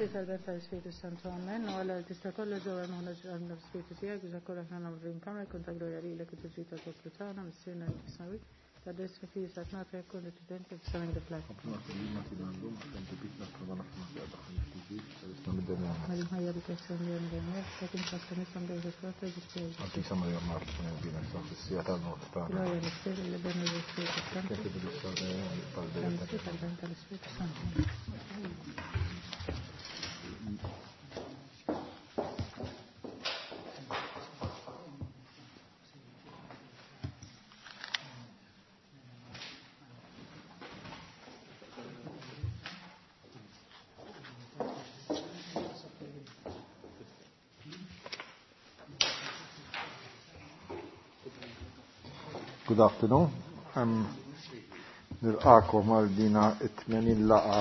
Missier tal-Ben tal-Ispiritu Santu Amen. U għalla tista' kollu ġewwa maħna ġewwa l-Ispiritu tiegħek biex kollha aħna nagħmlu kamra jkun ta' glorja lilek u tiġi ta' poplu tagħna Missierna li fis-smawwiet. Ta' desmi fi sa tnata jkun li fis-samin diflek. Mal-ħajja li kessan li għandem, ta' kim ta' nisam dejjem fil-flotta ġispieri. Għantisa Maria Marta, bina sa' fissija tal-not ta' Glorja l-Missier l-Ben u l-Ispiritu Santu. Kif tal-bejn Tal-Missier tal-Ben tal-Ispiritu Santu. Good afternoon. Nilqakom għal dina it-80 laqa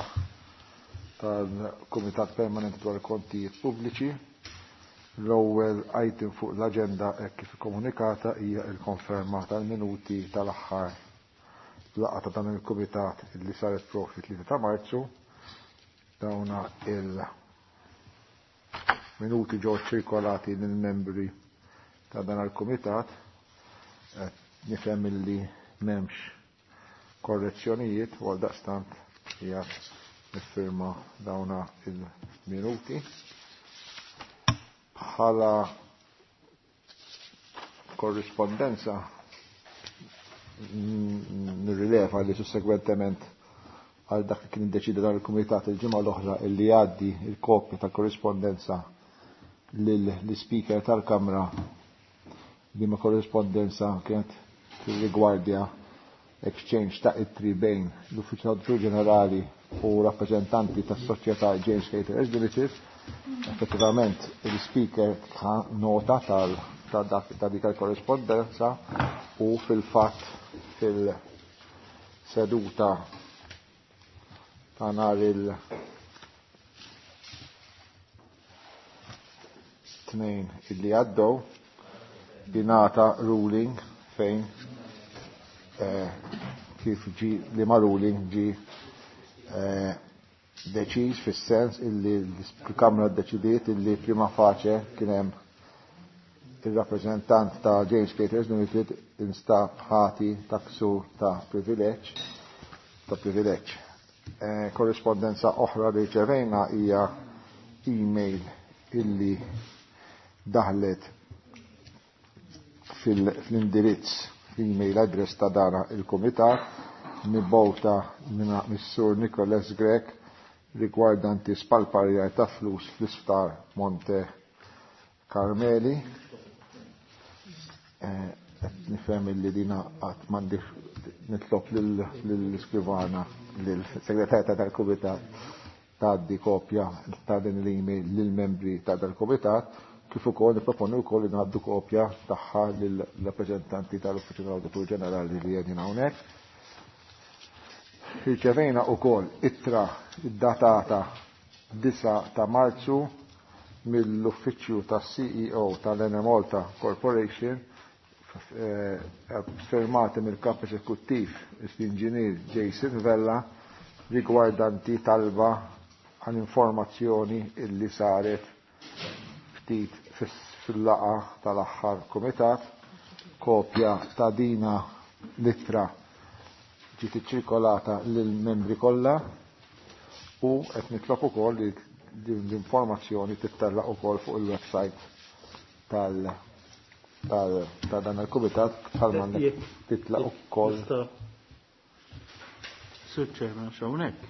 tal-Kumitat Permanenti dwar il-Kontijiet Pubbliċi. L-ewwel item fuq l-aġenda hekk kif ikkomunikata hija l-konferma tal-minuti tal-aħħar laqa ta' dan il-Kumitat li saret propju 3 ta' Marzu. Dawna il-minuti ġew ċirkolati lill-membri ta' dan il-Kumitat. Nifhem illi m'hemmx korrezzjonijiet u għal daqstant hija niffirma dawna il-minuti. Bħala korrispondenza nirrileva li sussegwentement għal dak li kien iddeċida dan il-kumitat il-ġimgħa l-oħra illi jgħaddi il-kopja tal-korrispondenza lill-speaker tal-Kamra li ma korrispondenza kienet tirrigwardja exchange ta' ittri bejn l-Uffiċċju tal-Awditur Ġenerali u rappreżentanti tas-Soċjetà James Caterers Limited. Effettivament il-speaker ta' nota ta' dik il-korrispondenza u fil-fatt fil-seduta ta' nhar il tnejn illi għaddew ingħata ruling fejn kif ġi li ma ruling ġi deċiż fis-sens illi l-Kamra ddeċidiet illi prima facie kien hemm ir-rappreżentant ta' James Caterers Limited instab ħati ta' ksur ta' privileġġ ta' privileġġ. Korrispondenza oħra li ċevejna hija email illi daħlet fl-indirizz l-email address ta' dana il-Kumitat mibgħuta minn Missur Nicholas Grech rigwardanti spalparjar ta' flus fl-isptar Monte Carmeli. Qed nifhem illi dina qatt m'għandix nitlob lill-iskrivana, lill-segretarja tal-Kumitat tgħaddi kopja ta' din l-email lill-membri ta' dal-Kumitat, kif ukoll nipproponi wkoll li ngħaddu kopja tagħha lill-rappreżentanti tal-Uffiċċju tal-Awditur Ġenerali li qegħdin hawnhekk. Irċevejna wkoll ittra ddatata 9 ta' Marzu mill-Uffiċċju tas-CEO tal-Enemalta Corporation, firmati mill-Kap Eżekuttiv l-Inġinier Jason Vella rigwardanti talba għal informazzjoni illi saret ftit fil-laqa tal-aħħar kumitat. Kopja ta' dina l-ittra ġiet iċċirkolata lill-membri kollha u qed nitlob ukoll li din l-informazzjoni tittellaq ukoll fuq il-website ta' dan il-kumitat bħalma għandek titlaq ukoll. Sur Chairman, hawnhekk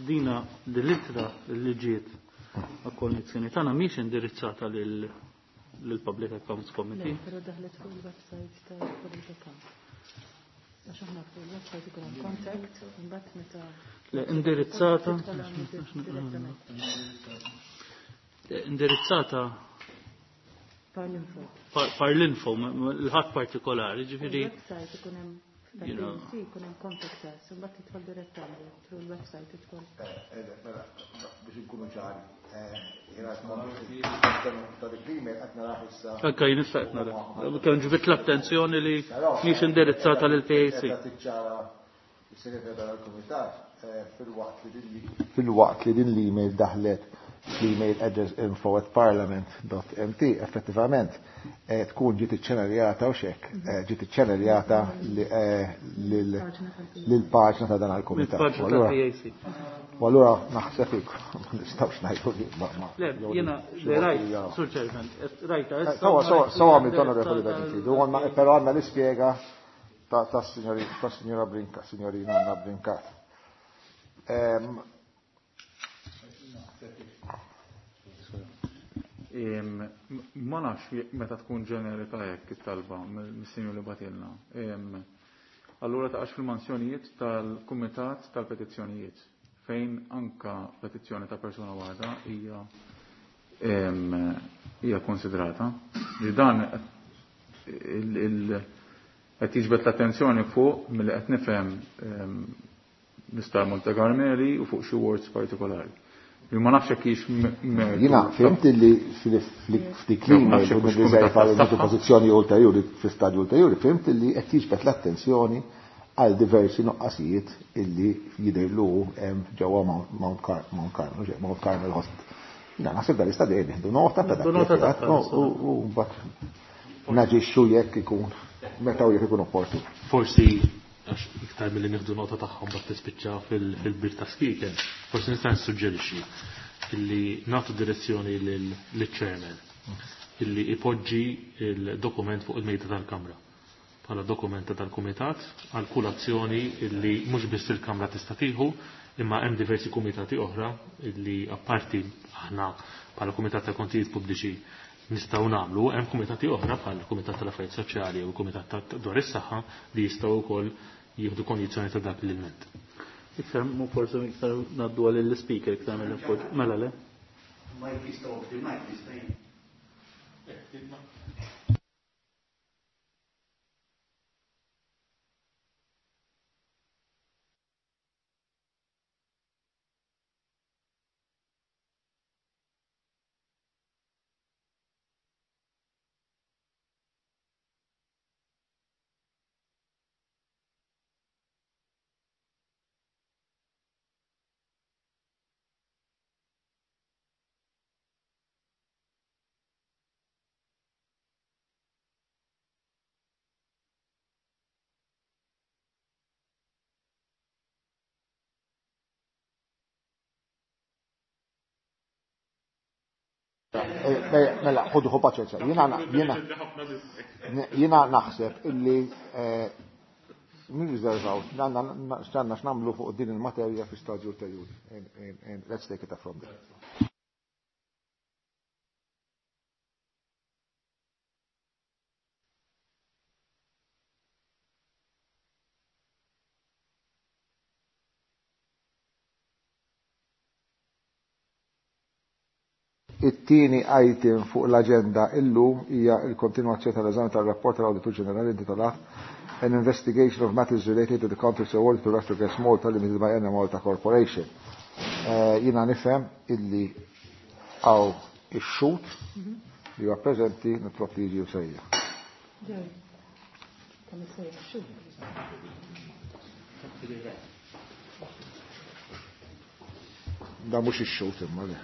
dina l-ittra li ġiet għall-kondizzjoni tagħna mhix indirizzata lill-Public Accounts Committee. Le, però daħlet fuq il-website tal-Public Accounts. Għax aħna fuq il-website ikun hemm contact, imbagħad meta Le, indirizzata. Direttament. Le, indirizzata Par l-info. Par l-info, l-ħadd partikolari, ġifieri. Il-website ikun hemm Sì, ikun hemm contact us, imbagħad tidħol direttament through il-website tidħol. Mela, biex inkunu ċari, jiena ta' dik l-email qed naraħ issa. Anke jien issa qed nara. Kemm ġbit l-attenzjoni li mhix indirizzata lil PAC. Qed tiċċara is-segretarju tal-Kumitat filwaqt li din l-email daħlet Fl-email address info@parliament.mt effettivament tkun ġiet iċċenerjata u xek, ġiet iċċenerjata lill-paġna ta' dan il-kumitat. U allura naħseb ma nistgħux ngħidu li ma. Le, jiena rajt, Sur Chairman, rajta issa. Sawa, sawa għamilt onorevoli Benitidu, però għandna l-ispjega ta' signora Brinca, signorina Anna Brincat. Ma nafx meta tkun ġenerika hekk it-talba mis-sinjur li batilna. Allura taqax fil-mansjonijiet tal-Kumitat tal-Petizzjonijiet fejn anka petizzjoni ta' persuna waħda hija hija konsidrata. Li dan qed jiġbed l-attenzjoni fuq milli qed nifhem l-Istar Monte Carmeli u fuq xi wards partikolari. Li ma nafx hekk hix mertu. Jiena fhimt li f'dik l-email u nirriserva li nieħdu pożizzjoni ulterjuri fi stadju ulterjuri, fhimt li qed jiġbed l-attenzjoni għal diversi nuqqasijiet illi jidhirlu hemm ġewwa Mount Carmel, Mount Carmel Hospital. Jiena naħseb dan l-istadju nieħdu nota ta' dak u mbagħad naġixxu jekk ikun meta u jekk ikun opportun. Forsi għax iktar milli nieħdu nota tagħhom bad tispiċċa fil-bir ta' skiken, forsi nista' nissuġġerixxi illi nagħtu direzzjoni lill-chairman illi ipoġġi il-dokument fuq il-mejda tal-Kamra bħala dokumenta tal-Kumitat għal kull azzjoni illi mhux biss il-Kamra tista' tieħu imma hemm diversi kumitati oħra illi apparti aħna bħala Kumitat ta' Kontijiet Pubbliċi nistgħu nagħmlu, hemm kumitati oħra bħal Kumitat tal-Affarijiet Soċjali u Kumitat dwar is-Saħħa li jistgħu wkoll jieħdu kondizzjoni ta' dak l-ilment. Iktar mu forsi iktar ngħaddu għal l-speaker iktar mill-appoġġ. Mela le? Mike jistgħu Mike jista' Mela, ħodu ħu paċenza. Jiena naħseb illi nirriservaw, għandna x'nagħmlu fuq din il-materja fi stadju ulterjuri. Let's take it up from there. It-tieni item fuq l-aġenda illum hija l-kontinwazzjoni tal-eżami tar-rapport tal-Awditur Ġenerali intitolat An Investigation of Matters Related to the Contracts Awarded to Electrogas Malta Limited by Enemalta Corporation. Jiena nifhem illi hawn ix-xhud li huwa preżenti nitlob li jiġi sejja. Da mhux ix-xhud imma le.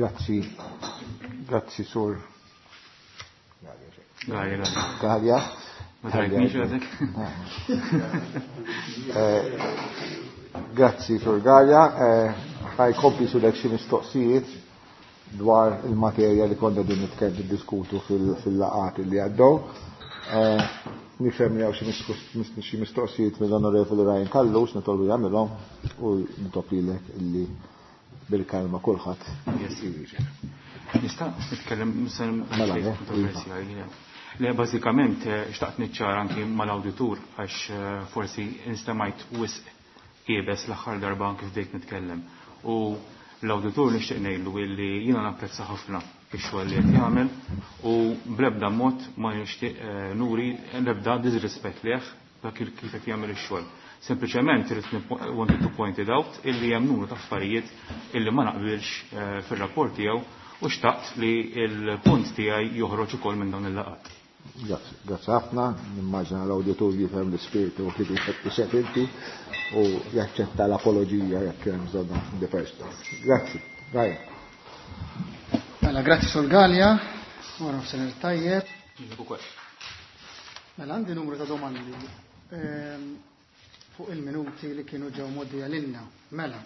Grazzi, grazzi sur. Gallia. Gallia. Ma trajtnix għadek? Grazzi sur Gallia. Ħajkompli sulek xi mistoqsijiet dwar il-materja li konna din nitkellem diskutu fil-laqat li għaddew. Nifhem li hawn xi mistoqsijiet mill-Onorevoli Ryan Callus, nitolbu jagħmilhom u nitlob lilek illi bil-kalma kulħadd Yes. Nista' nitkellem Mela, mela, kontroversjali. Le bażikament xtaqt niċċara anki mal-awditur għax forsi instemajt wisq iebes l-aħħar darba anki bdejt nitkellem. U l-awditur nixtieq ngħidlu illi jiena napprezza ħafna ix-xogħol li qed jagħmel u bl-ebda mod ma nixtieq nuri l-ebda disrispett leh dak kif qed jagħmel ix-xogħol. Sempliċement irid wanted to point it out illi hemm numru ta' affarijiet illi ma naqbilx fir-rapport tiegħu u xtaqt li l-punt tiegħi joħroġ ukoll minn dawn il-laqgħat. Grazzi, grazzi ħafna, nimmaġina l-awditur jifhem l-ispirtu kif jixtieq inti u jaċċetta l-apoloġija jekk hemm bżonn in the first place. Grazzi, Ryan. Mela, grazzi Sur Galea, wara nofsinhar tajjeb. Ukoll. Mela, għandi numru ta' domandi fuq il-minuti li kienu ġew mgħoddija lilna. Mela,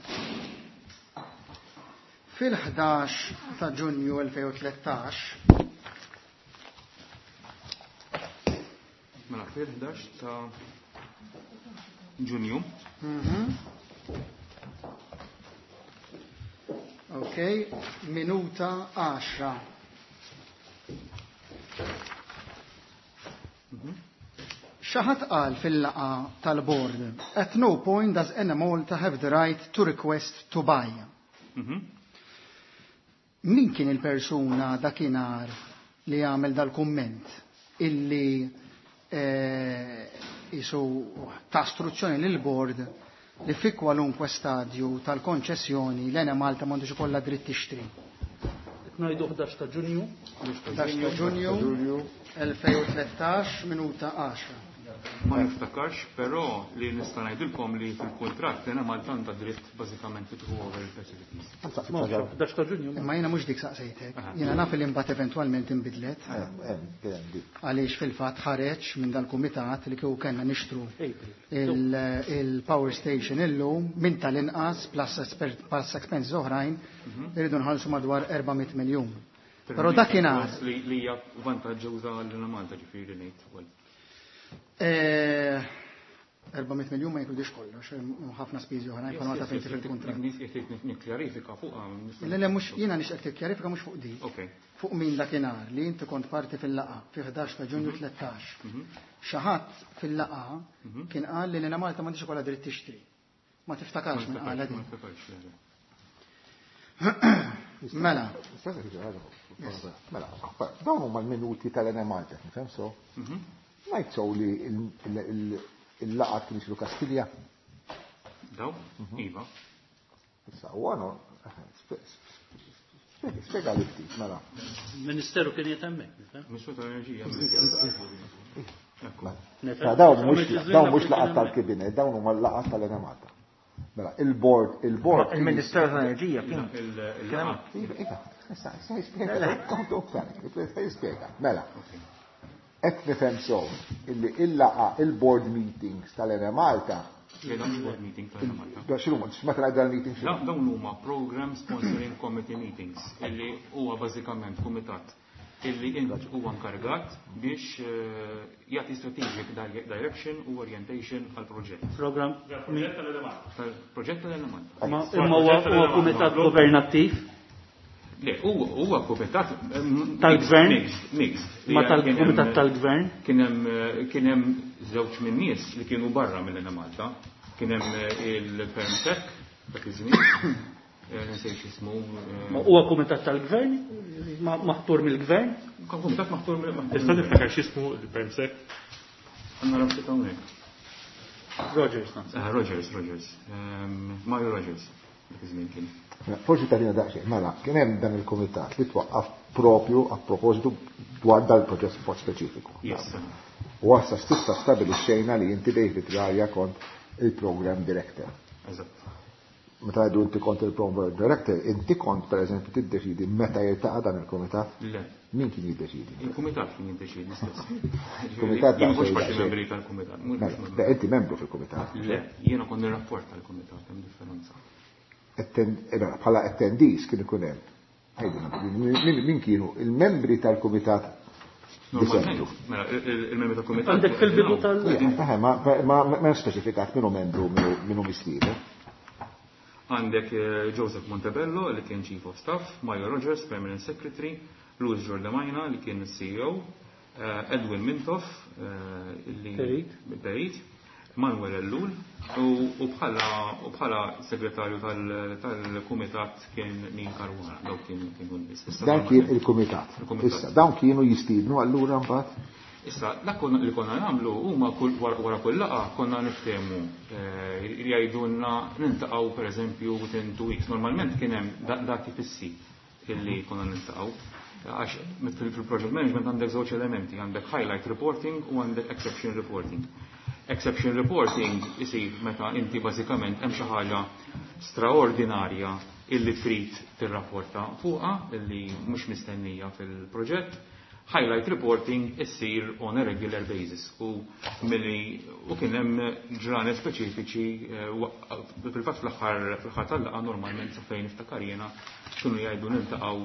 fil-11 ta' Ġunju 2013, Mela, fil-11 ta' Ġunju. Ok, minuta 10. Xi ħadd qal fil-laqgħa tal-board, at no point does Enemalta have the right to request to buy. Min kien il-persuna dakinhar li għamel dal-kumment illi jisu ta' istruzzjoni lil board li fi kwalunkwe stadju tal-konċessjoni l-Enemalta m'għandux ikollha dritt tixtri? Ngħidu 11 ta' Ġunju. 11 ta' Ġunju 2013, minuta 10. Ma niftakarx, però li nista' ngħidilkom li fil-kuntratt l-Enemalta għandha dritt bażikament li tieħu over il-facilities. 11 ta' Ġunju. Imma jiena mhux dik saqsejtek. Jiena naf li mbagħad eventwalment inbidlet. Għaliex fil-fatt ħareġ minn dal-kumitat li kieku kellna nixtru il-power station illum minn tal-inqas plus expenses oħrajn irridu nħallsu madwar 400 miljun. Però dakinhar li hija vantaġġuża għall-Enemalta ġifieri ngħid ukoll. 400 miljun ma jinkludix kollox, hemm ħafna spiżi oħrajn bħalma taf inti fil-kuntratt. Nikkjarifika fuq. Le, le, mhux jiena nixtieq tikkjarifika mhux fuq di. Fuq min dakinhar li inti kont parti fil-laqgħa fi 11 ta' Ġunju 13. Xi ħadd fil-laqgħa kien qal li l-Enemalta m'għandix ikollha dritt tixtri. Ma tiftakarx minn qala din. Ma niftakarx, le, le. Mela. Mela, dawn huma l-minuti tal-Enemalta, nifhem so? Ngħid sew li il-laqgħat kien isiru Kastilja? Daw? Iva. Issa, u għanu, spjega li ftit, mela. Ministeru kien qiegħed hemmhekk, nifhem? Ministru tal-Enerġija. Mela, dawn mhux laqgħat tal-Kabinet, dawn huma l-laqgħat tal-Enemalta. Mela, il-board, il-board. Il-Ministeru tal-Enerġija kien. Iva, iva, issa, issa jispjega, jispjega. Mela, qed nifhem sew illi il-laqgħa il-board meetings tal-Enemalta. Le, dawn board meeting tal-Enemalta. Da, x'inhuma? Meta ngħid dan meeting x'inhu? Dawn huma program sponsoring committee meetings illi huwa bażikament kumitat illi int huwa nkargat biex jagħti strategic direction u orientation għal proġett. Program Proġett tal-Enemalta. Tal-proġett tal-Enemalta. Ma imma huwa kumitat governattiv? Le, huwa kumitat Tal-gvern? Mixed, mixed. Ma tal-kumitat tal-gvern? Kien hemm żewġ minn nies li kienu barra mill-Enemalta. Kien hemm il-Permsec dak iż-żmien. Nsejt x'ismu. Ma huwa kumitat tal-gvern? Maħtur mill-gvern? Kumitat maħtur mill-gvern. Tista' tiftakar x'ismu il-Permsec? Għandna rabtiet hawnhekk. Rogers, naħseb. Rogers, Rogers. Mario Rogers, dak iż-żmien kien. Mela, forsi tagħtina daqsxejn, mela, kien hemm dan il-kumitat li twaqqaf propju a propositu dwar dal-proġett mod speċifiku. Yes. U għassa stissa stabilixxejna li inti David Galea kont il-program director. Eżatt. Meta għidu inti kont il-program director, inti kont per eżempju tiddeċidi meta jiltaqa' dan il-kumitat? Le. Min kien jiddeċidi? Il-kumitat kien jiddeċidi stess. Il-kumitat Jien mhux daqsxejn parti daqsxejn. membri tal-kumitat, mhux Mela, membru. beh, inti membru fil-kumitat. Le, jiena kont nirrapport tal-kumitat, hemm differenza. Mela, bħala attendees kien ikun hemm. Għidilna, min kienu il-membri tal-kumitat Normalment, Disentu. mela, il-membri tal-kumitat. Għandek fil-bidu tal- Ma speċifikat minnu membru, minnu mistieden. Għandek Joseph Montebello li kien Chief of Staff, Mario Rogers, Permanent Secretary, Louis Giordamajna li kien CEO, Edwin Mintoff li Perit. Perit, Manuel Ellul u bħala segretarju tal-kumitat kien Neil Caruana, dawk kienu n-nies. Issa Dan kien il-kumitat. Il-kumitat. Issa, dawn kienu jistiednu allura mbagħad? Issa, dak li konna nagħmlu huma wara kull laqgħa konna niftehmu jgħidulna niltaqgħu pereżempju within 2 weeks. Normalment kien hemm dati fissi illi konna niltaqgħu. Għax fil-project management għandek żewġ elementi, għandek highlight reporting u għandek exception reporting. Exception reporting isir meta inti bażikament hemm xi ħaġa straordinarja illi trid tirrapporta fuqha illi mhux mistennija fil-proġett. Highlight reporting issir on a regular basis u milli u kien hemm ġranet speċifiċi fil-fatt fl-aħħar tal-laqgħa normalment sa fejn niftakar jiena kienu jgħidu niltaqgħu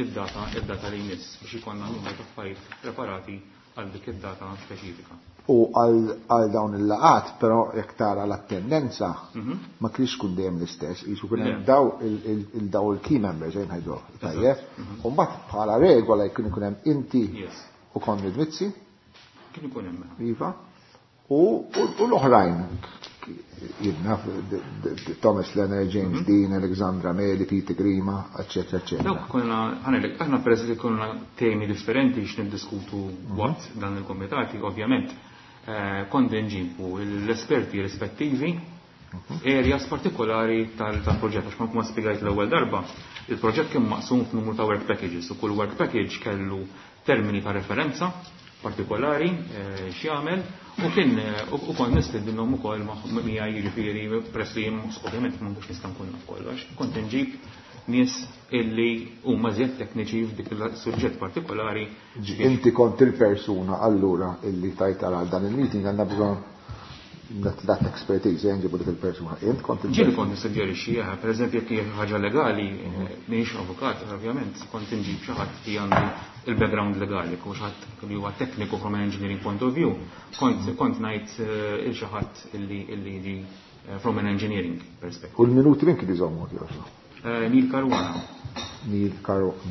id-data li jmiss biex ikollna numru ta' affarijiet preparati għal dik id-data speċifika. U għal dawn il-laqat, però jekk tara l-attendenza, ma kienx tkun dejjem l-istess, jisu kien hemm daw il-key members, jgħid ngħidu, tajjeb. U mbagħad bħala regola jkun ikun hemm inti u Konrad Mizzi. Kien ikun hemm. Iva. U l-oħrajn, jidna, Thomas Leonard, James Dean, Alexandra Meli, Peter Grima, eccetera, eccetera. Dawk konna, ħanelek, aħna peress li konna temi differenti biex niddiskutu waqt dan il-komitati, ovvjament, kont nġibu l-esperti rispettivi, areas partikolari tal-proġett, għax ma spjegajt l-ewwel darba, il-proġett kien maqsum f'numru ta' work packages u kull work package kellu termini ta' referenza partikolari x'jagħmel u kien u kont nistedinhom ukoll miegħi, jiġifieri peress li jien ovvjament ma nkunx nista' nkun naf kollox, kont inġib nies illi huma żjed tekniċi f'dik il-suġġett partikolari. Inti kont il-persuna allura illi tajt għal dan il-meeting għandna bżonn that expertise, nġibu dik il-persuna. Int kont il- Ġieli kont nissuġġerixxi, per eżempju, jekk hija ħaġa legali, m'iniex avukat, ovvjament, kont inġib xi ħadd li għandu il-background legali, u xi ħadd li huwa tekniku from an engineering point of view, kont ngħid il xi ħadd illi jiġi from an engineering perspective. U l-minuti min kien iżommu, kif? Neil Caruana. Neil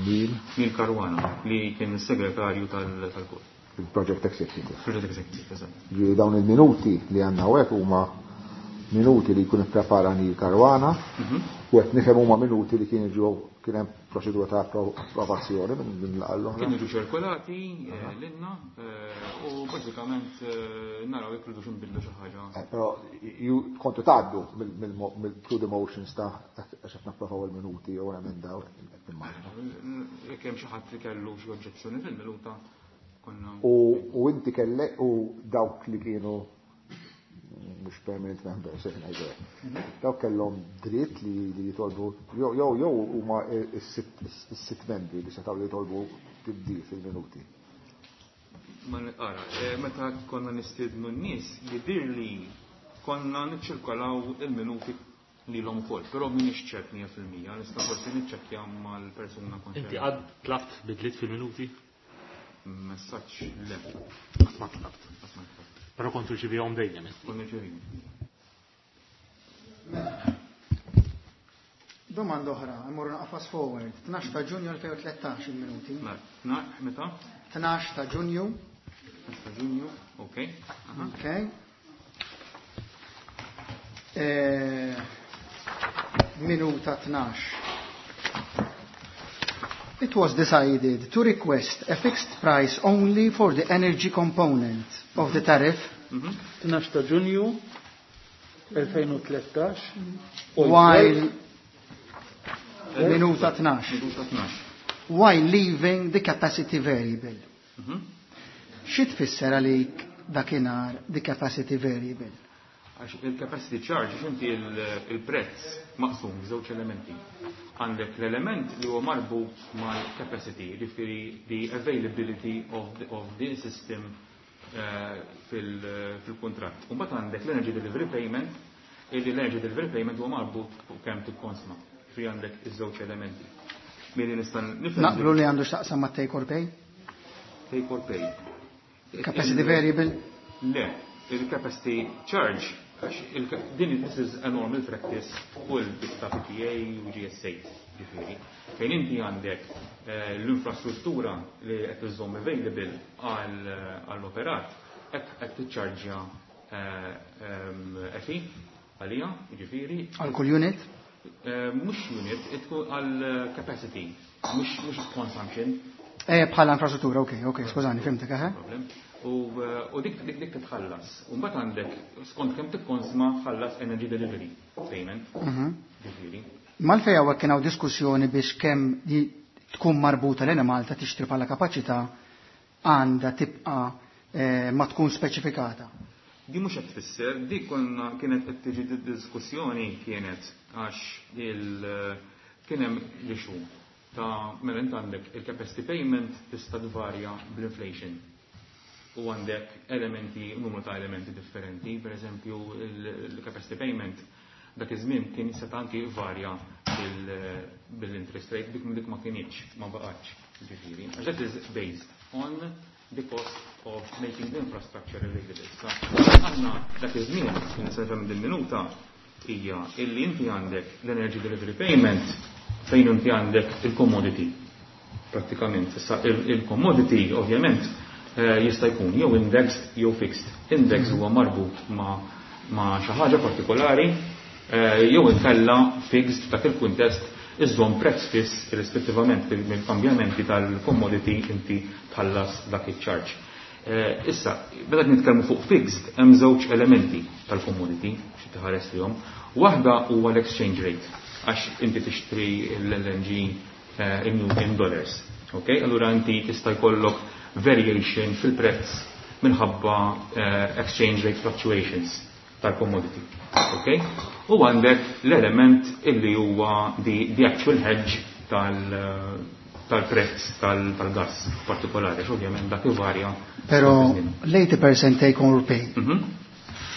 Neil? Neil Caruana, li kien is-segretarju tal-kor. Il-Project Executive. Project Executive, eżatt. Ġifieri dawn il-minuti li għandna hawnhekk huma minuti li jkun ipprepara Neil Caruana, u qed nifhem huma minuti li kienu ġew kien hemm proċedura ta' approvazzjoni minn laqgħa l-oħra. Kienu ġew ċirkolati lilna u bażikament naraw jekk rridux inbidlu xi ħaġa. Però ju kontu tgħaddu mill through the motions ta' għax qed napprovaw il-minuti jew emendaw, qed nimmaġina. Jekk hemm xi ħadd li kellu xi oġġezzjoni fil-minuta, konna U inti kellek u dawk li kienu mhux permanent members, se ngħidu hekk. Dawk kellhom dritt li jitolbu, jew huma is-sitt membri li setgħu jitolbu tibdil fil-minuti. Ma nqara, meta konna nistiednu n-nies, jidhir li konna niċċirkolaw il-minuti li l-om ukoll, però m'iniex ċert mija fil-mija, nista' forsi niċċekkja mal-persuna konċernata. Inti għad tlabt bidliet fil-minuti? Messaġġ le. Qatt ma tlabt. Qatt ma tlabt. Però kont irċivihom dejjem, inti. Kont irċivihom. Domanda oħra, immorru naqra fast forward. 12 ta' Ġunju 2013 il-minuti. Mela, meta? 12 ta' Ġunju. 12 ta' Ġunju, ok. Aha. Ok. Minuta 12. It was decided to request a fixed price only for the energy component of the tariff. 12 ta' Ġunju 2013. While minuta 12. Minuta 12. While leaving the capacity variable. Xi tfisser għalik dakinhar the capacity variable? Għax il-capacity charge, għax inti il-prezz maqsum f'żewġ elementi. Għandek l-element li huwa marbut mal-capacity, jiġifieri the availability of the system fil-kuntratt. U mbagħad għandek l-energy delivery payment, illi l-energy delivery payment huwa marbut fuq kemm tikkonsma. Jiġifieri għandek iż-żewġ elementi. Milli nista' nifhem Naqblu li għandu x'taqsam ma' take or pay? Take or pay. Capacity variable? Le, il-capacity charge Għax din this is a normal practice fuq il ta' PPA u GSA, ġifieri. Fejn inti għandek l-infrastruttura li qed iżżomm available għall-operat, qed tiċċarġja fee għalija, ġifieri. Għal kull unit? Mhux unit, tkun għal capacity, mhux consumption. Bħala infrastruttura, ok, skużani, fhimtek, eħe. U dik titħallas. U mbagħad għandek skont kemm tikkonsma tħallas energy delivery payment. Ġifieri. Mal-fej hawnhekk kien hawn diskussjoni biex kemm tkun marbuta l-Enemalta tixtri bħala kapaċità għandha tibqa' ma tkun speċifikata. Di mhux qed tfisser, di konna kienet qed tiġi diskussjoni kienet għax kien hemm l-issue ta' mela int għandek il-capacity payment tista' tvarja bl-inflation. U għandek elementi, numru ta' elementi differenti, per eżempju il-capacity payment dak iż-żmien kien seta' anki varja bil-interest rate, dik ma kienx, ma baqgħetx, ġifieri. Għax that is based on the cost of making the infrastructure available. Sa aħna dak iż-żmien, kien se nifhem din-minuta, hija illi inti għandek l-energy delivery payment fejn inti għandek il-commodity. Prattikament, issa il-commodity ovvjament jista' jkun jew indexed jew fixed. Index huwa marbut ma' xi ħaġa partikolari jew inkella fixed f'dak il-kuntest iżżomm prezz fiss irrispettivament mill-kambjamenti tal-commodity inti tħallas dak iċ-charge. Issa, meta nitkellmu fuq fixed hemm żewġ elementi tal-commodity xi tħares lihom. Waħda huwa l-exchange rate għax inti tixtri l-LNG in dollars. Ok? Allura inti tista' jkollok variation fil-prezz minħabba exchange rate fluctuations tal-commodity. Ok? U għandek l-element illi huwa the actual hedge tal-prezz tal-gas partikolari, ovvjament dak ivarja. Però l-80% take or pay.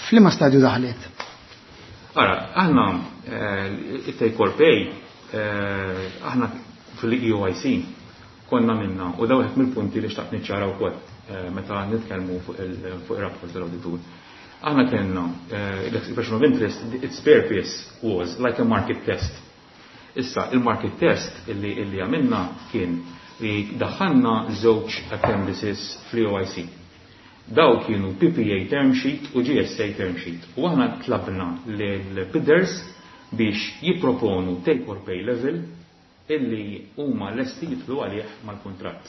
F'liema stadju daħlet? Ara, aħna it-take or pay, aħna fil-EOIC konna minna, u daw wieħed mill-punti li xtaqt niċċara wkoll meta nitkellmu fuq il-rapport tal-awditur. Aħna kellna l-expression of interest, its purpose was like a market test. Issa, il-market test illi għamilna kien li daħħalna żewġ appendices fl-EOIC. Daw kienu PPA term sheet u GSA term sheet. U aħna tlabna l-bidders biex jipproponu take or pay level illi huma lesti jidħlu għalih mal-kuntratt.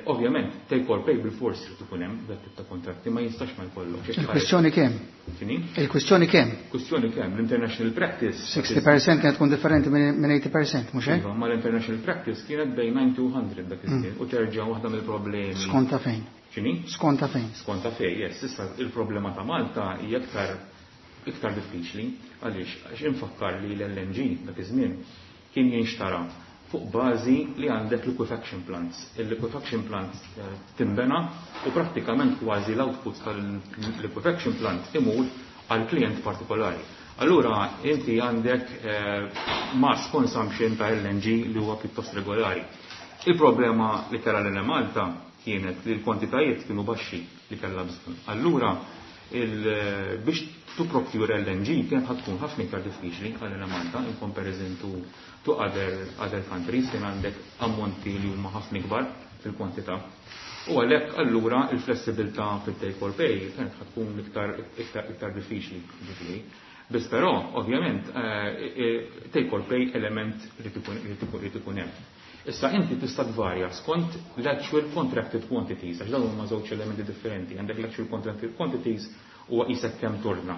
Ovvjament, take or pay bil-forsi trid ikun hemm dak tip ta' kontratti, ma jistax ma jkollok. Il-kwistjoni kemm? X'inhi? Il-kwistjoni kemm? Kwistjoni kemm? L-international practice. 60% kienet tkun differenti minn 80%, mhux hekk? Iva, ma l-international practice kienet bejn 90 u 100 dak iż-żmien u terġa' waħda mill-problemi. Skonta fejn? X'inhi? Skonta fejn? Skonta fejn, yes. Issa il-problema ta' Malta hija iktar diffiċli għaliex għax infakkar li l-LNG dak iż-żmien kien jinxtara fuq bażi li għandek liquefaction plants. Il-liquefaction plant timbena u prattikament kważi l-output tal-liquefaction plant imur għal klient partikolari. Allura inti għandek mass consumption ta' LNG li huwa pjuttost regolari. Il-problema li kellha l-Enemalta kienet li l-kwantitajiet kienu baxxi li kellha bżonn. Allura biex to procure LNG kienet ħad tkun ħafna iktar diffiċli għal Enemalta in comparison to other countries kien għandek ammonti li huma ħafna ikbar fil-kwantità. U għalhekk allura il-flessibilità fit-take or pay kienet ħad tkun iktar diffiċli, ġifieri. Biss però, ovvjament, take or pay element li ikun hemm. Issa inti tista' tvarja skont l-actual contracted quantities, għax dawn huma żewġ elementi differenti. Għandek l-actual contracted quantities huwa qisek kemm torna.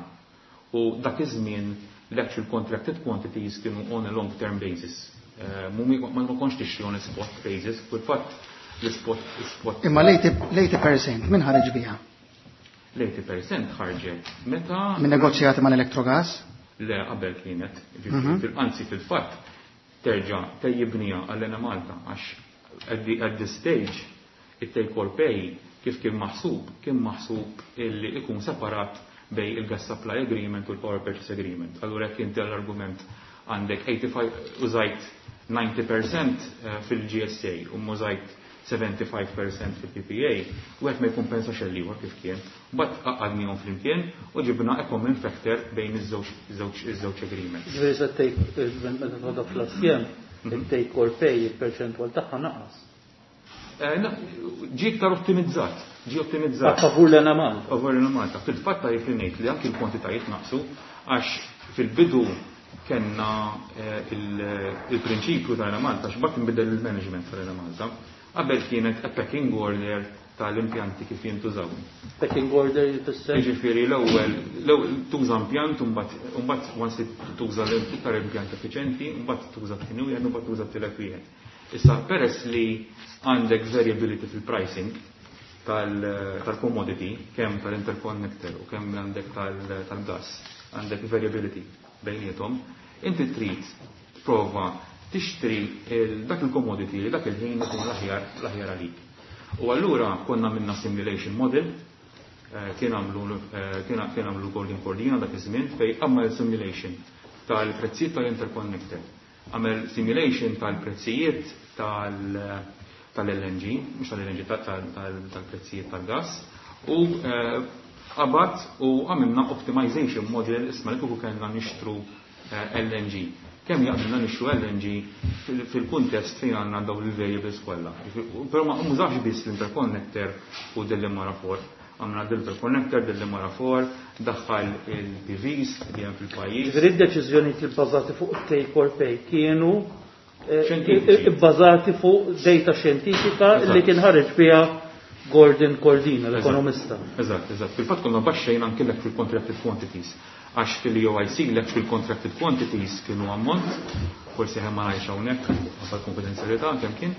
U dak iż-żmien l-actual contracted quantities kienu on a long term basis. Ma kontx tixtri on a spot basis, fil-fatt l-spot, l-spot. Imma l-80% min ħareġ biha? L-80% ħarġet meta Min negozjati mal-Electrogas? Le, qabel kienet, anzi fil-fatt terġa' tejjibnija għall-Enemalta għax at this stage it-take or pay kif kien maħsub, kien maħsub illi ikun separat bej il-gas supply agreement u l-power purchase agreement. Allura jekk inti l-argument għandek 85 użajt 90% fil-GSA u mużajt 75% fil-PPA, wieħed ma jikkumpensax l-ieħor kif kien. Mbagħad għaqqadnihom flimkien u ġibna a common factor bejn iż-żewġ agreements. Ġifieri se take meta tħodha fl-assjem, il-take or pay il-perċentwal tagħha naqas. Ġie iktar ottimizzat, ġie ottimizzat. A favur l-Enemalta. Favur l-Enemalta. Fil-fatt tajjeb li ngħid li anki l-kwantitajiet naqsu għax fil-bidu kellna il-prinċipju tal-Enemalta x'bagħad inbidel il-management tal-Enemalta. Qabel kienet a pecking order tal-impjanti kif jintużaw. Pecking order jfisser? Jiġifieri l-ewwel tuża impjant u mbagħad once tuża l-iktar impjant effiċjenti, mbagħad tuża t-tieni wieħed, mbagħad tuża t-tielet wieħed. Issa peress li għandek variability fil-pricing tal-commodity, kemm tal-interconnector u kemm għandek tal-gas, għandek variability bejniethom, inti trid prova tixtri dak il-commodity li dak il-ħin ikun l-aħjar għalik. U allura konna minna simulation model, kien għamlu Gordon Cordina dak iż-żmien fej għamel simulation tal-prezzijiet tal-interconnector, għamel simulation tal-prezzijiet tal-LNG, mhux tal-LNG, tal-prezzijiet tal-gas, u qabad u għamilna optimization model isma li kieku kellna nixtru LNG. Kemm jaqbilna nixtru LNG fil-kuntest fejn għandna dawn il-variables kollha. Però ma mużax biss l-interconnector u Delimara 4. Għamna l-interconnector, Delimara 4, daħħal il-PVs li hemm fil-pajjiż. Ġifieri d-deċiżjonijiet li bbażati fuq take or pay kienu Xjentifiċi. bbażati fuq data xjentifika li kien ħareġ biha Gordon Cordina, l-ekonomista. Eżatt, eżatt. Fil-fatt konna baxxejn anke l-actual contracted quantities. Għax fil-EOIC l-actual contracted quantities kienu ammont, forsi ħem ma ngħidx hawnhekk għal konfidenzjalità kemm kien,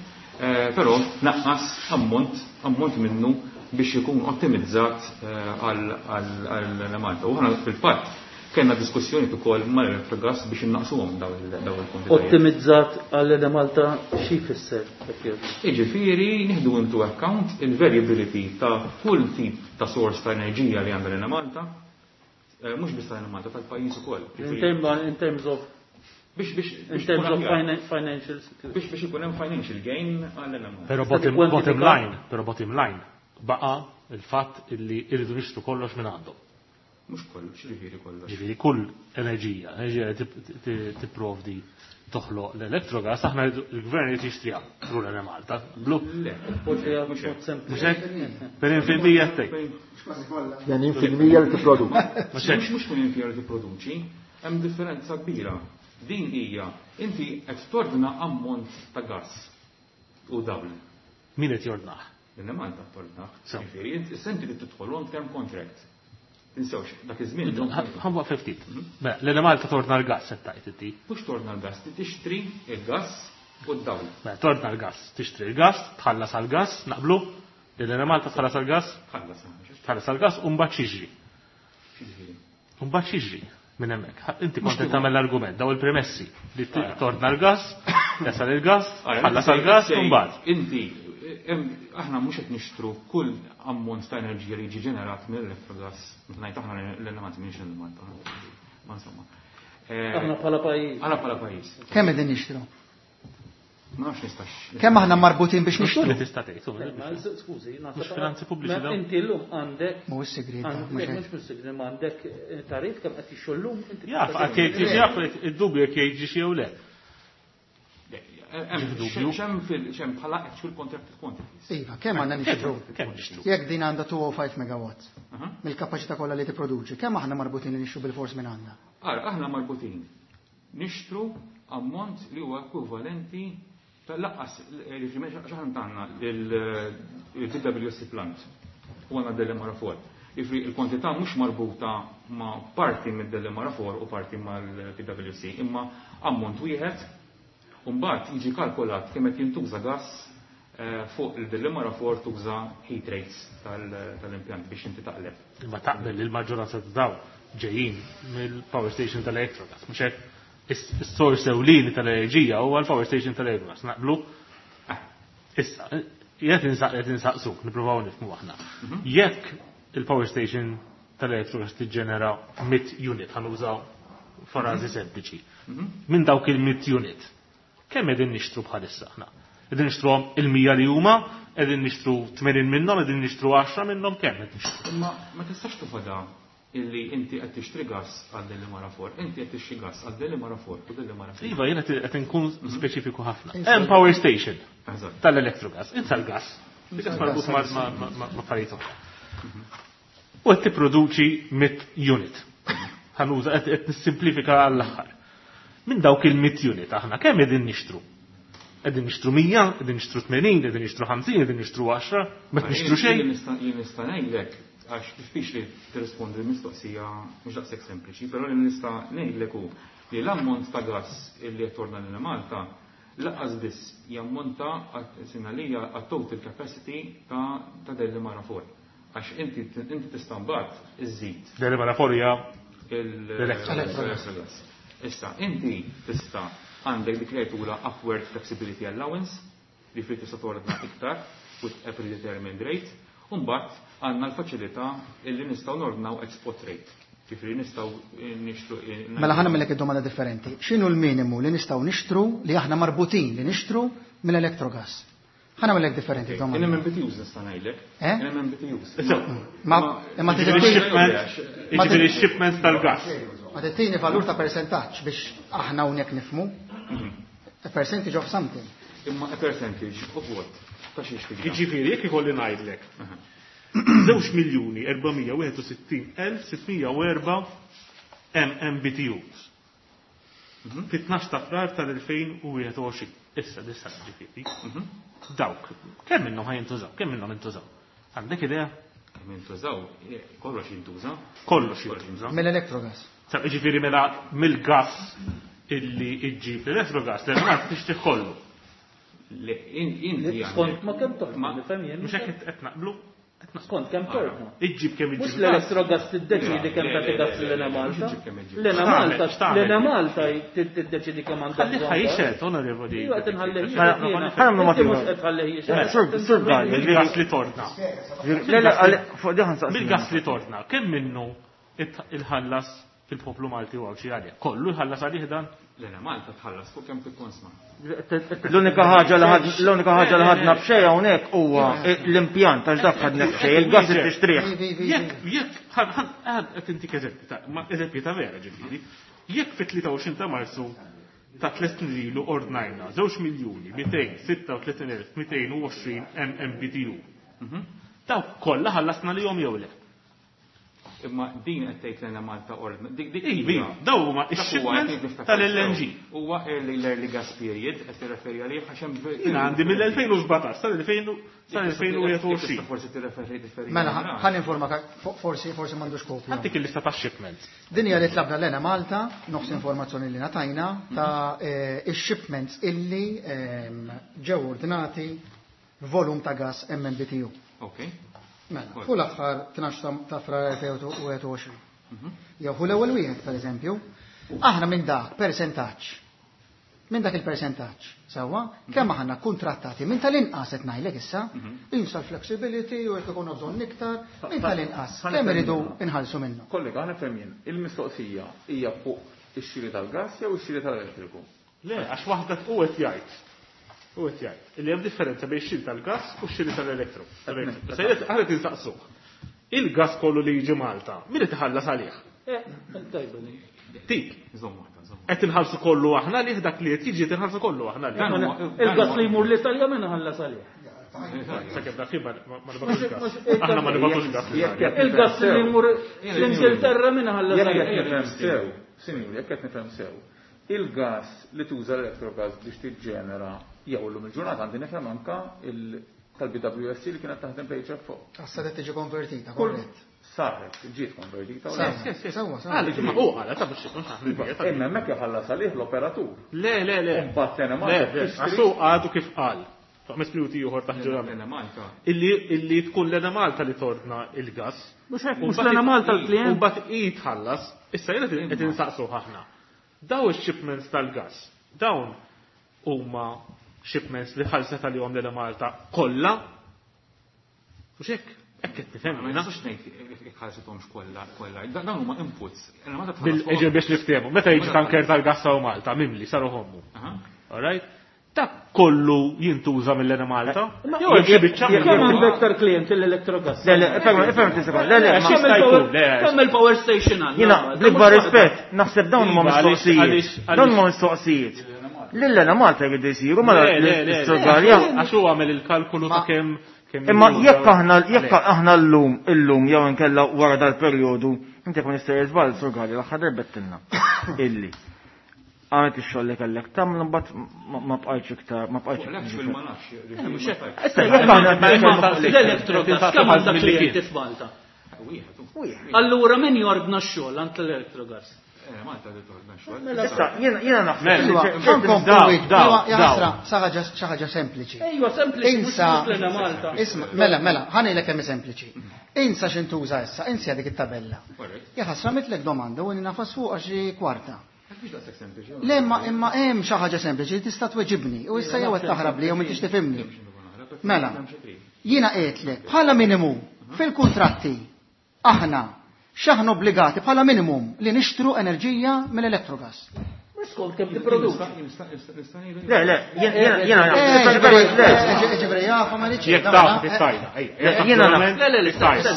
però naqqas ammont minnu biex ikun ottimizzat għal Malta. U ħana fil-fatt kellna diskussjoni ukoll mal-Electrogas biex innaqsuhom daw il-kwantitajiet. Ottimizzat għal Malta xi jfisser? Jiġifieri nieħdu into account il-variability ta' kull tip ta' source ta' enerġija li għandha l Malta, mhux biss tal Malta, tal-pajjiż ukoll. In terms of Biex in terms ikun of aħjar. financial security. Biex ikun hemm financial gain għal Malta. Però Tista' tikkwantifika? bottom line baqa' il-fatt illi irridu nixtru kollox minn għandhom. Mhux kollox, ġifieri kollox. Ġifieri kull enerġija li tipprovdi toħloq l-elettrogas, aħna il-gvern jrid jixtriha through l-Enemalta. Blu. Le, Poġġi mhux hekk. mod sempliċi. Mhux hekk? Tmenin fil-mija tgħid. Tmenin fil-mija li tipproduċi. Mhux hekk. Mhux tmenin fil-mija li tipproduċi, hemm differenza kbira. Din hija inti qed tordna ammont ta' gas u dawl. Min qed jordnah? L-Enemalta tordnah. So. Ġifieri, inti senti li tidħol long term contract. Tinsewx, dak iż-żmien Ħa nwaqqaf ftit. Mela, l-Enemalta torna l-gas qed tgħid inti. Mhux torna l-gas, tixtri il-gas u d-dawl. Mela, torna l-gas, tixtri l-gas, tħallas għall-gas, naqblu? L-Enemalta tħallas għall-gas? Tħallas, mhux. Tħallas għall-gas u mbagħad xiġri. Xiġri. U mbagħad xiġri minn hemmhekk. Inti Mhux kont qed kieku. tagħmel l-argument, daw il-premessi li torna l-gas, jasal il-gas, Ara, tħallas għall-gas u mbagħad. Inti, aħna mhux qed nixtru kull ammont ta' enerġija li jiġi ġenerat mill-elettrogas. Meta ngħid aħna l-Enemalta mhix l-Enemalta. Ma insomma. Aħna bħala pajjiż. Aħna bħala pajjiż. Kemm qegħdin nixtru? Ma nafx nistax. Kemm aħna marbutin biex nixtru? Li tista' tgħid, Le, ma skużi, naħseb Mhux finanzi pubbliċi Ma dawn. inti llum għandek Mhuwiex sigriet, għandek mhux hekk. mhux sigriet, ma għandek tarif kemm qed jixtru llum, inti Jaf, tista' għad jgħid tgħid. jaf, id-dubju jekk jgħid jew le. Dubju. Xem bħala actual contracted quantities. Iva, kemm għandna nixtru? Kemm nixtru? Jekk din għandha 205 megawatts mill-kapaċità kollha li tipproduċi, kemm aħna marbutin li nixtru bil-fors minn għandna? Ara, aħna marbutin nixtru ammont li huwa ekwivalenti tal-laqqas, ġifieri, x'aħna tagħna il-PWC plant u għandna Delimara 4. Ġifieri, il-kwantità mhux marbuta ma' parti mid-Delimara 4 u parti mal-PWC, imma ammont wieħed u mbagħad jiġi kalkulat kemm qed jintuża gas fuq il-Delimara 4 tuża heat rates tal-impjant biex inti taqleb. Imma taqbel li l-maġġoranza ta' dawn ġejjin mill-power station tal-Electrogas, mhux hekk? Is-source ewlieni tal-enerġija huwa l-power station tal-Electrogas, naqblu? Issa, jekk qed insaqsuk, nippruvaw nifhmu aħna. Jekk il-power station tal-Electrogas tiġġenera 100 unit, ħanużaw frażi sempliċi. Minn dawk il-100 unit, kemm qegħdin nixtru bħalissa aħna? Qegħdin nixtruhom il-100 li huma, qegħdin nixtru 80 minnhom, qegħdin nixtru 10 minnhom, kemm qed nixtru? Imma ma tistax toħodha illi inti qed tixtri gas għal Delimara 4, inti qed tixtri gas għal Delimara 4 u Delimara 3. Iva, jiena qed inkun speċifiku ħafna. Hemm power station tal-electrogas, insa l-gas. Il-gas marbut ma' affarijiet oħra. U qed tipproduċi 100 unit. Ħa nuża qed nissimplifika għall-aħħar. Minn dawk il-100 unit aħna kemm qegħdin nixtru? Qegħdin nixtru 100, qegħdin nixtru 80, qegħdin nixtru 50, qegħdin nixtru 10, ma nixtru xejn. Jien nista' ngħidlek, għax diffiċli tirrispondi l-mistoqsija mhux daqshekk sempliċi, però li nista' ngħidlek hu li l-ammont ta' gas li qed torna lil Malta lanqas biss jammonta sinalija għat-total capacity ta' Delimara 4. Għax inti tista' mbagħad iżżid. Delimara 4 hija l-electrogas. Issa, inti tista' għandek dik li jgħidulha upward flexibility allowance, li fri tista' tordna iktar with a predetermined rate, u mbagħad għandna l-faċilità illi nistgħu nordnaw at spot rate. Ġifieri nistgħu nixtru. Mela ħa nagħmellek id-domanda differenti. X'inhu l-minimu li nistgħu nixtru li aħna marbutin li nixtru mill-electrogas? Ħa nagħmellek differenti domanda. In MMBTUs nista' ngħidlek. Eh? In MMBTUs. Ma imma Jiġifieri shipments tal-gas. Ma tittini valur ta' percentaġġ biex aħna hawnhekk nifhmu. A percentage of something. Imma a percentage of what? Ta' xiex tiġi? Jiġifieri jekk ikolli ngħidlek. 2,461,604 MMBTUs. Fit-12 ta' Frar tal-2021. Issa, issa ġifieri. Dawk, kemm minnhom ħa jintużaw? Kemm minnhom intużaw? Għandek idea? Kemm jintużaw? Kollox jintuża. Kollox jintuża. Mill-electrogas. Ġifieri mela mill-gas illi iġġib l-electrogas, l-electrogas tixtri kollu. Skont ma kemm torna, nifhem jien. Mhux hekk qed naqblu? Skont kemm torna. Iġġib kemm iġġib. Mhux l-electrogas tiddeċidi kemm tagħti gas l Malta. L-Ena Malta, l-Ena Malta tiddeċidi kemm għandha. Ħalli ħajxet, onorevoli. Iva qed inħallih. Ħa Mhux qed tħallih jixhed. Sur Galli. Mill-gas li torna. Le, le, fuq diħan saqsi. Mill-gas li torna, kemm minnu il-ħallas fil-poplu Malti u Għawdxi għalih? Kollu jħallas għalih dan? L-Ena Malta tħallas fuq kemm tikkonsma. L-unika ħaġa li ħad, l-unika ħaġa li ħadna b'xejn hawnhekk huwa l-impjant għax dak ħadna b'xejn, il-gas li tixtrih. Jekk, jekk, qed intik eżempju ta' ma eżempju ta' vera ġifieri. Jekk fit-23 ta' Marzu ta' tliet snin ilu ordnajna 2,236,220 MMBTU. Dawk kollha ħallasna li jom jew le? Imma din qed tgħid lejna Malta ordna. Dik dik Ivi, hija. daw huma Dak huwa x-shipments qed niftakar tal-LNG. sew. Huwa early l-early gas period qed tirreferi għalih għax hemm Jiena għandi mill-2017 sal-2021. Forsi tirreferi differenti. Mela, ħa ninformak, forsi m'għandux kopja. Għandik il-lista ta' shipments. Din hija li tlabna l Malta, nofs informazzjoni li natajna ta' ix-shipments illi ġew ordinati volum ta' gas MMBTU. Ok. Mela, fu l-aħħar 12 ta' Frar 2021. Jew hu l-ewwel wieħed, pereżempju, aħna minn dak percentaġġ. Minn dak il-percentaġġ, sewwa, kemm aħna kontrattati minn tal-inqas qed ngħidlek issa, insa l-flexibility u jekk ikun bżonn iktar, minn tal-inqas, kemm iridu inħallsu minnu. Kollega, aħna fhem jien, il-mistoqsija hija fuq ix-xiri tal-gas jew ix-xiri tal-elettriku? Le, għax waħda u qed jgħid. U qed jgħid li hemm differenza bejn ix-xiri tal-gas u x-xiri tal-elettru. Se jgħid aħna tinsaqsuh. Il-gas kollu li jiġi Malta, min qed iħallas għalih? Tajba li. Tik. Żomm waħda, żomm. Qed inħallsu kollu aħna lih dak li qed jiġi tinħallsu kollu aħna lih. Dan huwa- Il-gas li jmur l-Italja min iħallas għalih? Sakemm dak ma nibgħatux gas. Aħna ma nibgħatux gas. Il-gas li jmur l-Ingilterra min iħallas Jekk għalih? qed nifhem sew, sinjuri, jekk qed nifhem sew, il-gas li tuża l-electrogas biex tiġġenera jew illum il-ġurnata għandi nifhem anka tal-BWSC li kienet taħdem bl-HFO. Issa qed tiġi konvertita, Kull korrett. Saret, ġiet konvertita u Saret. le? Sewwa, sewwa. Għalli, ma u għala, ta' biex ikun ħafna Iva, bieta, ta' Imma hemmhekk iħallas għalih l-operatur. Le, le, le. U mbagħad sena Le, Malta le, tixtri- għax hu għadu kif qal. Ta' ħames minuti ieħor taħt ġurament. L-Ena Malta. Illi tkun l-Ena Malta li torna il-gas. Mhux hekk, mhux l-Ena Malta l-klient. U mbagħad hi tħallas. Issa jiena qed insaqsu ħafna. Daw ix-shipments tal-gas, dawn huma shipments li ħallset għalihom l-Ena Malta kollha. Mhux hekk, hekk qed nifhem Ma jiena. nistax ngħid jekk ħallsithomx kollha, kollha. Dawn huma inputs. Ena Malta tħallas Bil-eġer biex niftehmu, meta jiġi tanker tal-gas hawn Malta, mimli, saru ħommu. Aha. All right? Dak kollu jintuża mill-Enemalta? Jew hemm xi biċċa Kemm għandu iktar klijenti l-Electrogas? Le, le, ifhem sekonda. Le, le, ma Kemm jista' il-power- jkun, le. Kemm il-power station għandna? Jiena, bl-ikbar Mhux waħda. rispett, naħseb dawn huma Iva, għaliex- mistoqsijiet. għaliex- Dawn huma mistoqsijiet. Lill-Enemalta jridu jsiru mela Le, le, le, le. l-Istorja. Għax huwa għamel il-kalkolu ta' kemm kemm Imma jintuża. jekk aħna jekk aħna llum illum jew inkella wara dal-perjodu, inti jkun jista' jiżball Sur Galli l-aħħar darba tilna illi għamilt ix-xogħol li kellek tagħmel imbagħad ma bqajtx iktar ma bqajtx. L-actual ma nafx. Mhux hekk. Issa jekk aħna Imma nitkellmu fuq L-Electrogas kemm għandha Mill-li klijenti kien. f'Malta? Wieħed. Allura min jordna x-xogħol għand l-Electrogas? Malta li torna xogħol. Issa jiena jiena naħseb Mela. li Iwa, ċerti ħankomplu daw, wieġbu. daw, Iwa, ja daw. ħasra, xi ħaġa sempliċi. Ejwa, sempliċi, mhux Insa, l Malta. isma, mela, mela, ħanejlek kemm hi sempliċi. Insa x'intuża issa, insa dik it-tabella. Ja ħasra mitlek domanda u nafas fuqha xi kwarta. Le, imma imma hemm xi ħaġa sempliċi li tista' tweġibni u issa jew qed taħrab li jew m'intix tifhimni. Mela, jiena qedlek bħala minimu fil-kuntratti aħna x'aħna obbligati bħala minimum li nixtru enerġija mill-elettrogas. Mhux skont kemm tipproduċi. Le, le, jiena jiena Eh, naħseb. ġifieri, Le, eh, ġifieri, jafa ma rridx Jekk mela, taf eh, tistajda. Le, jiena naf. Le, le, le, Tistajda.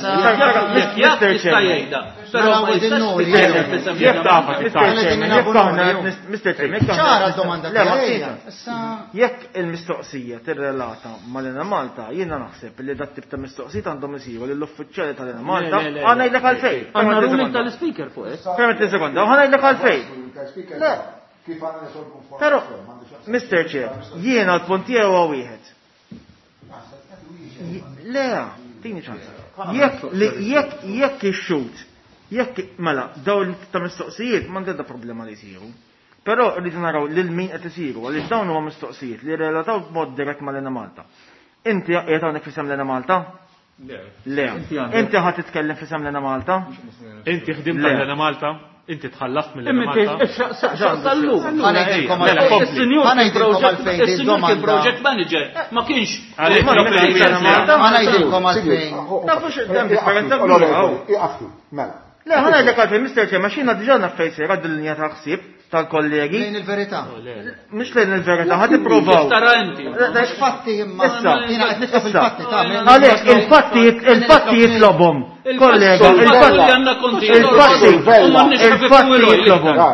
jekk jaf Mr. tista' Chairman. jgħidha. Però Mela, ma jistax Nuri, titkellem f'isem Jekk taf Mr. tistajda. Chairman, jekk aħna Mr. Chairman, jekk aħna- ċara l-domanda Le, ma tiegħi. tina. Issa Jekk il-mistoqsija tirrelata mal-Enemalta, jiena naħseb li dat tip ta' mistoqsijiet għandhom isiru lill-uffiċjali tal-Enemalta, Le, le, le, ħa ngħidlek għalfejn. Għandna ruling tal-speaker fuq hekk. Permetti sekonda, ħa ngħidlek għalfejn. Le. Kif għandna nisolvu Però, Mr. Chair, jiena l-punt tiegħu huwa wieħed. Le, tini ċans. Jekk li jekk jekk ix-xut, jekk mela dawn ta' mistoqsijiet m'għandha problema li jsiru. Però rridu naraw lil min qed isiru għaliex dawn huma mistoqsijiet li relataw b'mod dirett mal-Enemalta. Inti qiegħed hawnhekk f'isem l-Enemalta? Le. Le. Inti għandek- Inti ħa titkellem f'isem l-Enemalta? Inti ħdimt Le. għall-Enemalta, inti tħallast Imma mill-Enemalta. sallu. ħanejdilkom Mela, għalfejn. kompli. Is-sinjur kien Ħanejdilkom project- għalfejn din is-sinjur kien domanda. project manager, ma kienx. Għalek, Ma ma Ħanejdilkom għalfejn. Tafux hemm differenza kbira. Iqafti, mela. Le, ħa ngħidlek għalfejn, Mr. Chairman, xina diġà naf fejn sejra din-linja ta' ħsieb tal-kollegi. Lejn il-verità. Mhux lejn il-verità, ħa tippruvaw. Tara inti. Mhux fatti imma Issa, jiena qed nitlob issa. il-fatti ta' Għalek, il-fatti il-fatti jitlobhom. Kollega, Il-fatti il-fatti għandna konti. il-fatti il-fatti jitlobhom.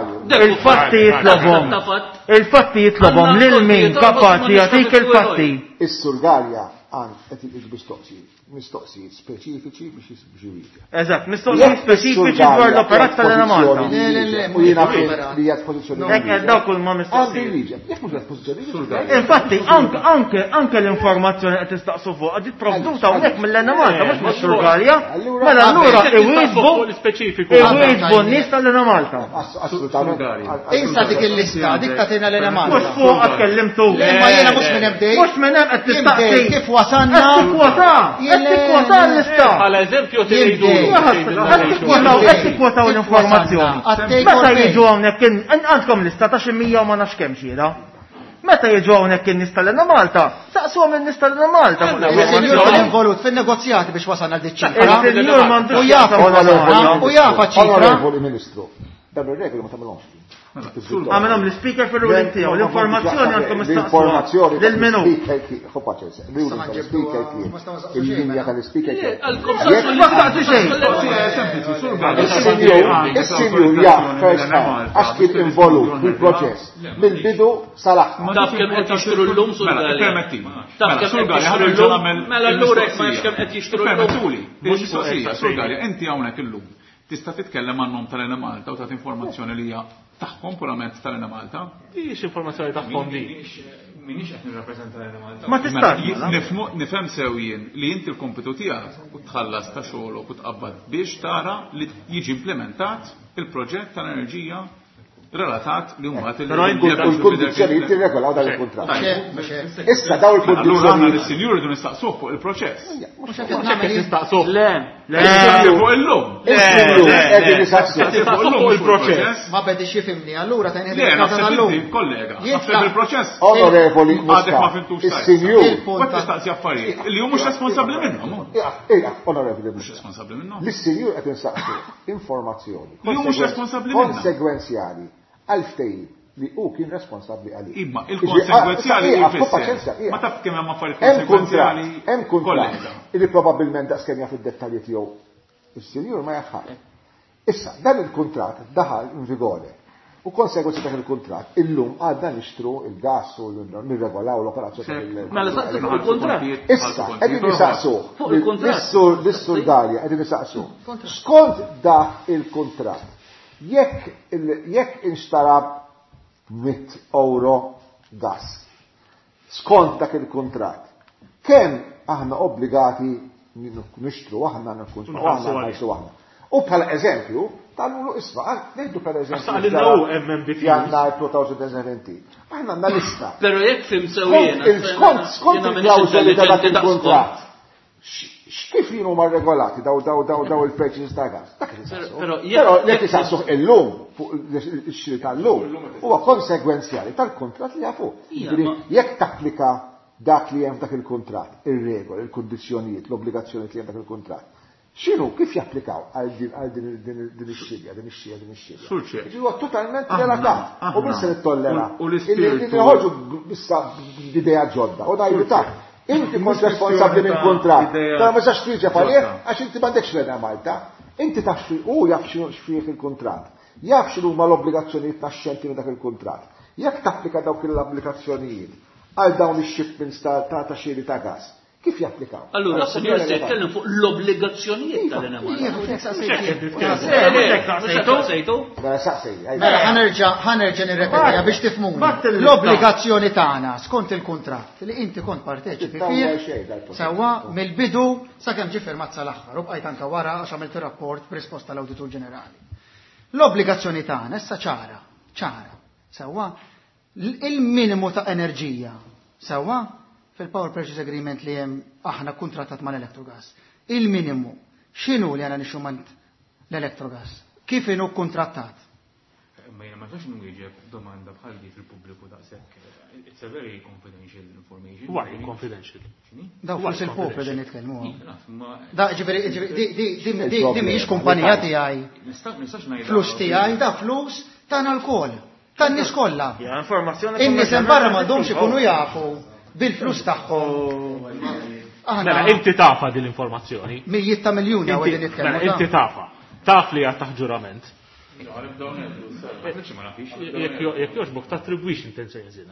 Il-fatti jitlobhom. Il-fatti jitlobhom lil min kapaċi jagħtik il-fatti. Is-Sur Gallia għand qed iqis mistoqsijiet, mistoqsijiet speċifiċi biex iwieġeb. Eżatt, mistoqsijiet speċifiċi dwar l-operat tal-Enemalta. Le, le, le, U jiena mhux operat. li hija pożizzjoni. Hekk qed dawk huma Għandu mistoqsijiet. jwieġeb. Jekk mhux qed pożizzjoni jwieġeb. Infatti, anke anke anke l-informazzjoni qed tistaqsu fuq ġiet provduta hawnhekk mill-Enemalta mhux mis-Sur Gallia. Mela allura iwieġbu Fuq l-ispeċifiku. iwieġbu n-nies tal-Enemalta. Assolutament. Insa dik il-lista, dik tagħtina l-Enemalta. Mhux fuq qed kellimtu. Le, ma jiena mhux minn hemm bdejt. Mhux minn hemm qed Jien tistaqsi. bdejt kif wasalna. Qed tikkwota, qed tikkwota l-lista. Bħala eżempju Jien tgħidu. bdejt. Qed tikkwota qed tikkwota l-informazzjoni. Għattej Meta korpej. jiġu hawnhekk għandkom lista ta' xi 100 u ma nafx kemm xhieda. Meta jiġu hawnhekk in-nies tal-Enemalta, saqsuhom in-nies tal-Enemalta fuq Il-sinjur kien l-informazzjoni. involut fin-negozjati biex wasalna l ċifra. Il-sinjur m'għandux U jaf x'jaqsam u jaf ċifra. Onorevoli Ministru, dan ir-regoli ma tagħmilhomx. Għamilhom l-speaker fil-ruling tiegħu, l-informazzjoni għandkom L-informazzjoni istaqsuha lil minu. L-speaker kien. Il-linja tal-speaker kien. Ma staqsi xejn. Sempliċi, Sur Gallia. Is-sinjur jaf first hand għax kien involut fil-proċess mill-bidu sal-aħħar. Taf kemm qed jixtru llum Sur Mela, Gallia. permetti. Taf Mela, kemm Sur qed Gallia, jixtru ħa llum. nagħmel Mela allura jekk ma nafx kemm qed jixtru llum. Permettuli, il-mistoqsija, Sur Gallia, inti hawnhekk illum tista' titkellem għan-nom tal-Enemalta u tagħti informazzjoni li hija tagħhom purament tal-Enemalta. Dix informazzjoni tagħhom di. Minix qed nirrappreżenta l-Enemalta. Ma tistax. Mela, mela. Nifhem sew jien li inti l-kompitu tiegħek u tħallas ta' xogħolok u tqabbad biex tara li jiġi implementat il-proġett tal-enerġija relatat li mbagħad Però inti U l-kundizzjonijiet tirregolaw dan il-kuntratt. Mhux Issa daw Allura aħna il-kundizzjonijiet. lis-sinjur irridu nistaqsuh fuq il-proċess. qed nagħmel jien. Tistaqsuh. Le. Le, Fuq illum. Is-sinjur le, qegħdin le. jisaqsu. Tistaqsuh fuq il-proċess. Ma bedix jifhimni, allura ta' Le, naħseb inti, kollega, naħseb il-proċess. Onorevoli Għadek ma Muscat, fimtux tajjeb. is-sinjur. Il-punt Qed tistaqsi affarijiet li hu mhux responsabbli minnhom. Ejja, onorevoli Mhux Muscat. responsabbli minnhom. Lis-sinjur qed insaqsu informazzjoni Li hu mhux responsabbli minnha. konsegwenzjali għal ftehim li hu kien responsabbli għalih. Imma il-konsegwenzjali jfisser. Ma taf kemm hemm affarijiet konsegwenzjali. Hemm kuntratt illi probabbilment daqskemm jaf id-dettalji tiegħu is-sinjur ma jaf Issa, dan il-kuntratt daħal in vigore. U konsegwenza dak il-kuntratt, illum għadna nixtru il-gas u nirregolaw l-operazzjoni. Mela saqsi fuq il-kuntratt. Issa, qegħdin nisaqsu. Lis-sur Dalja qegħdin nisaqsu. Skont dak il-kuntratt, jekk jekk inxtara 100 euro gas, skont dak il-kuntratt, kemm aħna obbligati nixtru aħna nħallsu aħna nħallsu aħna. U bħala eżempju, tal-ulu isma, ngħidu per eżempju. Jannar 2017. Aħna għandna lista. Pero jekk fim sew jiena. Skont skont il-klawżoli ta' dak il-kuntratt. X'kif jienu ma regolati daw daw daw daw il-purchases ta' gas? Dak li saqsu. Però jekk isaqsuh illum fuq ix-xiri tal-lum huwa konsegwenzjali tal-kuntratt li jafu. Jekk tapplika dak li hemm f'dak il-kuntratt, ir-regoli, il-kundizzjonijiet, l-obbligazzjonijiet li hemm dak il-kuntratt. X'inhu kif japplikaw għal din din ix-xirja, din ix-xirja, din ix-xirja? Ġifieri huwa totalment relatat. U minn se nittollera. U l-ispirtu. Noħorġu issa b'idea ġodda. U ngħidu ta' inti kont responsabbli minn kuntratt. Ta' ma sax twieġeb għalih għax inti m'għandekx l Malta. Inti taf u jaf x'fih il-kuntratt. Jaf x'inhuma l-obbligazzjonijiet naxxenti minn dak il-kuntratt. Jekk tapplika dawk l-obbligazzjonijiet għal dawn ix-shipments ta' xiri ta' gas, kif japplikaw? Allura, sinjur, se jitkellem fuq l-obbligazzjonijiet tal-Enemalta. Mela, ħa nerġa' nirrepetiha biex tifhmuni. L-obbligazzjoni tagħna skont il-kuntratt li inti kont parteċipi fih sewwa mill-bidu sakemm ġie firmat sal-aħħar u bqajt anke wara għax għamilt ir-rapport b'risposta l-Awditur Ġenerali. L-obbligazzjoni tagħna issa ċara, ċara, sewwa il-minimu ta' enerġija, sewwa fil-Power Purchase Agreement li hemm aħna kontrattat mal-Electrogas. Il-minimu, x'inhu li għandna nixtru l-Electrogas? Kif inhu kontrattat? Ma jiena ma nistax nwieġeb domanda bħal di fil-pubbliku daqshekk. It's a very confidential information. Why confidential? Daw flus il-poplu din nitkellmu. Da ġifieri di mhijiex kumpanija tiegħi. Nistax ngħid. Flus tiegħi, da flus tagħna lkoll. Tan-nies kollha. Informazzjoni. In-nies hemm barra m'għandhomx ikunu jafu bil-flus tagħhom. Mela, inti tafa din l-informazzjoni. Mijiet ta' miljuni hawn qegħdin nitkellmu. Mela, inti tafa. Taf li għad taħt ġurament. Jekk jogħġbok tattribwix intenzjoni ħażina.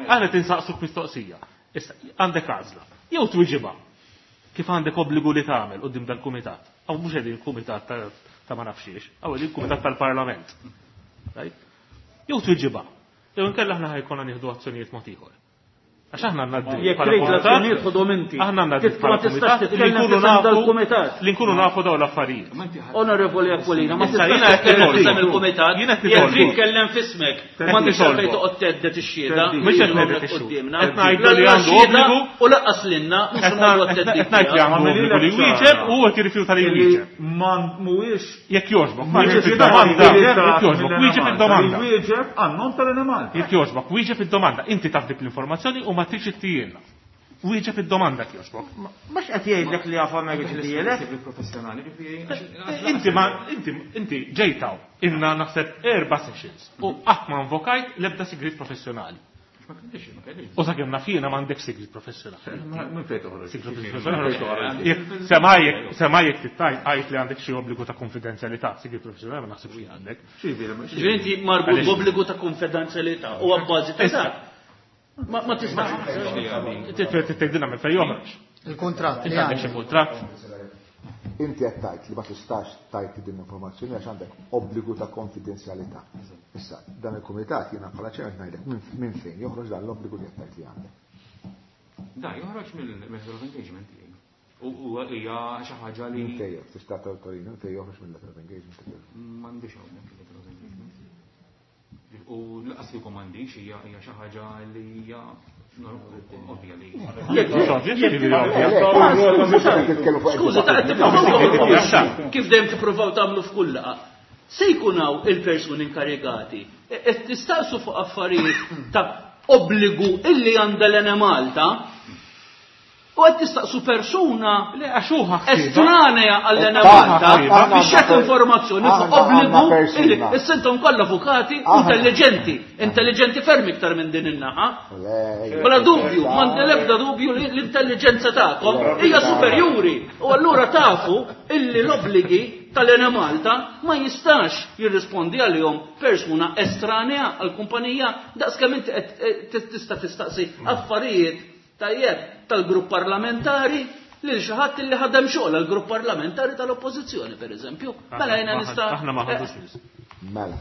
Aħna tinsaqsuk mistoqsija. Issa, għandek għażla. Jew twiġibha kif għandek obbligu li tagħmel quddiem dal-kumitat. Aw mhux qegħdin kumitat ta' ma nafxiex, aw qegħdin kumitat tal-Parlament. Jew twiġibha. Jew inkella aħna ħa jkollna nieħdu azzjonijiet mod ieħor. Għax aħna għandna d Jekk trid l-azzjonijiet ħodhom inti. Aħna għandna d Ma tistax titkellem f'isem dal-kumitat. Li nkunu nafu dawn l-affarijiet. Onorevoli Aquilina, ma tistax titkellem f'isem il-kumitat. Jekk trid tkellem f'ismek, ma tistax għalfejn toqgħod thedded ix-xhieda. Mhux qed ngħidlek ix-xhieda. Qed ngħidu li għandu obbligu u lanqas lilna mhux qed ngħid li għandu obbligu li jwieġeb u huwa qed jirrifjuta li jwieġeb. Ma mhuwiex Jekk jogħġbok, wieġeb id-domanda. Jekk jogħġbok, wieġeb id-domanda. Wieġeb għan-nom tal-Enemalta. Jekk jogħġbok, wieġeb id-domanda. Inti taf dik l-informazzjoni u ma tridx ittijielna. Wieġeb id-domanda jekk jogħġbok. Mhux qed jgħidlek li jafha ma jridx ittijielek. Inti ma inti inti ġejtaw inna naħseb erba' sessions u qatt ma invokajt l-ebda sigriet professjonali. U sakemm naf jiena m'għandek sigriet professjonali. Minn fejn toħroġ? Sigriet professjonali. Sema jekk tittajt għajt li għandek xi obbligu ta' konfidenzjalità, sigriet professjonali ma naħsibx li għandek. Ġifieri inti marbut b'obbligu ta' konfidenzjalità u abbażi ta' dak. Ma tistax. Tgħidilna minn fejn joħroġ. Il-kuntratt. Inti għandek xi kuntratt. Inti qed tgħid li ma tistax tgħid din l-informazzjoni għax għandek obbligu ta' konfidenzjalità. Issa, dan il-kumitat jiena bħala chairman ngħidlek minn fejn joħroġ dan l-obbligu li qed tgħid li għandek. Da joħroġ mill-letter of engagement tiegħi. U hija xi ħaġa li. Minn fejn tista' tawtorina minn fejn joħroġ mill-letter of engagement tiegħek. M'għandix hawnhekk il-letter of engagement. U lanqas li m'għandix hija xi ħaġa li hija ovvja li. Skuża, kif dejjem tippruvaw tagħmlu f'kull laqgħa. Se jkun hawn il-persuni inkarigati. Qed tistaqsu fuq affarijiet ta' obbligu illi għandha l-Enemalta. U qed tistaqsu persuna Le, għax hu ħa ħsiebha. estranea għall-Ena Aħna Malta aħna biex jagħti informazzjoni fuq aħna għandna obbligu persuna. illi issa intom kollha avukati Aħna- intelligenti, intelligenti ferm iktar minn din in-naħa. Bla dubju, m'għandi l-ebda dubju li l-intelligenza tagħkom hija superjuri. U allura tafu illi l-obbligi tal-Ena Malta ma jistax jirrispondi għalihom persuna estranea għall-kumpanija daqskemm inti qed tista' tistaqsi affarijiet tajjeb tal-grupp parlamentari lil xi ħadd illi ħadem xogħol għall-grupp parlamentari tal-Oppożizzjoni pereżempju. Mela jiena nista' Aħna ma ħadux nies. Mela.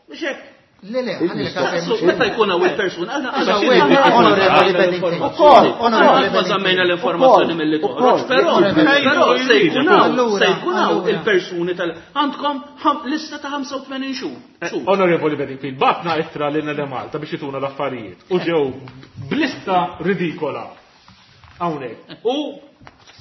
Mhux hekk. Le, le, ħalli Saqsu, meta jkun hawn il-persuna, aħna Issa, aħna wait, aħna Onorevoli aħna Bennington. l-informazzjoni. Onorevoli Aħna qatt ma żammejna Bennington. l-informazzjoni milli Ukoll, toħroġ, però ukoll. però se jkun hawn Allura, se jkun hawn allura. il-persuni tal għandkom lista ta' 85 xhur. Xhur. Onorevoli Bedingfield, batna ittra lil Nede Malta biex jituna l-affarijiet. U ġew blista ridikola. Hawnhekk. U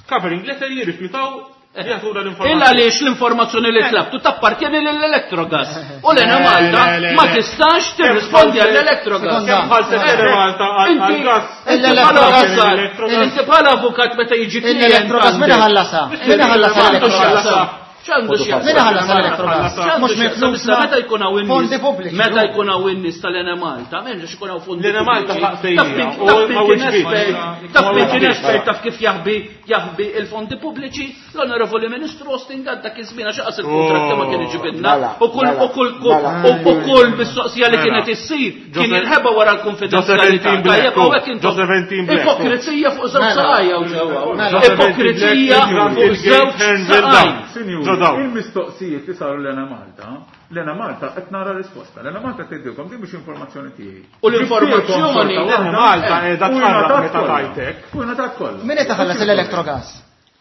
covering letter jirrifjutaw li jagħtuna l-informazzjoni. Illa għaliex l-informazzjoni li tlabtu tappartjeni lill-Electrogas. U l-Ena Le, Malta le, le, ma le. tistax tirrispondi għall-Electrogas. Sekonda. Kemm ħalset Nede Malta għal Inti gas? inti bħala L-Electrogas. avukat, inti bħala avukat meta jiġi klient L-Electrogas min għandek. ħallasha? Min ħallasha X'għandu l-Electrogas? x'jaqsam? X'għandu x'jaqsam? Min ħallas l-Electrogas? X'għandu Mhux minn x'jaqsam? Issa flusna. meta jkun hawn in-nies- Fondi pubbliċi. Meta jkun hawn in-nies tal-Enemalta, m'hemmx ikun hawn fondi L-Enemalta pubbliċi. ħaqsejja, Taf min- u taf min ma kien wiġbitx. espert, taf Ma min kien wiġbitx. espert, taf kif jaħbi jaħbi il-fondi pubbliċi, l-Onorevoli Ministru Austin Gatt dak iż-żmien għax qas il-kontratti ma kien iġibilna. Mela, U kull mela, u kull mela. u kull mistoqsija li Mela. kienet issir kien Joseph- jinħeba wara l-konfidenzjalità. Josephine Black, Tajjeb hawnhekk intom Josephine Black. Ipokrizija fuq żewġ Mela. saqajja u ġewwa. Mela. Ipokrizija fuq żewġ saqajn. Sinjuri, Ġodaw. il-mistoqsijiet li saru l-Ena Malta, l-Ena Malta qed nara risposta. L-Ena Malta tgħidilkom din mhux informazzjoni tiegħi. U l-informazzjoni- L-Ena Malta qiegħda U tqarraq ingħatat meta kollha. tajtek. U ingħatat kollha. Min qed iħallas l-Electrogas?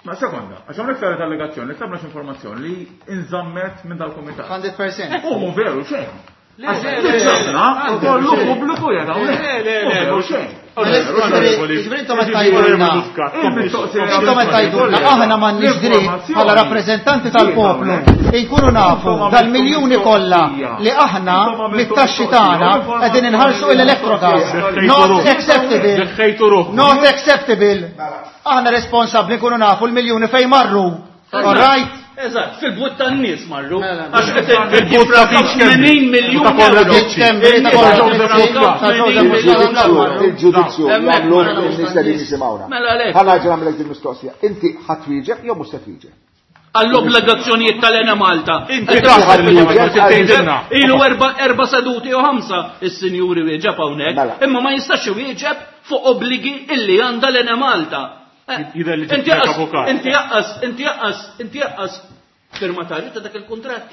Ma sekonda, għax hawnhekk saret allegazzjoni li tlabna informazzjoni li inżammet minn dal-kumitat. 100%. U mhu veru xejn. Għax le, li le, tlabna le, kollu le, pubbliku jgħid hawnhekk. Le, le, Mhu le, veru mhux- xejn. Onorevoli- Jiġifieri intom qed tgħidulna. Il-mistoqsija Intom qed tgħidulna aħna m'għandniex dritt bħala rappreżentanti tal-poplu inkunu nafu dal-miljuni kollha li aħna mit-taxxi tagħna qegħdin inħallsu l-Electrogas. Not acceptable. Deħħejtu ruħ. Not acceptable. Aħna responsabbli nkunu nafu l-miljuni fejn marru. All right? Eżatt, fil-but tan-nies marru. Mela, Għax qed Fil-but ta' Beach Kembi. 80 miljun Ta' Konrad euro. Rizzi. Kembi, ta' Konrad Rizzi, ta' Joseph Muscat. Il-ġudizzju Hemmhekk jagħmlu marru. n-nies li jisimgħuna. Mela għalhekk. Ħa nerġa' nagħmlek din mistoqsija. Inti ħadd wieġeb jew mhux se twieġeb? Għall-obbligazzjonijiet tal-Ena Malta. Inti taf li ma tgħidilna. Ilu erba seduti u ħamsa is-sinjuri wieġeb hawnhekk, Mela. imma ma jistax iwieġeb fuq obbligi illi għandha l-Ena Malta. Jidher li Inti ġibtek jaqqas, avukat. inti jaqqas, inti jaqqas, inti jaqqas firmatarju ta' dak il-kuntratt.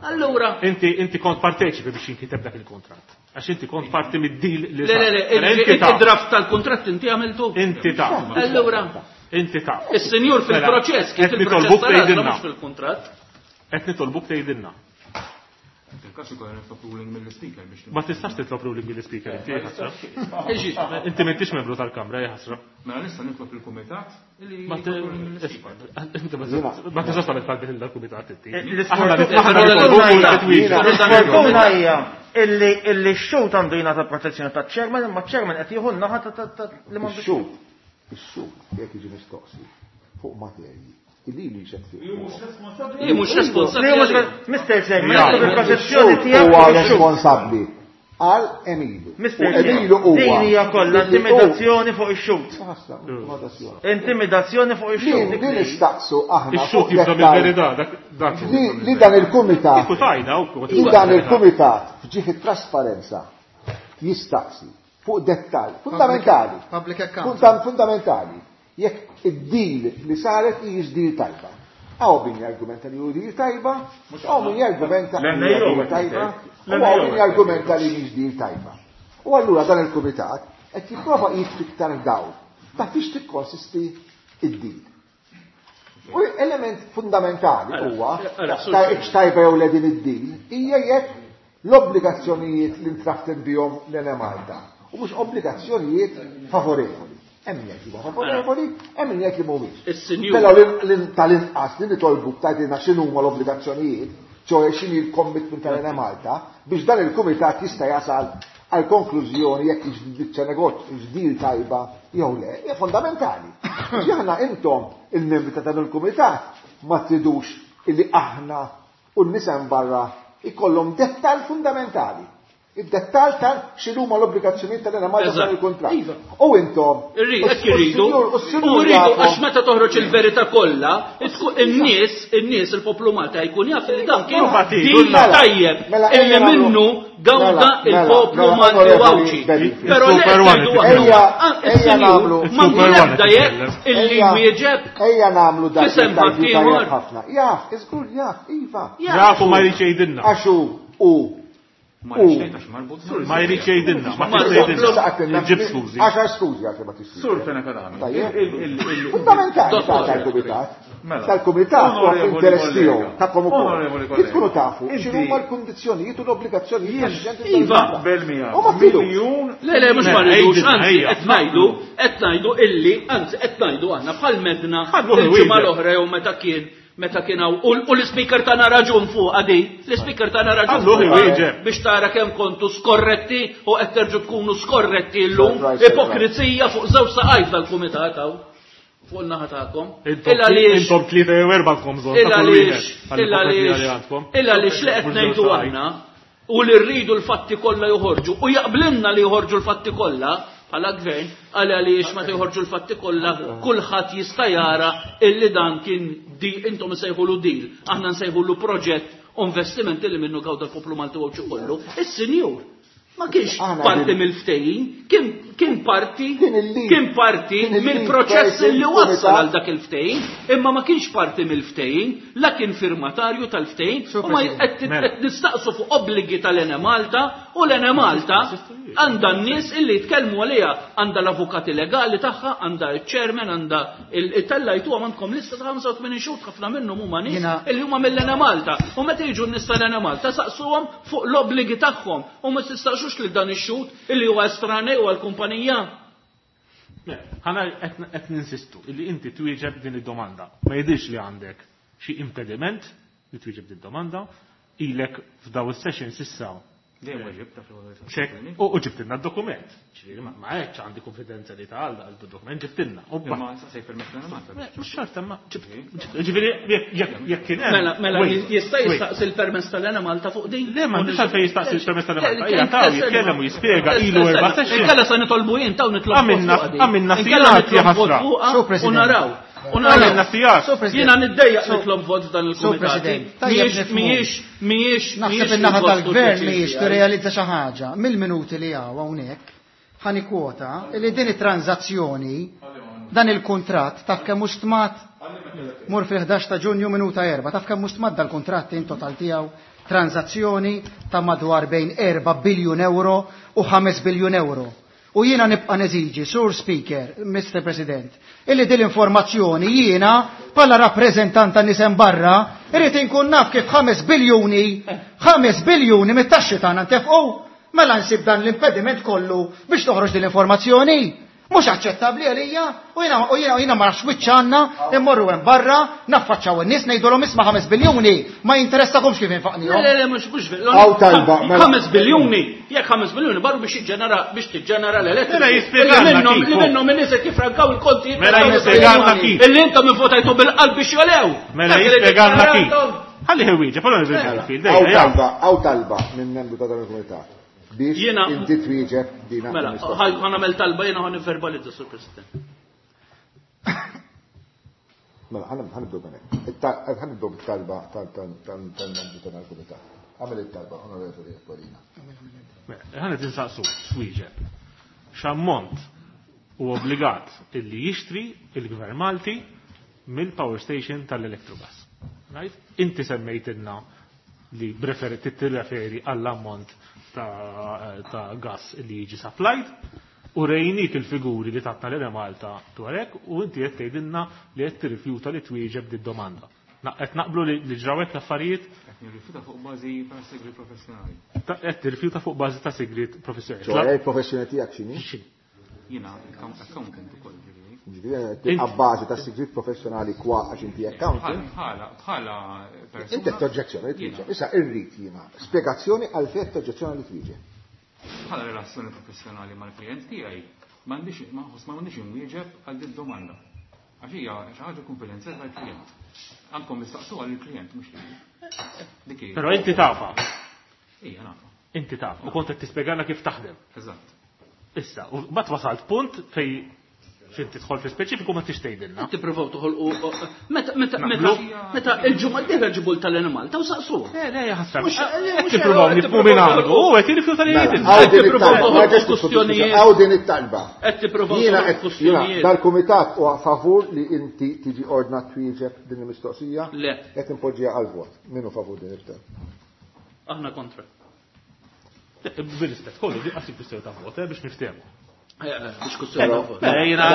Allura, Inti inti kont parteċipi biex jinkiteb dak il-kontratt. Għax inti kont parti mid-deal li le le le, sar. Mela inti taf. il-draft tal-kuntratt inti għamiltu. Inti taf. Allura, Inti taf. is-sinjur fil-proċess, kif Qed il-proċess nitolbuk tal-għażla tgħidilna. mhux fil-kuntratt. Qed nitolbuk tgħidilna. Il-każ ukoll nitlob ruling mill-speaker biex Ma tistax titlob ruling mill-speaker inti ħasra. Iġi, Inti m'intix membru tal-Kamra, hija ħasra. Mela nista' nitlob il-kumitat li Ma jitlob ruling mill-speaker. inti ma tistax tagħmel talbiet lil dal-kumitat inti. L-isfortuna Aħna nitolbuk hija- twieġeb. L-isfortuna hija illi illi x-xut għandu jingħata protezzjoni taċ-chairman, imma ċ-chairman qed jieħu n-naħa ta' li m'għandux. Ix-xhud, ix-xhud jekk jiġi mistoqsi fuq materji illi li xed fih. Hi mhux Li responsabbli. mhux għalih. Mr. Chairman, Ja. nitlob il-protezzjoni Ix-xhud tiegħek huwa fuq ix-xhud. responsabbli għal Emilu. U Mr. Chairman, Emilu huwa. din hija kollha illi hu- intimidazzjoni fuq ix-xhud. Ħasra, intimidazzjoni. Intimidazzjoni fuq Li ix-xhud. li nistaqsu aħna Ix-xhud fuq jibda dettal mill-verità dak dak. li dan il-kumitat Kieku tajda u li dan il-kumitat fġieħ it-trasparenza jistaqsi fuq dettal fundamentali. Public account. Fundamentali. Jekk id-deal li saret hijiex deal tajba. Għaw min jargumenta li hu deal tajba, għaw min jargumenta li hija deal tajba, u għaw min jargumenta li mhix deal tajba. U allura dan il-kumitat qed jipprova jitfiktar dawl ta' fiex tikkonsisti id-deal. U element fundamentali huwa Ara, ta' tajba jew le din id-deal hija jekk l-obbligazzjonijiet li ntraften bihom l-Enemalta u mhux obbligazzjonijiet favorevoli. Hemm min jgħid li huma favorevoli, hemm min jgħid li mhumiex. Is-sinjur. Però tal-inqas li nitolbu tgħidilna x'inhuma l-obbligazzjonijiet, ċoe x'inhi l-commitment tal-Enemalta biex dan il-kumitat jista' jasal għal konklużjoni jekk hix biċċa negozju, hix deal tajba jew le, hija fondamentali. Aħna intom il-membri ta' dan il-kumitat ma tridux illi aħna u n-nies hemm barra ikollhom dettall fundamentali. Id-dettall ta' x'inhuma l-obbligazzjonijiet tal-Enemalta f'dan il-kuntratt. Iva. U intom. Hekk irridu. U rridu għax meta toħroġ il-verità kollha, in-nies, in-nies il-poplu Malta jkun jaf li dan kien din tajjeb mela, illi minnu gawda mela, il-poplu Malti u Għawdxi. Però li qed ngħidu aħna, is-sinjur m'għandu l-ebda jedd illi jwieġeb. Ejja nagħmlu dak F'isem ħaddieħor. ħafna. Jaf, iżgur jaf, iva. Jaf u ma jridx jgħidilna. Għax hu Ma jridx marbut. Ma jridx jgħidilna, ma tista' jgħidilna. Ġib skużi. Għaxar skużi għax ma tista'. Sur Fenech Adami. Fundamentali tal-kumitat. Mela. Tal-kumitat u interess tiegħu tagħkom ukoll. Onorevoli Kif tkunu tafu Inti- x'inhuma l-kundizzjonijiet u l-obbligazzjonijiet Iva. Naqbel miegħek. U ma tridux. Miljun Le, le, mhux ma Mela, rridux, ejja, anzi, ejja. qed ngħidu, qed ngħidu illi, anzi, qed ngħidu aħna bħal medna Ħallu il-ġimgħa wieġeb. l-oħra jew meta kien meta kien hawn u u l-ispeaker tagħna raġun fuq di, l-ispeaker tagħna raġun Ħalluh fuqha iwieġeb. biex tara kemm kontu skorretti u qed terġu tkunu skorretti llum, Surprise, surprise. ipokrizija fuq żewġ saqajf tal-kumitat hawn fuq in-naħa tagħkom. Intom Il għaliex intom tlieta jew erba' għandkom bżonn Il ta' kull għaliex, wieħed il għall-ipokrizija li għaliex, għandkom. il għaliex li qed Mhux ngħidu żewġ saqajn. aħna u li rridu l-fatti kollha joħorġu u jaqblilna li joħorġu l-fatti kollha bħala gvern għal għaliex meta joħorġu l-fatti kollha kulħadd jista' jara illi dan kien di intom nsejħulu deal, aħna nsejħulu proġett u investiment illi minnu gawda l-poplu Malti u Għawdxi kollu. Is-sinjur ma kienx Aħna parti qegħdin- mill-ftehim, kien kien parti Kien il-lead. kien parti Kien il-lead mill-proċess person li wassal kumitat. għal dak il-ftehim, imma ma kienx parti mill-ftehim, la kien firmatarju tal-ftehim, Sur u ma President. qed Mela. qed nistaqsu fuq obbligi tal-Enemalta u l-Enemalta għandha n-nies illi jitkellmu għaliha, għandha l-avukati legali tagħha, għandha il-chairman, għandha il-tellajtu għandkom lista ta' 85 xhur ħafna minnhom huma nies Jiena- illi huma mill-Enemalta. U meta jiġu n-nies tal-Enemalta saqsuhom fuq l-obbligi tagħhom u ma tistaqsux lil dan ix-xhud illi huwa estranej u għall-kumpanija. Le, ħana qed ninsistu illi inti twieġeb din id-domanda. Ma jidhirx li għandek xi impediment li twieġeb din id-domanda, ilek f'daw is-sessions issa Dejjem weġib ta' fil ċek u u ġibtilna d-dokument. Ġifieri ma ma hekk għandi konfidenzjalità għal għal dokument ġibtilna. U ba- Imma saqsej permess l-Enemalta. Mhux xorta ma ġibt. Ġifieri jekk jekk kien hemm. Mela, mela Wait, jista' wait. jistaqsi l-permess tal-Enemalta fuq din? Le, ma għandix għalfejn jistaqsi l-permess tal-Enemalta. Le, Ejja, taw, jitkellem u jispjega, ilu erba' sessions. Inkella se nitolbu jien taw nitlob vot Għamilna- fuqha din. għamilna Inkella sigħat, ja nitlob vot ħasra. fuqha Sur U President. naraw. U Għamilna naraw. sigħat. Sur President. Jiena niddejjaq nitlob vot f'dan Sur il-kumitat. President, tajjeb Mhijiex nifhmu. mhijiex mhijiex Naħseb mhijiex in-naħa il-gost u tal-gvern l-pjaċir mhijiex tiegħi. tirrealizza xi ħaġa. Mill-minuti li hawn hawnhekk ħani kwota li din it-tranzazzjoni dan il-kuntratt taf kemm mhux stmat mur fil-11 ta' Ġunju minuta 4, taf kemm mhux stmat dal-kuntratt in total tiegħu tranzazzjoni ta' madwar bejn 4 biljun euro u 5 biljun euro. U jiena nibqa' neżiġi, Sur Speaker, Mr. President, illi din l-informazzjoni jiena bħala rappreżentant tan nisem barra irrid inkun naf kif 5 biljuni, 5 biljuni mit-taxxi tagħna ntefqu. Mela nsib dan l-impediment kollu biex toħroġ din l-informazzjoni. Mhux aċċettabbli għalija u jiena u jiena u jiena ma nafx wiċċ għandna immorru hemm barra, naffaċċaw in-nies ngħidulhom isma' 5 biljuni ma jinteressakomx kif Le, infaqnihom. le, le, mhux mhux veru. Hawn talba, mela. 5 biljuni, jekk 5 biljuni barru biex jiġġenera biex tiġġenera l-elettriku. Mela jispjegalna Illi minnhom kif, li minnhom in-nies qed jifrankaw il-konti. Mela jispjegalna kif. Illi intom ivvotajtu bil-qalb biex jolew. Mela Dak li jispjegalna kif. tiġġenera intom. Ħalli ħewieġeb, allora Garfield, Hawn ejja, ejja. talba, hawn talba minn membru ta' dan il-kumitat biex Jiena- inti twieġeb dina. Mela, il-mistoqsija. ħa nagħmel talba jiena ħa nivverbalizza, Sur President. Mela, ħanibdew minn hekk. Ħanibdew bit-talba tal-membru ta' dan il-kumitat. Għamel it-talba, onorevoli Aquilina. Mela, Ħana tinsaqsu, twieġeb. X'ammont u obbligat illi jixtri il-Gvern Malti mill-power station tal-Electrogas. Right? Inti semmejtilna li preferi tirreferi għall-ammont ta', ta gas li jiġi supplied u rejnik il-figuri li tatna l Malta dwar hekk u inti qed tgħidilna li qed tirrifjuta li twieġeb di domanda. Qed naqblu li li ġrawek l-affarijiet Qed nirrifjuta fuq bażi ta' segri professjonali. qed tirrifjuta fuq bażi ta' sigriet professjonali. ċoħe, il-professjoni tiegħek x'inhi? Jiena accountant ukoll ġifieri. Ġifieri għabbażi ta' sigriet professjonali kwa għax inti accountant. Bħala bħala persuna. Inti qed toġġezzjoni li twieġeb. Issa irrid jiena spjegazzjoni għal fejn toġġezzjoni li twieġeb. Bħala relazzjoni professjonali mal-klijent tiegħi m'għandix ma nħoss ma m'għandix inwieġeb għal din domanda. Għax hija xi ħaġa kunfidenzjali tal-klijent. Għandkom mistaqsuha lill-klijent mhux lili. Dik hija. Però inti tafha. Ija nafa. Inti taf. U kont qed tispjegana kif taħdem. Eżatt. Issa, u mbagħad wasalt punt fej fin tidħol fi speċifiku ma tix tgħidilna. Tippruvaw toħolqu meta meta meta meta il-ġimgħa d-dieħla ġibu tal-animal taw saqsu. Le, le, jaħasra. Qed tippruvaw nifhmu minn għandu, u qed jirrifjuta li jgħidilna. Għaw din tippruvaw it-talba, toħolqu ma ġex kwistjonijiet. Għaw din it-talba. Qed tippruvaw Jiena toħolqu qed jiena kwistjonijiet. dal-kumitat huwa favur li inti tiġi ordnat twieġeb din il-mistoqsija. Le. Qed impoġġiha għal vot. Min hu favur din it-talba? Aħna kontra. Bil-rispett kollu, di qasib kwistjoni ta' vot, biex niftehmu. Biex kwistjoni ta' vot. Jiena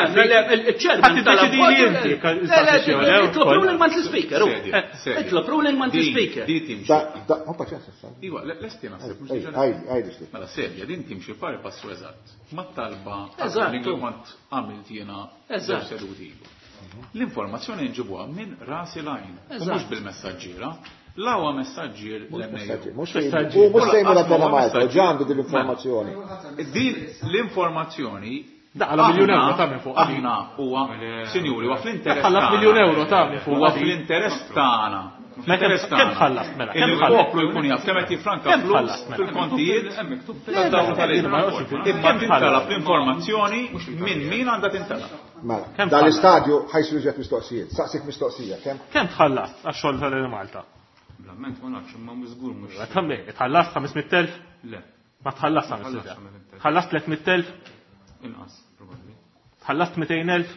Il-ċermen Ħadd tiddeċidi li inti Itlob ruling monthly speaker. Sedja, sedja. Itlob ruling monthly speaker. Di timxi. Da, da, ma paċenza issa. Iwa, lesti naħseb. mhux Ej, diġà- għajdi, għajdi xti. Mela serja, din timxi pari passu eżatt. Ma talba Eżatt. li kont għamilt jiena Eżatt. żewġ seduti ilu. L-informazzjoni nġibuha minn rasi lajn, u Eżatt. mhux bil-messaġġiera. L-awa messaġġier l-MAU. Mhux fejn, u mhux sejmu la dana Malta, u ġa għandu din l-informazzjoni. Din l-informazzjoni Daqala miljun euro ta' minn fuq. Aħna huwa, sinjuri, huwa fl-interess. Tħallas tagħna. miljun euro ta' minn fuq. Huwa fl-interess tagħna. Mela, Fl-interess kemm tagħna. tħallas, mela, kemm Illi tħallas? l-poplu jkun jaf kemm qed jiffranka Kemm flus tħallas, mela? fil-kontijiet Hemm miktub tad-dawl tal-ilma. Imma Kemm tintalab tħallas? l-informazzjoni minn min għandha tintalab. Mela, Kemm dal-istadju ħajsiru ġet mistoqsijiet. Saqsik mistoqsija, kemm? Kemm tħallas għax-xogħol tal-Malta? Blamment ma nafx imma mhux żgur mhux. Tammi, tħallas 500,000? Le, Ma tħallas 500,000. Tħallas 300,000? inqas probabbli. Tħallas 200,000?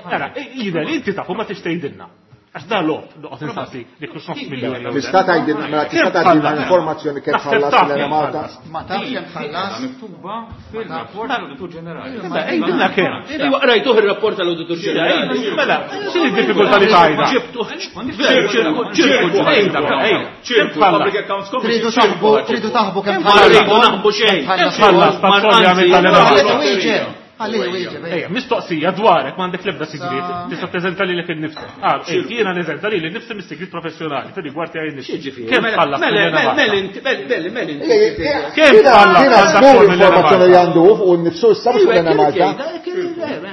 Ara, jidher li inti tafu ma tix tgħidilna. Għax da lob, noqgħod insaqsi li kux nofs miljun euro. Tista' tgħidilna, mela tista' Kemm tgħidilna tħallas? l-informazzjoni kemm Naħseb tħallas taf l kemm Malta. tħallas. Ma tafx kemm tħallas. Miktuba fil-rapport tal-Awditur Ġenerali. Mela, Għidilna kemm. Iwa qrajtuh ir-rapport tal-Awditur Ġenerali. Mela, x'inhi d-diffikultà li tgħidha? Ġibtu ċirku, ċirku, Ejda, ejda, Ċirku, tħallas? Public Accounts Committee. Tridu taħbu, tridu taħbu kemm Ma rridu naħbu xejn. Kemm tħallas tax-xogħol li għamilt tal-Malta? Wieġeb, għalli wieġeb. Ejja, mistoqsija dwarek m'għandek l-ebda sigriet, tista' preżenta lilek innifsek. Ah, ej, jiena neżenta lili nnifsi mis-sigriet professjonali fir-rigward tiegħi nnifsi. Xiġifieri? Kemm tħallas Mela, mill-Ena mela, Malta? mela, inti, mela, mela, mela, inti. Kemm tħallas Jiena għal dak żgur xogħol mill-Ena informazzjoni li Malta? għandu fuq innifsu issa mhux Iwa, l Malta.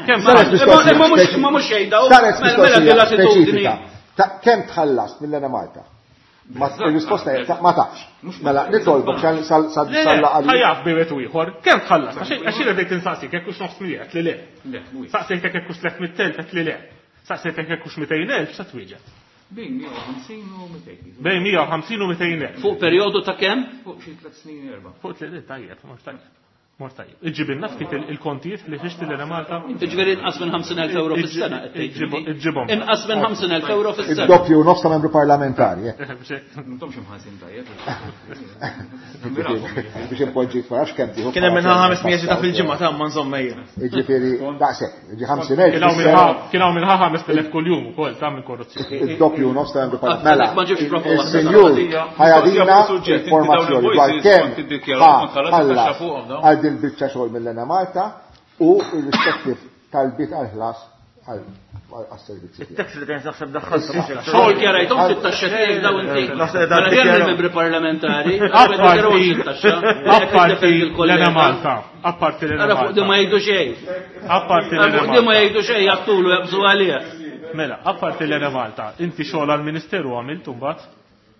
Kemm Saret tħallas? mistoqsija Ma mhux speċifika. ma mhux xejda. Saret Mela mela mistoqsija dil-attitudni. speċifika. Ta' Kemm tħallas mill-Ena Malta? Ma il-risposta hija ma tafx. Mela nitolbok sal Le, le, sal ħajaf bejwet u ieħor, kemm tħallas? Għax jiena bdejt insaqsik jekk hux nofs miljun qed li le. Le, mhuwiex. Saqsejtek jekk hux 300,000 qed li le. Saqsejtek jekk hux 200,000 sa twieġeb. Bejn 150 u 200. Bejn 150 u 200,000. Fuq perjodu ta' kemm? Fuq xi tliet snin erba'. Fuq tliet tajjeb, mhux tajjeb. Mor tajjeb. Iġibilna ftit il-kontijiet li fixti l Malta. Ġifieri inqas minn 50,000 euro fis-sena qed tgħid. Iġibhom. Inqas minn 50,000 euro fis-sena. Id-doppju nofs ta' membru parlamentari. eh. M'intomx imħallsin tajjeb. Biex impoġġi ma nafx kemm tieħu. Kien hemm minnha 500 ta' fil-ġimgħa ta' ma nżomm ejja. Jiġifieri daqshekk, jiġi 50,000. Kien hawn minħa kien hawn minħa 5,000 kuljum ukoll ta' minn korruzzjoni. Id-doppju nofs ta' membru parlamentari. Għalhekk ma ġibx Mela, prova waħda. il-senjur ħajadina Mistoqsija fuq suġġett, inti dawn informazzjoni dwar il-voices kemm kont tiddikjara, kont tħallas it-taxxa ħallas fuqhom dawn. għal din biċċa xogħol mill-Ena Malta u il-rispettiv talbiet għal-ħlas għal-servizzi. tiegħu. Il-tax returns naħseb daħħaltu. Xogħol kjarajthom fit-taxxa tiegħek daw inti. Naħseb dan Mela kemm dikjaraw. il-membri parlamentari, Apparti apparti l-Ena Malta, apparti l-Ena Ara fuq di ma Malta. jgħidu xejn. Apparti Ara l-Ena fuq di ma Malta. jgħidu xejn jaqtulu jaqbżu għalih. Mela, apparti l-Ena Malta, inti xogħol għall-Ministeru għamilt imbagħad?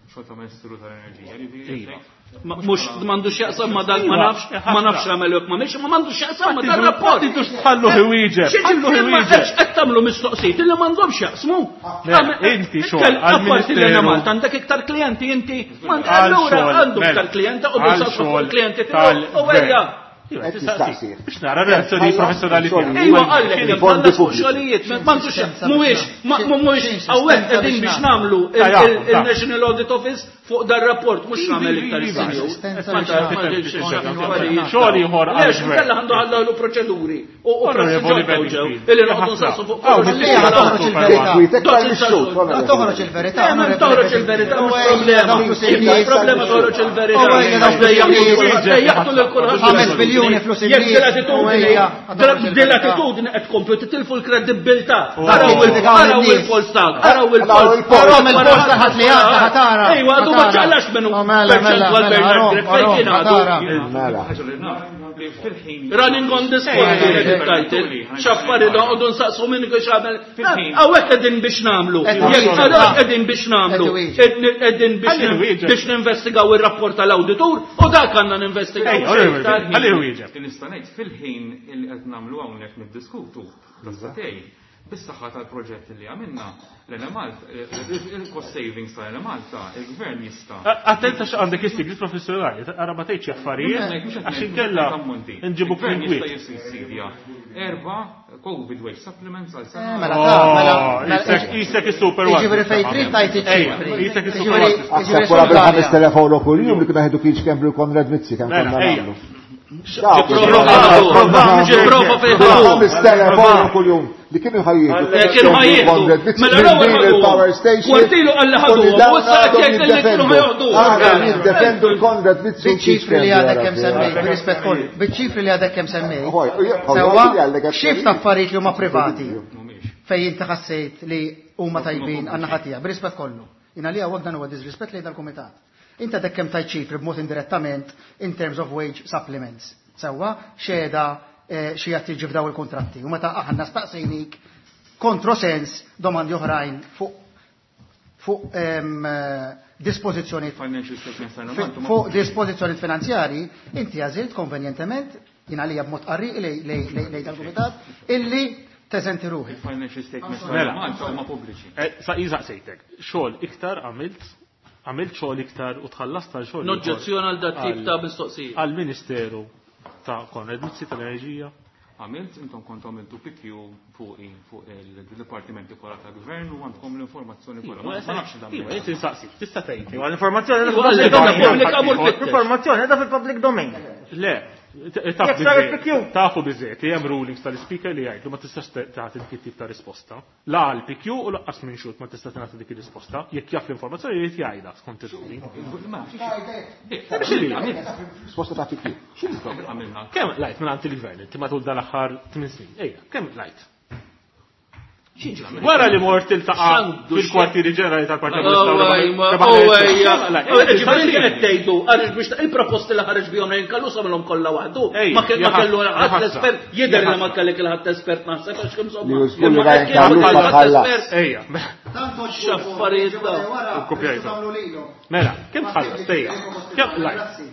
Xogħol ta' Ministeru tal-Enerġija. ġifieri, Iva. Mhux m'għandux jaqsam ma dak ma nafx, ma nafx għamel jekk ma mhix, ma m'għandux jaqsam ma dan rapport. Tidux tħallu ħwieġeb, ħallu Xi ma ħwieġeb. qed tagħmlu mistoqsijiet illi m'għandhomx jaqsmu. Mela, inti xogħol Apparti li għall-Ministeru. Malta għandek iktar klijenti inti, Għal allura xogħol, għandu mela, iktar klijenta u għal saqsu fuq xogħol il-klijenti tiegħu u ejja. Iva, Qed tistaqsi. tistaqsi. Biex nara reazzjoni professjonali tiegħek. Ejwa għallek, Fondi tħallas fuq pubbliċi. xogħlijiet, m'għandux mhuwiex, mhuwiex hawnhekk qegħdin biex nagħmlu Ta' il-National Audit Office fuq dar rapport mhux nagħmel iktar Iva, is-senjur. Assistenza Ma biex ta' nagħmlu. Xogħol ieħor għal Lex, gvern. kella għandu ħallu proċeduri u Onorevoli proċeduri ġew Bedingfield. illi noqogħdu nsaqsu fuq Aw, kollox. Ħalliha toħroġ il-verità. Kwitek tal-mixxut, La toħroġ il-verità. Le, ma toħroġ il-verità, mhux problema. Il Problema toħroġ il-verità. U ejja, dawk Dejjaqtu dejjaqtu lil kulħadd. Ħames biljuni flus Jekk il-nies, u ejja, toħroġ din il-verità. l-attitudni qed tkomplu titilfu l-kredibilità. U Araw jiġġudikaw araw lin-nies. il-pols tagħek, araw il-pols. Araw il-pols. Araw il-pols ta' ħadd li għadda, ħatara. Ejwa, għadu Ma ċaqlax minnu perċentwal Bernard Grech fejn kien għadu. Mela. Running on the spot title. X'affari noqogħdu nsaqsu minn kif għamel. Hawnhekk qegħdin biex nagħmlu. Jekk hawnhekk qegħdin biex nagħmlu. Qegħdin biex ninvestigaw ir-rapport tal-awditur u dak għandna ninvestigaw. Ħalli wieġeb. Nista' ngħid fil-ħin li qed nagħmlu hawnhekk niddiskutu tas-satej. Bis-saħħa tal-proġett li għamilna, l-Enemalta, il-cost savings tal-Enemalta, il-gvern jista'. Attenta għandek is-sigriet professjonali, ara ma tgħidx affarijiet għax inkella nġibuk Il-gvern jista' jissussidja erba' COVID wage supplements għal sena. Mela, mela, Isek is-super one. Jiġifieri fejn trid tgħid iċ-ċifri. Isek is-super one. Aħseb wara bil-5000 euro kuljum li kienu ħedu Keith Schembri u Konrad Mizzi kemm Mela, konna ejja. nagħmlu. Ġiprofa fejn ħadu. 5000 euro kuljum li kienu ħajjieħdu. Kienu ħajjieħdu. Mela l-ewwel ħaduhom. il-power station. Kwartilu qal li ħaduhom, u issa qed jgħid li kienu ħajoħduhom. Aħna jiddefendu l-Konrad Mizzi u Keith Biċ-ċifri li Schembri. għadek kemm semmejt, bir-rispett kollu, biċ-ċifri li għadek kemm semmejt. Oj, oj, oj, Sewwa, oj, għallek xift affarijiet li huma privati Mhumiex. fejn inti ħassejt li huma tajbin għandna ħatija, bir-rispett kollu. Jien għalija hawnhekk dan huwa disrispett lejn dal-kumitat. Inti għadek kemm tajt ċifri b'mod indirettament in terms of wage supplements. Sewwa, xeda xi qed tiġi f'daw il-kontratti. U meta aħna staqsejnik kontrosens domandi oħrajn fuq fuq dispożizzjonijiet Financial statements tal-Enemalta huma fuq dispożizzjoni finanzjari, inti għażilt konvenjentement, jien għalija b'mod qarriq lej dal-kumitat, illi teżenti ruħi. Financial statements Mela. tal-Enemalta huma pubbliċi. Sa sejtek, xogħol iktar għamilt, għamilt xogħol iktar u tħallast għal xogħol. Noġġezzjoni għal dat tip ta' mistoqsija. Għal-Ministeru ta' Konrad Mizzi tal-Enerġija. Għamilt, intom kontu għamiltu PQ fuqi fuq il-dipartimenti kollha tal-gvern u għandkom l-informazzjoni kollha. Ma nafx dan. Iva, inti nsaqsik, tista' tgħid. Iva, L-informazzjoni Iva, għallek, qiegħda għandha pubblika mur fittex. L-informazzjoni qiegħda fil-public domain. Le, Jekk sar il-PQ. tafu biżejjed li hemm rulings tal-speaker li jgħidu ma tistax tagħti dik it-tip ta' risposta. La għal PQ u laqqas minn xut ma tista' tingħata dik ir-risposta. Jekk jaf l-informazzjoni jrid jgħidha skont ir-ruling. Ma nafx. X'inhi? Risposta ta' PQ. X'inhi il-problema? Għamilna. Kemm lajt minn għand il-gvern inti matul dan-aħħar 8 snin? Ejja, kemm lajt? Wara li mort iltaqa' X'għandu fil-kwartieri ġenerali tal-Partit Ġifieri qed tgħidu għaliex biex il-proposti li ħareġ bihom Ryan Callus għamilhom kollha waħdu. Ej, Ma kellu ja ma kellu ħasra, ħadd ja espert ħasra. jidher Ja li ma ħasra. kellek il-ħadd espert naħseb għax kemm Li insomma. żgur li Imma Ryan kien Callus ma ħadd tħallas. espert. Ejja, X'affarijiet dawn. Kopjajtu. Mela, kemm tħallas? Ejja. Kemm lajt?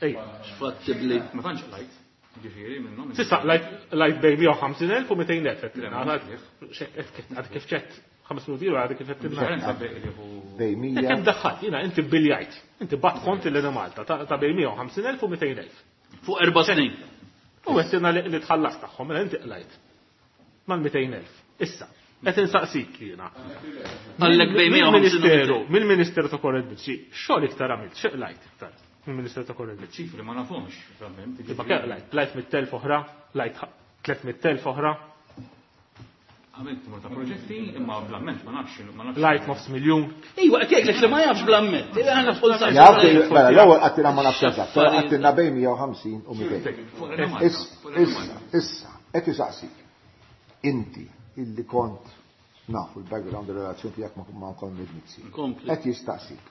Ejja. X'fattibli. Ma tantx lajt. Ġifieri minnhom. Sissa, lajt bej 150.000 u 200.000. Le, ma Għad kif ċett, 5 minuti ilu għad kif qed Differenza bej li hu Bej Kemm 100. daħħalt, jina, inti biljajt, inti bat kont il Malta ta' bej 150.000 u 200.000. Fuq erba' snin. U għettina li tħallas tagħhom, mela inti qlajt. Mal-200.000. Issa, qed insaqsik jiena. Għallek bej 150 Mill-Ministeru, mill-Ministeru ta' Konrad Mizzi, xogħol iktar għamilt, xi qlajt iktar mill-Ministeru ta' Konrad Mizzi. ċifri ma nafhomx verament. Imma kemm qlajt? Qlajt 100,000 oħra, qlajt 300,000 oħra, Għamilt numru ta' proġetti imma bl-amment ma nafx ma nafx. qlajt nofs miljun. Iwa, qed jgħidlek li ma jafx bl-amment. Aħna fuq Jaf li- Mela, l-ewwel għattina ma nafx eżatt, però għattina bejn 150 u 200. Fuq l-Enemalta. Fuq l-Enemalta. Issa, qed isaqsik. Inti illi kont nafu l-background relazzjoni tiegħek ma' Konrad Mizzi. Kompli. Qed jistaqsik.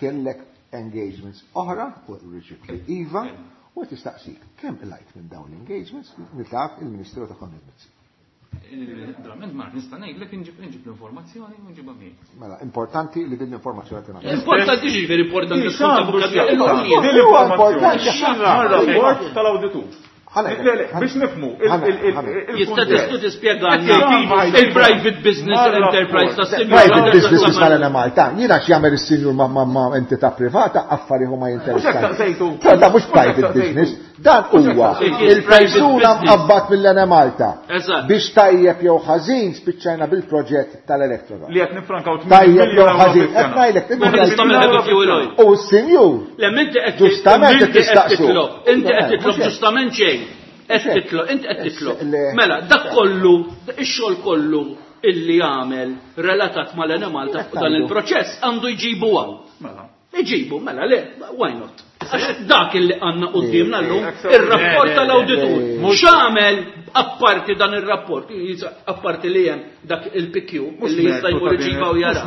Kellek engagements oħra u riċit li iva u qed jistaqsik kemm lajt minn dawn l-engagements nitlaq il-Ministeru ta' Konrad Mizzi. Bl-amment ma nafx nista' ngħidlek inġib l-informazzjoni u nġibha miegħi. Mela, importanti li din l-informazzjoni tingħata. Importanti ġifieri importanti tkun ta' Din fuq Huwa importanti Mar-rapport tal-awditur. Ħalek, Le, le, biex nifmu. Jista' tista' tispjegana il-private business enterprise ta' sinjur. Private business is tal Malta. Jiena x'jagħmel is-sinjur ma' entità privata affari huma jinteressati. Però da mhux private business, dan huwa il-persuna mqabbad mill-Ene Malta. Eżatt. Biex tajjeb jew ħażin spiċċajna bil-proġett tal-Electrogas. Li qed nifrankaw 8 Tajjeb jew miljun euro ħażin, qed fis-sena. ngħidlek Ma tista' mill fuel oil. U s-sinjur Le inti qed Ġustament inti qed tistaqsu. titlob, inti qed titlob Mhux hekk. ġustament xejn. Qed Mhux hekk. titlob, inti qed titlob. Le. Mela, dak kollu, ix-xogħol kollu illi jagħmel relatat mal-Ene Malta fuq dan il-proċess għandu jġibu hawn. Mela. Iġibu, mela, le, why not? Għax dak illi għanna qoddimna llum, ir-rapport tal-awditur. X'għamel Apparti dan ir-rapport, apparti li hemm dak il-PQ li jista' jmur iġibha u jara.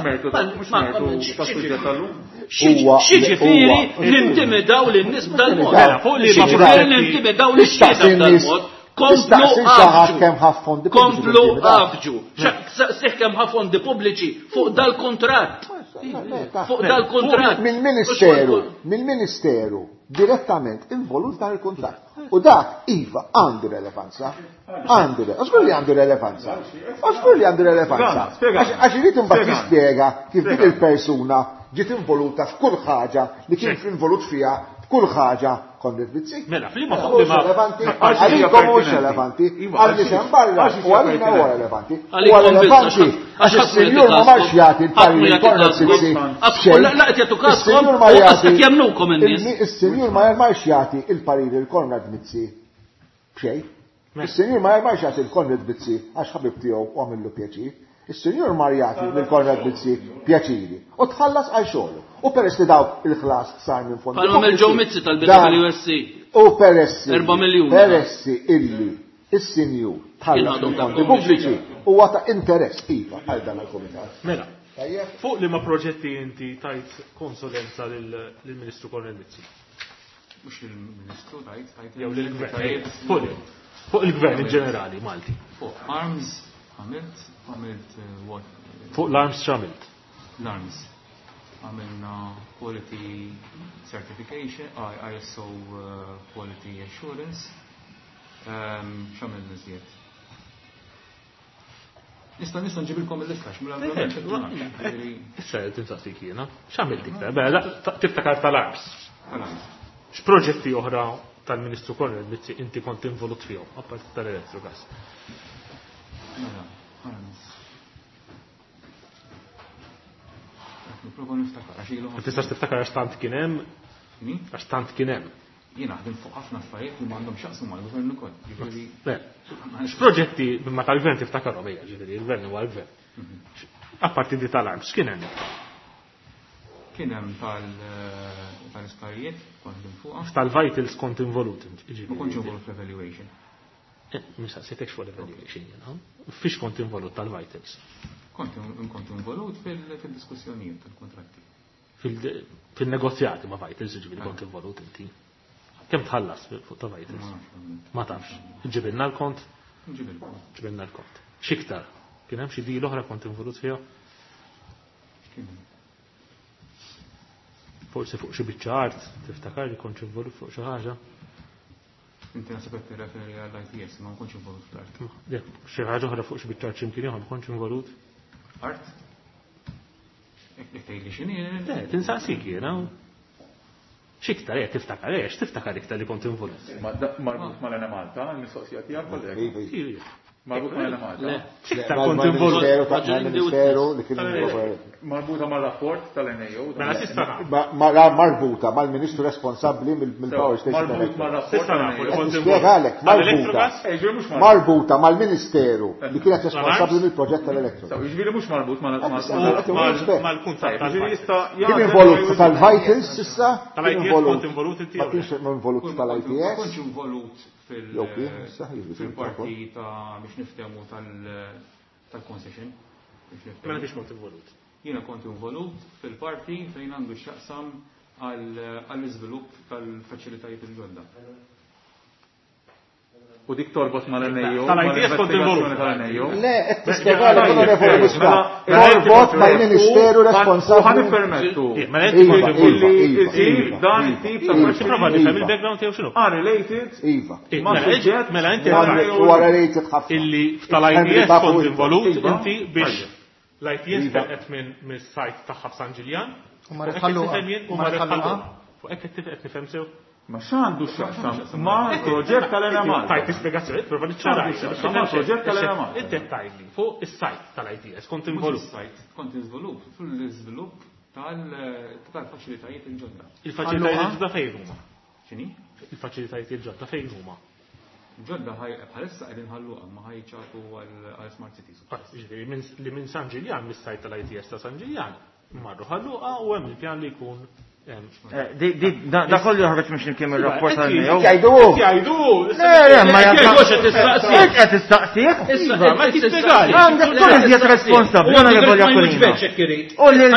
X'jiġifieri nintimidaw lin-nies b'dal-mod? X'jiġifieri nintimidaw lix-xhieda b'dal-mod? Komplu għafġu. Komplu għafġu. Seħ kemm ħa fondi pubbliċi fuq dal-kuntratt. Fuq dal-kuntratt. Mill-Ministeru, mill-Ministeru direttament involut dan il-kuntratt. U dak, iva, għandu relevanza. Għandu, żgur li għandu relevanza. Żgur li għandu relevanza. Għax irid imbagħad jispjega kif dik il-persuna ġiet involuta f'kull ħaġa li kien involut fiha f'kull ħaġa Konrad Mizzi. Mela, f'liema Mhux relevanti, għalikom mhux relevanti, għal nies hemm barra u għalina huwa relevanti. Huwa relevanti għax is-sinjur ma marx jagħti l-parir lil Konrad Mizzi. Is-sinjur ma jagħti. Is-sinjur ma marx jagħti l-parir lil Konrad Mizzi b'xejn. Is-Sinjur ma marx jagħti lil Konrad Mizzi għax ħabib tiegħu u għamillu pjaċir. Is-Sinjur mar jagħti lil Konrad Mizzi pjaċiri u tħallas għal xogħlu. U peress li dawk il-ħlas sar minn fondi. Bħalma għamel Joe Mizzi tal-BWSC. U peress 4 miljun. Peress illi is-Sinjur tħallas minn fondi pubbliċi huwa ta' interess iva għal dan il-kumitat. Mela, fuq liema proġetti inti tajt konsulenza lill-Ministru Konrad Mizzi? Mhux lill-Ministru tajt, tajt Jew lill-Gvern. Fuq fuq il-Gvern in ġenerali Malti. Fuq arms għamilt, għamilt eh, what? Fuq l-arms x'għamilt? L-arms. Għamilna quality certification, ISO eh, quality assurance. Ehm, x'għamilna iżjed? Nista' nista' nġibilkom il-lista Issa qed insaqsik jiena. X'għamilt iktar? Bella, tiftakar tal-arms. X'proġetti oħra tal-Ministru Konrad Mizzi inti kont involut fihom, apparti tal-Electrogas? Mela, arms. Nipprova niftakar għax ilu. Ma tistax tiftakar għax tant kien hemm? Għax tant kien hemm. Jien naħdem fuq ħafna affarijiet li m'għandhom x'jaqsmu mal-gvern ukoll. Jiġifieri. X'proġetti ma tal-gvern tiftakarhom ejja, ġifieri il-gvern huwa l-gvern. Mhm. Apparti di tal-arms, x'kien hemm? Kien hemm eh, tal-isptarijiet kont fuqha. Tal-vitals kont involut. Ma kontx involut fl-evaluation. Eh, Mistaqsitekx fuq l-evaluation jiena. Fiex kont involut tal-vitals? Kont involut fil-diskussjonijiet tal-kontratti. Fil-negozjati ma' Vitals, ġifieri kont involut inti. Kemm tħallas fuq ta' Vitals? Ma tafx. Ġibilna l-kont? Ġibilna l-kont. X'iktar? Kien hemm xi deal oħra kont involut fiha? Forsi fuq xi biċċa art, tiftakar li kont involut fuq xi ħaġa? Inti naħseb qed tirreferi għall-ITS, ma nkunx involut fl-art. Xi ħaġa oħra fuq xi biċċa art x'imkien ieħor ma kontx involut? Art? Jekk tgħidli x'inhi. Le, tinsaqsik jiena. X'iktar qed tiftakar, eh, x'tiftakar iktar li kont involut? Marbut mal-Enemalta, il-mistoqsija tiegħek kollega. Marbuta mal-Enemalta. X'iktar kont involut? Mal-Ministeru li kien involut. Marbuta mal-rapport tal-NAO. Mela s'issa Marbuta mal-Ministru responsabbli mill-Power Station. Marbut mal-rapport tal-NAO. Nispjegalek, marbuta. Marbuta mal-Ministeru li kienet responsabbli mill-proġett tal-Electrogas. Jiġifieri mhux marbut mal-kuntratt. Kien involut tal-Vitals s'issa? Kien involut. Ma kienx involut tal-ITS? Ma kontx involut fil-parti ta' biex niftehmu tal-concession. Mela fiex kont involut? Jiena kont involut fil-parti fejn għandu x'jaqsam għall-iżvilupp tal-faċilitajiet il-ġodda. U dik torbot mal-NAO. Tal-ITS kont involut. Tal-NAO. Le, qed tispjegalek Onorevoli Muscat. Torbot mal-Ministeru responsabbli. U ħa nippermettu. Mela inti kont involut. Illi jsir dan it-tip ta' Prova nifhem il-background tiegħu x'inhu. Unrelated. Iva. Ma' suġġett. Mela inti Huwa related ħafna. Illi f'tal-ITS kont involut inti biex l-ITS telqet minn mis-sajt tagħha f'San Ġiljan. U marret Ħal Luqa. U marret Ħal Luqa. Fuq hekk qed nifhem sew. Ma x'għandu x'jaqsam ma' proġett tal-Enemalta? Tajt ispjegazzjoni, prova niċċara. X'għandu ma' proġett tal-Enemalta? Inti qed tgħidli fuq is-sajt tal-ITS kont involut. Is-sajt kont involut fl-iżvilupp tal-faċilitajiet il-ġodda. Il-faċilitajiet il-ġodda fejn huma? X'inhi? Il-faċilitajiet il-ġodda fejn huma? Ġodda bħalissa qegħdin Ħal Luqa ma ħajċatu għal Smart Cities. Ġifieri li minn San Ġiljan, mis-sajt tal-ITS ta' San Ġiljan, marru Ħal Luqa u hemm il-pjan li jkun Da kollu joħroġ mhux imkien mir-rapport tal-NAO. Jgħidu. Jgħidu. Le, ma jgħidu qed tistaqsi. Qed tistaqsi. Iva, ma tispjegali. Għandek tkun iżjed responsabbli, onorevoli Aquilina. U lil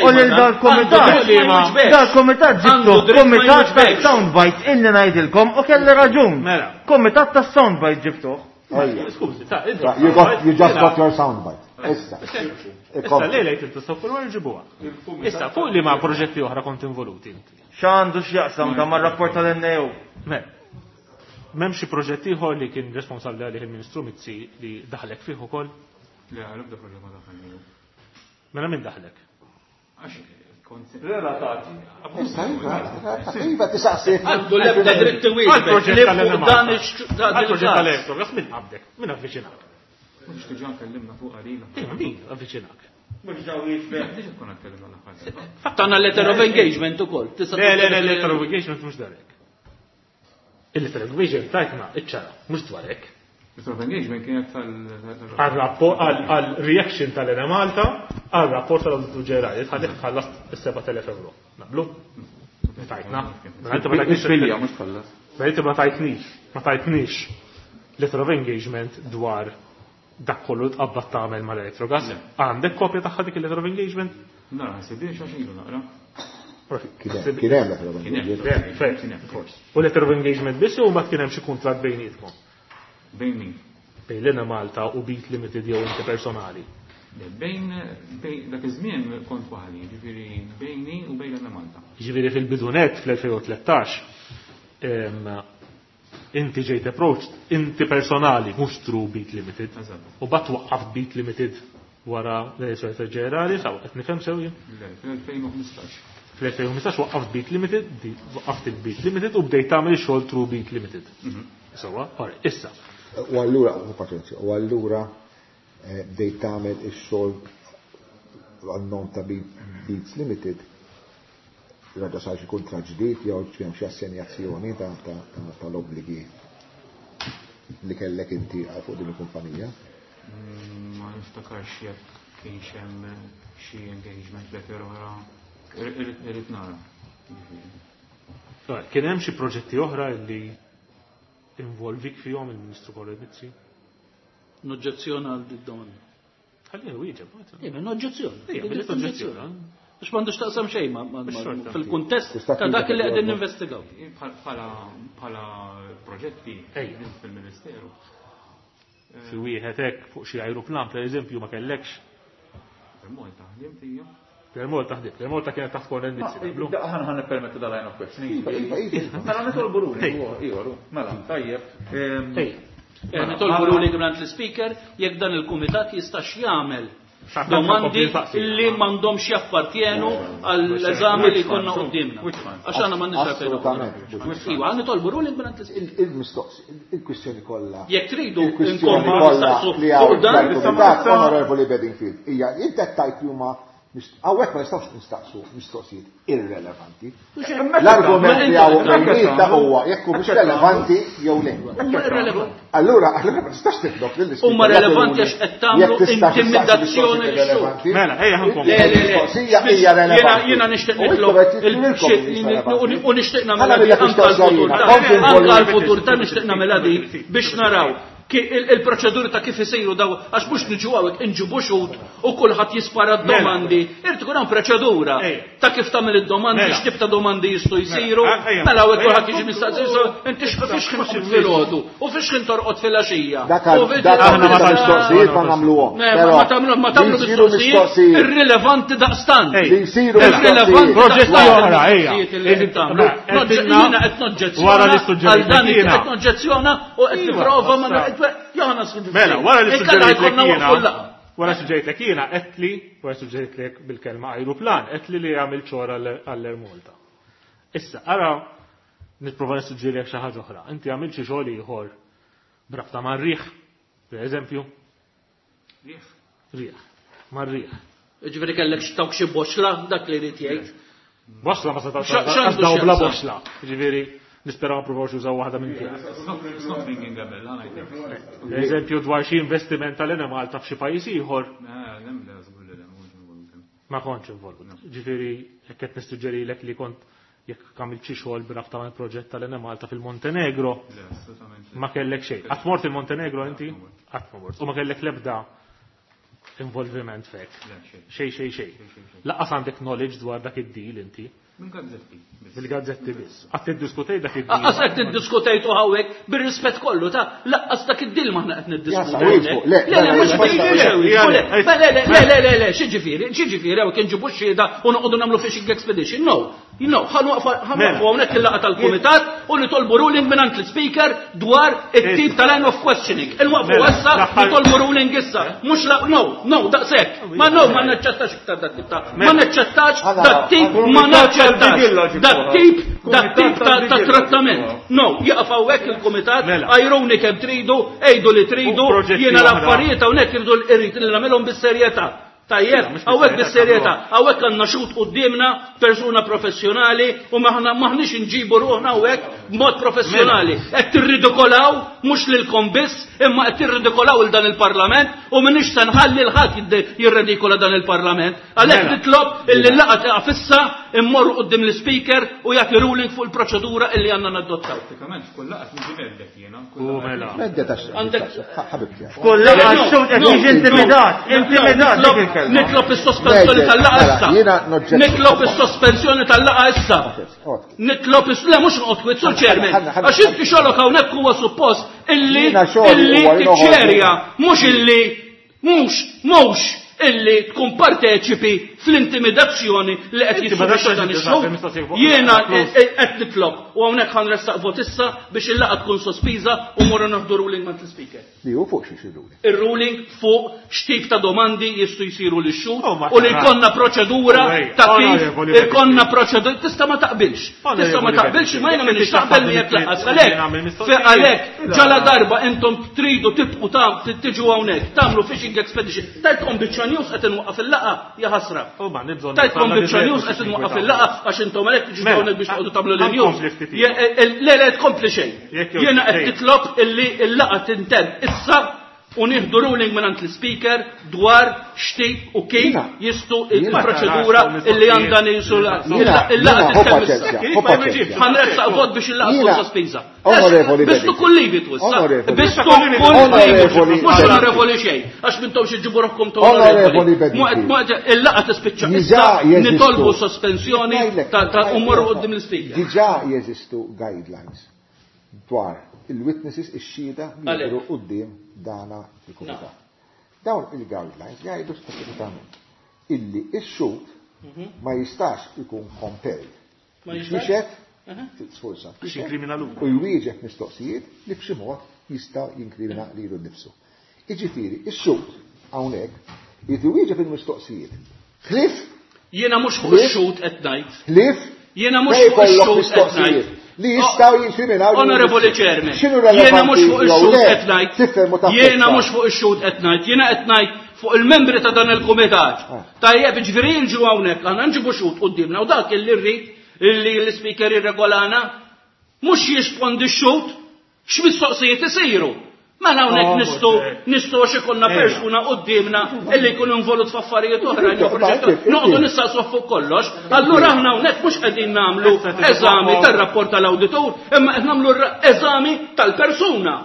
u lil dal-kumitat. Dal-kumitat ġibtu kumitat ta' soundbites illi ngħidilkom u kelli raġun. Mela. Kumitat ta' soundbites ġibtuh. Skużi, ta' You got, you just got your soundbite. Issa. Issa lejlek il-tistokkur u ġibuha. Issa, fuq li ma' proġetti oħra kont involuti inti. X'għandu x'jaqsam ta' mar-rapport tal-NAO? Me. M'hemm xi proġett ieħor li kien responsabbli għalih il-Ministru Mizzi li daħlek fih ukoll? Le, l-ebda proġett ma daħalni. Mela min daħlek? Għax kont Relatati. Iva, tisaqsi. Għandu l-ebda dritt iwieġbek li fuq dan Għal-proġett tal-Electrogas min qabdek? Min avviċinak? Mhux diġà kellimna fuq għalina. Ejja, min avviċinak? Mhux daw jiġbek. Diġà konna tkellimna l-aħħar. Tana letter of engagement ukoll. Le, le, le, letter of engagement mhux darek. Il-letter of engagement tajtna iċ-ċara, mhux dwarek. Letter of engagement kienet tal Għal-reaction tal-Ena Malta għal-rapport tal-Auditur Ġenerali tħalli tħallas is-7000 euro. Naqblu? Tajtna. Mela inti ma tajtnix. Bilja, mhux tħallas. Mela inti ma tajtnix, ma tajtnix letter of engagement dwar dak kollu tqabbad tagħmel mal-Electrogas. Għandek kopja tagħha dik il-letter of engagement? Nara, ħsibiex għax ilu naqra. Kien hemm letter of engagement. U letter of engagement biss u mbagħad kien hemm xi kuntratt bejnietkom. Bejn min? Bejn l Malta u Beat Limited jew inti personali. Bejn bejn dak iż-żmien kont waħdi, ġifieri bejni u bejn l Malta. Ġifieri fil-bidunet fl-2013 inti ġejt approached inti personali mhux through Beat Limited. Eżatt. U bat waqqaf Beat Limited wara l-elezzjoni ġenerali, saw qed nifhem sew jien. Le, fl-2015. Fl-2015 waqqaft Beat Limited, waqqaft il-Beat Limited u bdejt tagħmel xogħol through Beat Limited. Sewwa, ora, issa. U allura, u paċenzja, u allura bdejt tagħmel ix-xogħol għan-nom ta' Beats Limited, raġa sar xi kuntratt ġdid jew kien xi assenjazzjoni tal-obbligi li kellek inti għal fuq din il-kumpanija? Ma niftakarx jekk kienx hemm xi engagement letter oħra. Irrid nara. Ora, Kien hemm xi proġetti oħra li involvik fihom il-Ministru Konrad Mizzi? Noġġezzjona għal din domanda. Ħalli wieġeb. Ejja, noġġezzjona. Ejja, billi toġġezzjona. Biex m'għandux taqsam xejn Xorta. fil-kuntest Tista' ta' dak li twieġeb, qegħdin Jorgo. ninvestigaw. Bħala proġetti Ejja. fil-Ministeru. Xi wieħed hekk fuq xi ajruplan pereżempju ma kellekx. Per Malta ħdimt hija. Per Malta ħdimt, Per Malta kienet taħt Konrad Mizzi, naqblu? Ħan ħan nippermettu dal-line of questioning. Iva, iva, iva. Mela nitolbu ruling, iva, mela, tajjeb. Ej, Nitolbu ruling mingħand l-speaker jekk dan il-kumitat jistax jagħmel X'aħna domandi nkompli nsaqsi. li m'għandhomx jappartjenu għall-eżami li jkollna qudiemna. Which ones? Għax aħna m'għandniex għalfejn. Assolutament. Iva, nitolbu ruling mingħand l-speaker. Il-mistoqs, il-kwistjoni kollha. Jekk tridu Il-kwistjoni nkomplu kollha nistaqsu li hawn fuq dan, dal-kumitat Onorevoli Bedingfield hija inti qed tgħid li huma hawnhekk ma nistgħux nistaqsu mistoqsijiet irrelevanti. L-argument li hawn bejnietna huwa jekk hu mhux relevanti jew le. Huma irrelevanti. Allura, allura ma tistax titlob lill-ispeaker Huma relevanti għax qed tagħmlu jekk tistax tistaqsi intimidazzjoni mistoqsijiet lix-xhud. irrelevanti. Mela, ejja ħankom. Le, le, le. Il-mistoqsija hija relevanti. Jiena nixtieq U intom nitlob qed jidhrilkom li mhix relevanti. u nixtieq Ħa nagħmilha di nagħmilha anke mistoqsija għall-futur jiena. ta' Kont anke involut. għall-futur ta' nixtieq nagħmilha di biex naraw il-proċeduri ta' kif isiru daw għax mhux niġu hawnhekk inġibu xhud u kulħadd jispara d-domandi. Irid ikun hemm proċedura Ejja. ta' kif tagħmel id-domandi, Mela. x'tip ta' domandi jistgħu jsiru. Mela, ejja. Mela hawnhekk Ejja. kulħadd jiġi mistaqsi, so, inti fiex ħin tqum filgħodu u fiex ħin torqod filgħaxija. Dak U għal- dak Aħna ma għal tantx- mistoqsijiet ma nagħmluhom. Ne, Però ma tagħmlu ma tagħmlu li jsiru mistoqsijiet irrilevanti daqstant. Ej. Li jsiru Irrilevanti mistoqsijiet. Proġetti daqstant oħra, ejja. il-mistoqsijiet li qed tagħmlu. Mela, Noġġe- Jiena qed noġġezzjona Wara li suġġerejt għal dan jiena. qed noġġezzjona u qed Iva, nipprova ma issa. Johanna suġġerejt. Mela, wara li Inkella suġġerejt jkollna jiena. waqfu l-laqgħa. Wara suġġerejt jiena, qedli, wara suġġerejt bil-kelma ajruplan, qedli li għamil ċora għall-Air Malta. Issa, ara, nipprova nissuġġerilek xi ħaġa oħra. Inti għamil xi xogħol ieħor brabta mar-riħ, per eżempju, Riħ. riħ, mar-riħ. Ġifieri kellek xtawk xi boxla dak li jrid jgħid. Boxla ma setawx X'għandu daw bla x'jaqsam? boxla. Ġifieri, nispera ma provawx jużaw waħda minn tiegħek. It's not ringing a bell, ħa ngħidlek. Per eżempju, dwar xi investiment tal-Ena Malta f'xi pajjiż ieħor, Le, le, żgur li le, mhux involuti. Ma kontx involut. Ġifieri jekk qed nissuġġerilek li kont jekk għamilt xi xogħol b'rabta mal-proġett tal-Enemalta fil-Montenegro, Le, assolutament. ma kellek xejn. Qatt mort il-Montenegro inti? Qatt ma mort. U ma kellek l-ebda involviment fek. Le, xejn. Xejn, xejn, xejn. Lanqas għandek knowledge dwar dak id-deal inti. Mill-gazzetti. biss. Bil-gazzetti biss. Qatt tiddiskutej dak id-deal. Lanqas qed niddiskutejtu hawnhekk bir-rispett kollu ta' lanqas dak id-deal m'aħna qed niddiskutu. Jasa, wieġbu, le, Le, le, mhux le, bil- le, le, le, le, le, le, le, le, x'jiġifieri, x'jiġifieri hawnhekk inġibu x-xhieda u noqogħdu nagħmlu fishing expedition. No, no, ħa nwaqfu hawnhekk il-laqgħa tal-kumitat u nitolbu ruling mingħand l-speaker dwar it-tip ta' line of questioning. Inwaqfu issa, nitolbu ruling issa. Mhux la, no, no, daqshekk. Ma no, ma naċċettax iktar dat tip ta' ma naċċettax dat tip, ma naċċettax dat tip, dat tip ta' trattament. No, jaqaf hawnhekk il-kumitat, għajruni kemm tridu, għidu li tridu, jiena l-affarijiet hawnhekk irridu irrid li nagħmilhom bis-serjetà. Tajjeb, hawnhekk bis-serjetà, hawnhekk għandna xhud quddiemna persuna professjonali u maħna maħniex inġibu ruħna hawnhekk b'mod professjonali. Qed tirridikolaw mhux lilkom biss, imma qed tirridikolaw il dan il-Parlament u m'iniex se nħalli l ħadd jirredikola dan il-Parlament. Għalhekk nitlob illi l-laqgħa tieqaf issa immorru quddiem l-speaker u jagħti ruling fuq il-proċedura illi għandna nadottaw. Pratikament f'kull laqgħa niġi mhedded jiena. U mela. Mhedded għax ħabibti. F'kull laqgħa x-xhud qed jiġi intimidat, intimidat dik il-kelma. Nitlob is-sospensjoni tal-laqgħa Mela, issa. jiena noġġett- Nitlob is-sospensjoni tal-laqgħa issa. Nitlob is le mhux noqgħod kwiet sur chairman. Ħanna, ħanna, Għax inti xogħlok hawnhekk huwa suppost illi Jiena xogħli illi huwa li noħorġu. tiċċerja mhux illi mhux mhux illi tkun parteċipi fl-intimidazzjoni li qed Inti ma jissubixxa dan dax ix-xogħol. mistoqsija fuq- Jiena close. qed nitlob u hawnhekk ħanressaq vot issa biex il-laqgħa tkun sospiża u morru naħdu ruling mat l-speaker Li hu fuq xi xi ruling. Ir-ruling fuq x'tip ta' domandi jistgħu jsiru lix xhud Oh, ma u li tarax. jkollna proċedura Oh, ej, ta' kif onorevoli Bedingfield. ikollna proċedura tista' ma taqbilx. Tista' ma Onorevoli taqbilx imma jiena Bedingfield. m'iniex Jekk taqbel inti miegħek taqbel lanqas li għalhekk. nagħmel Fe mistoqsijiet. għalhekk Ila. ġala darba intom tridu tibqu ta' tiġu hawnhekk tagħmlu fishing expedition. Tajtkom biċċa news qed inwaqqaf il-laqgħa ja ħasra. U ma nibżon Tajtkom biċċa news qed inwaqqaf il-laqgħa għax intom għalhekk tiġu Mela, hawnhekk biex toqgħodu tagħmlu l-news. ħankompli ftit ieħor. Le le tkompli xejn. Jekk jew Jiena qed xejn. nitlob illi l-laqgħa tintemm issa u nieħdu ruling mingħand l-speaker dwar x'tip u kif Jiena- jistgħu jiena- il-proċedura illi għandha nisu Jiena, il-laqgħa jiena, ho tintemm issa. paċenzja, ho paċenzja. Ħanressaq vot biex il-laqgħa tkun Jiena- sospiża. Onorevoli Bistu Bedingfield. kull livi twissa. Onorevoli. Bistu kull livi. Onorevoli Mhux onorevoli Bedingfield. xejn. Għax mintom xi ġibu ruħkom ta' Onorevoli Bedingfield. Il-laqgħa tispiċċa Diġà issa jeżistu. nitolbu sospensjoni Ngħidlek, ta' u morru quddiem l-speaker. Diġà jeżistu guidelines dwar il-witnesses ix-xhieda li Għalhekk. jidhru quddiem dana il-kumitat. Dawn il-guidelines jgħidu speċifikament illi ix-xhud ma jistax ikun compelled. Ma jistax? Jixhed, sforza, Biex jinkrimina luru. u jwieġeb mistoqsijiet li b'xi mod jista' jinkrimina lilu nnifsu. Jiġifieri, ix-xhud hawnhekk jrid iwieġeb il-mistoqsijiet. Ħlief Jiena mhux fuq Ħlief? ix-xhud qed ngħid. ħlief Jiena mhux ma fuq jkollok ix-xhud qed mistoqsijiet ngħid. li jistgħu jinkriminaw lilu Onorevoli nnifsu. Chairman, X'inhu jiena mhux relevanti fuq jew ix-xhud le, qed ngħid. tifhem u Jiena taffetta. mhux fuq ix-xhud qed ngħid, jiena qed ngħid fuq il-membri ta' dan il-kumitat. Ah. Tajjeb, ġifieri nġu hawnhekk, aħna nġibu xhud quddiemna u dak illi rrid illi l-ispeaker jirregolana mhux jispondi x-xhud x'mistoqsijiet isiru. Mela hawnhekk Oh, nistgħu mhux hekk. nistgħu għax ikollna Ejja. persuna quddiemna illi jkun involut f'affarijiet oħra, Inti, inti. noqogħdu nistaqsu fuq kollox. Allura aħna hawnhekk mhux qegħdin nagħmlu Issa tiġi eżami fuq- tar-rapport tal-awditur, imma qed nagħmlu eżami tal-persuna.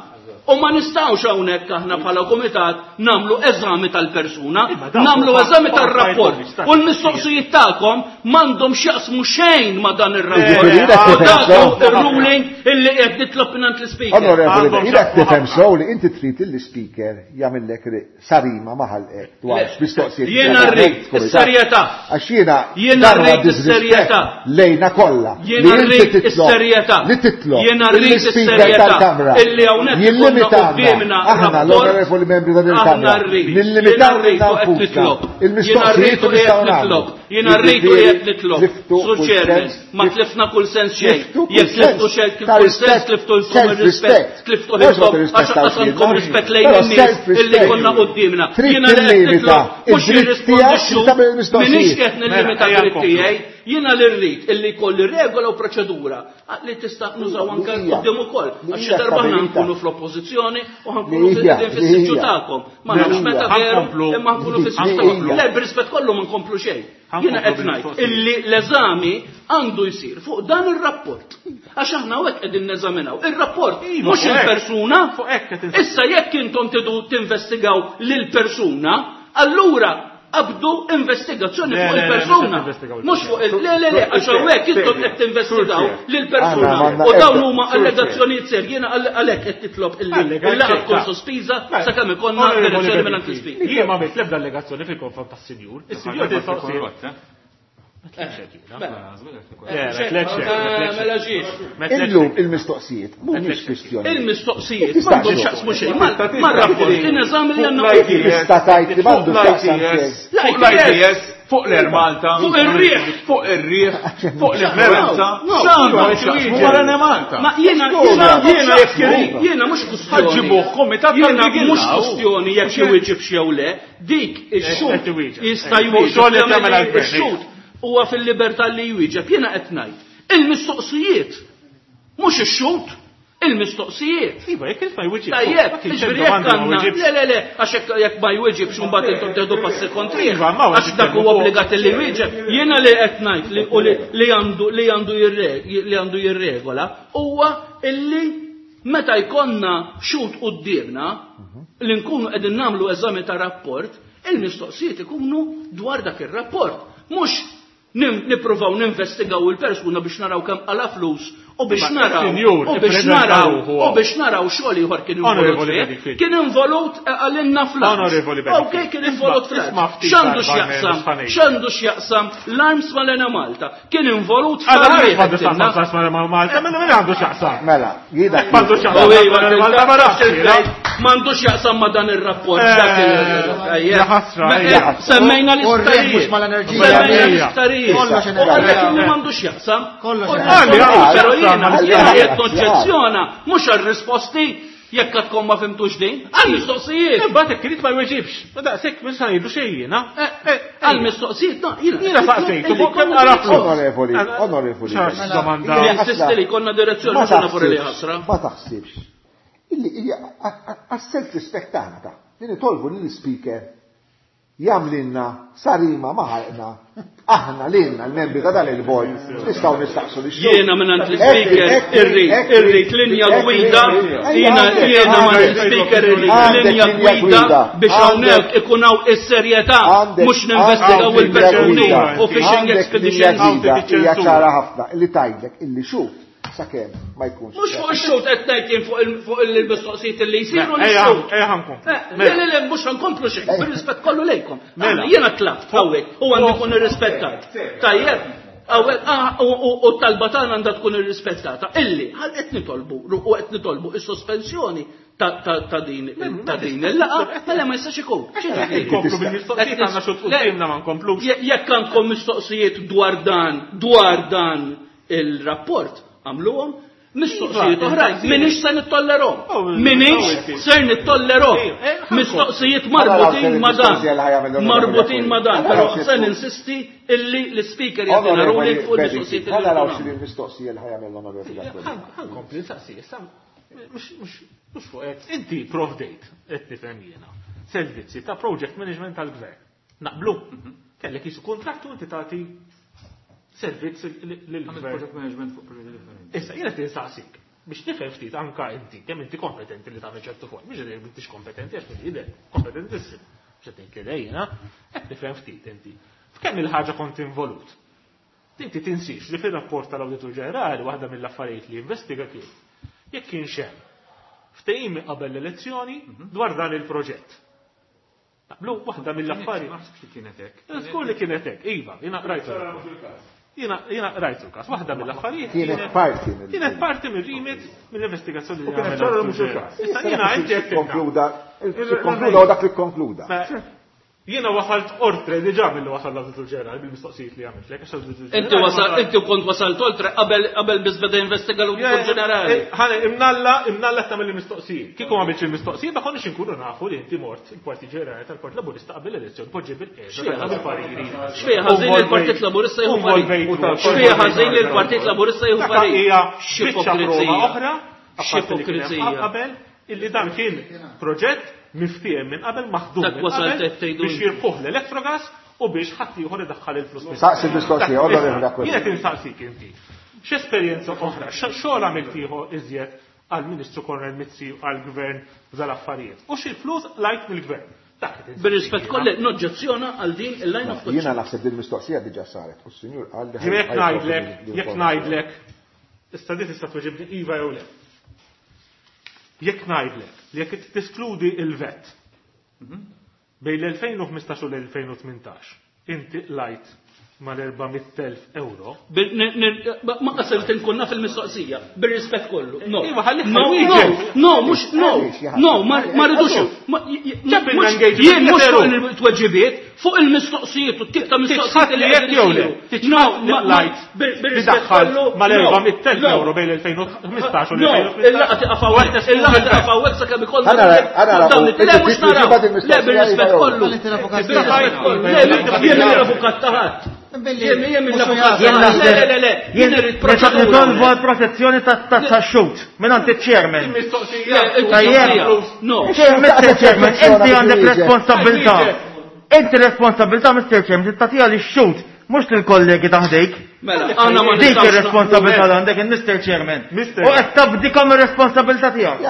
U ma nistgħux hawnhekk aħna bħala kumitat nagħmlu eżami tal-persuna, Imma dawn nagħmlu huma eżami tar-rapport. qualified U l-mistoqsijiet tagħkom m'għandhom x'jaqsmu xejn ma' dan ir-rapport. Jiġifieri U ilek tifhem dak sew. hu ir-ruling illi qed nitlob mingħand l-ispeaker. Onorevoli, Għandhom ilek x'jaqsmu tifhem ħafna. sew li inti trid il-speaker jagħmellek sarima maħalqek dwar Le. x'mistoqsijiet. Jiena rrid is-serjetà. Għax jiena Jiena dan huwa rrid disrispett is-serjetà. lejna kollha. Jiena Li inti rrid titlob- is-serjetà. Li titlob. Jiena rrid lill-speaker is-serjetà. tal-Kamra. Illi hawnhekk ikollna Jillimitana. quddiemna Aħna rapport. l-onorevoli membri ta' din Aħna il-Kamra. rrid. Nillimitaw Jiena rrid u qed nfusna. nitlob. Jiena Il-mistoqsijiet rrid u li nistgħu qed nagħmlu. nitlob. Jiena rrid u Jiġifieri, qed nitlob. tliftu Sur kull Chairman, sens, ma tlifna kull sens xejn. Tliftu kull Jekk tliftu sens xejn kif ta' kull sens rispett, tliftu l-kom ir-rispett, self-respect. tliftu Mhux ma ħilkom għax tirrispettawx qas għandkom lilna. rispett lejn Però in-nies illi self-respect. konna quddiemna. Trid Jiena li qed tillimita nitlob mhux id-dritt jirrispondi tiegħek x-xhud, tagħmel il-mistoqsijiet. minix qed nillimita Mela, ejja dritt nkomplu. tiegħi, jiena li rrid illi jkolli regola u proċedura li tista' nużaw anke Li hija- quddiem ukoll. li Għax xi hija darba aħna stabilita. nkunu fl-oppożizzjoni u ħankunu Li hija- fis-siġġu li hija. tagħkom. Ma nafx meta veru Ħankomplu. imma nkunu fis-siġġu Li tagħkom. hija. Le, b'rispett kollu ma nkomplu xejn. Jiena qed ngħid illi l-eżami għandu jsir fuq dan ir-rapport. Għax aħna hawnhekk qegħdin neżaminaw ir-rapport, Iva, mhux fuq hekk. il-persuna. Fuq hekk qed ins- Issa jekk intom tidu tinvestigaw lill-persuna, allura qabdu investigazzjoni Le, fuq le, le, il-persuna. mhux qed investigaw Mhux fuq il le le le għax hawnhekk intom qed tinvestigaw lill-persuna. Aħna m'għandna U dawn ebda- huma allegazzjonijiet serji, jiena għalhekk qed titlob illi Allega- il-laqgħa tkun ċerta. sospiża Mela, sakemm ikollna Onorevoli direzzjoni minn Bedingfield, l-Speaker. Jien ma għamilt l-ebda allegazzjoni fil-konfront tas-sinjur. Is-sinjur Korrott, eh? Mela. Mela Mela ġiex. Illum il-mistoqsijiet mhumiex kwistjoni. Il-mistoqsijiet Tista' m'għandhom xejn. x'jaqsmu xejn mar-rapport in-eżami li għandna Kif tista' tgħid li m'għandu x'jaqsam xejn? Fuq l-ITS, fuq l-Air Malta, Fuq ir-riħ. fuq ir-riħ, fuq l-influenza, No, x'għandhom no, x'jaqsmu no. mal-Air Malta. Ma jiena jiena jiena jekk jiena mhux kwistjoni. Ħaġġibuh kumitat Jiena tal-Bigilla, mhux u. kwistjoni jekk iwieġibx jew le, dik ix-xhud Qed iwieġeb. jista' Fuq xogħol jwieġeb qed jagħmel għall-gvern, ix-xhud huwa fil-libertà li jwieġeb. Jiena qed ngħid. Il-mistoqsijiet mhux ix-xhud, il-mistoqsijiet. Iva, jekk il ma jwieġibx. Tajjeb, Ma kienx jiġifieri hemm jekk domanda ma għandna, wieġibx. le le le, għax jekk jekk ma jwieġibx imbagħad intom teħdu passi kontrih. Iva, ma Għax dak huwa fuq- obbligat li jwieġeb. Jiena li qed ngħid li u li- li għandu li għandu jirre- li għandu jirregola huwa illi meta jkollna xut quddiemna li nkunu qegħdin nagħmlu eżami ta' rapport, il-mistoqsijiet ikunu dwar dak ir-rapport. Mhux nippruvaw ninvestigaw il-persuna biex naraw kemm qala flus u biex Ma, naraw il-sinjur u biex ippreżenta naraw ruħu u biex naraw xogħol ieħor kien involut Onorevoli fih. Bedingfield. Kien involut għalinna fl-arms. Onorevoli Bedingfield. Ok, kien involut Isma' fl-arms. ftit X'għandu darba x'jaqsam? minn X'għandu x'jaqsam l-arms mal-Enemalta? Kien involut Għala fl-arms. għandu x'jaqsam ma' Malta, mela min għandu x'jaqsam? Mela, jiena M'għandu x'jaqsam. U iva, Malta ma nafx, jiena. M'għandux jaqsam ma dan ir-rapport. Eh, dak il- ja ħasra, Ma- ja ħasra. Semmejna U r-riħ l-isptarijiet. mhux mal-enerġija. Semmejna l-isptarijiet. Kollox U għalhekk enerġija. illi m'għandux jaqsam. Kollox U enerġija. Però Għalli, jiena għalli, jiena għalli, qed noġġezzjona mhux għar-risposti jekk għadkom ma fimtux din, għall-mistoqsijiet. Imbagħad jekk irid ma jweġibx. Ma daqshekk mhux se ngħidu xejn jiena. Għall-mistoqsijiet, no, jiena. Jiena saqsejtu Illi fuq kemm konna qara flus. Onorevoli, onorevoli. Xax domanda. Mela, Ninsisti li konna direzzjoni Ma mhux nafur li taħsibx, ħasra. Ma taħsibx. Illi hija għas-self respect tagħna ta' li nitolbu lill speaker jagħmlilna sarima ma ħalqna aħna lilna l-membri ta' dan il-bord nistgħu nistaqsu li Jiena minn l-speaker irrid irrid linja gwida, jiena jiena minn l-speaker irrid linja gwida biex hawnhekk ikun hawn is-serjetà mhux ninvestigaw il-persuni u fishing expeditions. Hija ċara ħafna illi tgħidlek illi xut sakemm ma jkunx. Mhux fuq ix-xut qed ngħid jien fuq fuq il-mistoqsijiet li jsiru Ejja, l-xut. ejja ħankomplu. Le, le, le, mhux ħankomplu xejn, bir-rispett kollu lejkom. Mela. Aħna Jiena tlabt hawnhekk u għandi kun irrispettat. Tajjeb, hawnhekk ah, u t-talba tagħna għandha tkun irrispettata. Illi ħal qed nitolbu u qed nitolbu is-sospensjoni ta' din ta' din il-laqgħa, mela ma jistax ikun. Nkomplu bil-mistoqsijiet għandna xut quddiemna ma nkomplux. Jekk għandkom mistoqsijiet dwar dan, dwar dan il-rapport, għamluhom, mistoqsijiet Iva, oħrajn, minix se nittollerhom. Oh, Minix oh, ser nittollerhom. Eh, eh, ħankom. Mistoqsijiet marbutin ma dan. Mistoqsija li ħajamel l-onorevoli Marbutin ma dan, Aquilina. però Għala se ninsisti illi l-speaker jagħtina Onorevoli ruling fuq il-mistoqsijiet Bedingfield, li ħa naraw jkunu. xi l-mistoqsija li ħajamel l-onorevoli Aquilina. Ħankompli nsaqsi, issa mhux mhux mhux fuq hekk. Inti provdejt qed nifhem jiena servizzi ta' project management tal-gvern. Naqblu. Kellek jisu kontrattu inti tagħti servizz Għamil lill-gvern. project management fuq proġetti differenti. Issa jiena tinsaqsik biex nifhem ftit anka inti kemm inti kompetenti li tagħmel ċertu form, mhux li m'intix kompetenti għax jidher kompetentissim. Mhux qed ngħid li jiena, qed nifhem ftit inti. F'kemm il-ħaġa kont involut? Inti tinsix li fir-rapport tal-Awditur Ġenerali waħda mill-affarijiet li investiga kien jekk kienx hemm ftehim qabel l-elezzjoni dwar dan il-proġett. Naqblu waħda mill-affarijiet. Ma naħsibx li kienet hekk. Żgur li kienet hekk, iva, jiena rajtu. Jiena rajtu l-każ, waħda mill-affarijiet Kienet parti mill- Kienet parti mill-remit mill-investigazzjoni li U kienet għamel ċara l-Awditur mhux il-każ. Ġenerali. Issa jiena inti qed tifhem. Konkluda, konkluda u dak li konkluda. Jiena wasalt ortre diġà mill wasal l-Awditur Ġenerali bil-mistoqsijiet li għamilt lek, għax l-Awditur Inti Ġenerali wasal, ma- inti kont wasalt oltre qabel qabel biss beda investiga l-Awditur Ġenerali. Ħane, imnalla, imnalla tagħmel il-mistoqsijiet. Kieku ma għamilx il-mistoqsijiet, ma konniex inkunu nafu li inti mort il-Partit Ġenerali tal-Partit Laburista qabel l-elezzjoni, poġġi bil-qiegħda, tagħmel pariri. Xfejn ħażin li l-Partit Laburista jieħu parir. Xfejn ħażin li l-Partit Laburista jieħu Dak parir. hija biċċa prova X'ipokrizija. oħra, apparti li kien hemm X'ipokrizija. qabel, illi dan kien proġett miftiehem minn qabel maħdum Dak minn wasalt qabel qed tgħidu biex inti. jirfuh l-Electrogas u biex ħadd ieħor idaħħal il-flus. Saqsi mistoqsija, onorevoli Aquilina. Jien qed insaqsik inti. X'esperjenza oħra, xogħol għamilt ieħor iżjed għall-Ministru Konrad Mizzi u għall-Gvern f'dal-affarijiet. U xi flus lajt mill-Gvern. Bir-rispett kollu noġġezzjona għal din il-line of question. Jiena naħseb din mistoqsija diġà saret u s-sinjur qal li Jekk ngħidlek, jekk ngħidlek, issa di tista' tweġibni iva jew le. Jekk ngħidlek li jekk tiskludi il-vet bejn l-2015 u l-2018, inti qlajt mal-400,000 euro. Ma qasilt inkun naf il-mistoqsija, bir-rispett kollu. No. Iva, ħalli No, no, no, mhux no, no, ma rridux. Jien mhux fuq il-tweġibiet, fuq il-mistoqsijiet u t-tip ta' mistoqsijiet li qed jew le. No, lajt bir-rispett kollu. Mal-400,000 euro bejn l-2015 u l-2018. Il-laqgħa tiqaf hawnhekk, il-laqgħa tiqaf hawnhekk sakemm ikollna. Le, mhux naraw. Le, bir-rispett kollu. Bir-rispett kollu. Le, jien l-avukat ta' ħadd. Jien jien l-avukat. Le, le, le, jien irrid proċedura. Nitolbu għal protezzjoni tax-xut minn iċ-chairman. Tajjeb. No. Mr. Chairman, inti għandek responsabilità. Inti responsabilità, Mr. Chairman, tagħtiha lix-xut, mhux lill-kollegi ta' ħdejk. Mela, aħna ma Dik ir-responsabilità li għandek il-Mr. Chairman. U qed tabdikom ir-responsabilità tiegħek.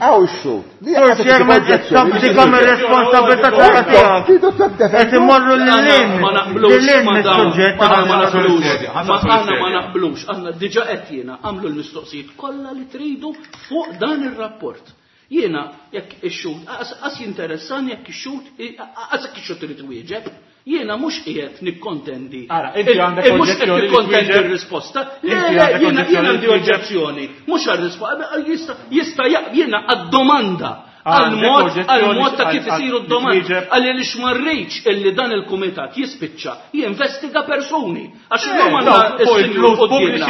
Hawn ix-xhud. Sur Chairman qed tabdikom ir-responsabilità tiegħek. Qed immorru lil hinn. Ma naqblux. Lil hinn mis-suġġett. Aħna ma naqblux. Aħna ma naqblux. Aħna diġà qed jiena għamlu l-mistoqsijiet kollha li tridu fuq dan ir-rapport. Jiena jekk ix-xhud qas jinteressani jekk ix-xhud qas jekk ix-xhud irid iwieġeb. Jiena mhux qiegħed nikkontendi. Ara, inti għandek mhux qed nikkontendi r-risposta. Le, le, jiena għandi oġġezzjoni. Mhux għar-risposta, jista' jiena għad-domanda għal-mod għal-mod ta' kif isiru d-domandi. Għalli li ma rridx illi dan il-kumitat jispiċċa jinvestiga persuni. Għax illum għandna is-sinjur quddiemna.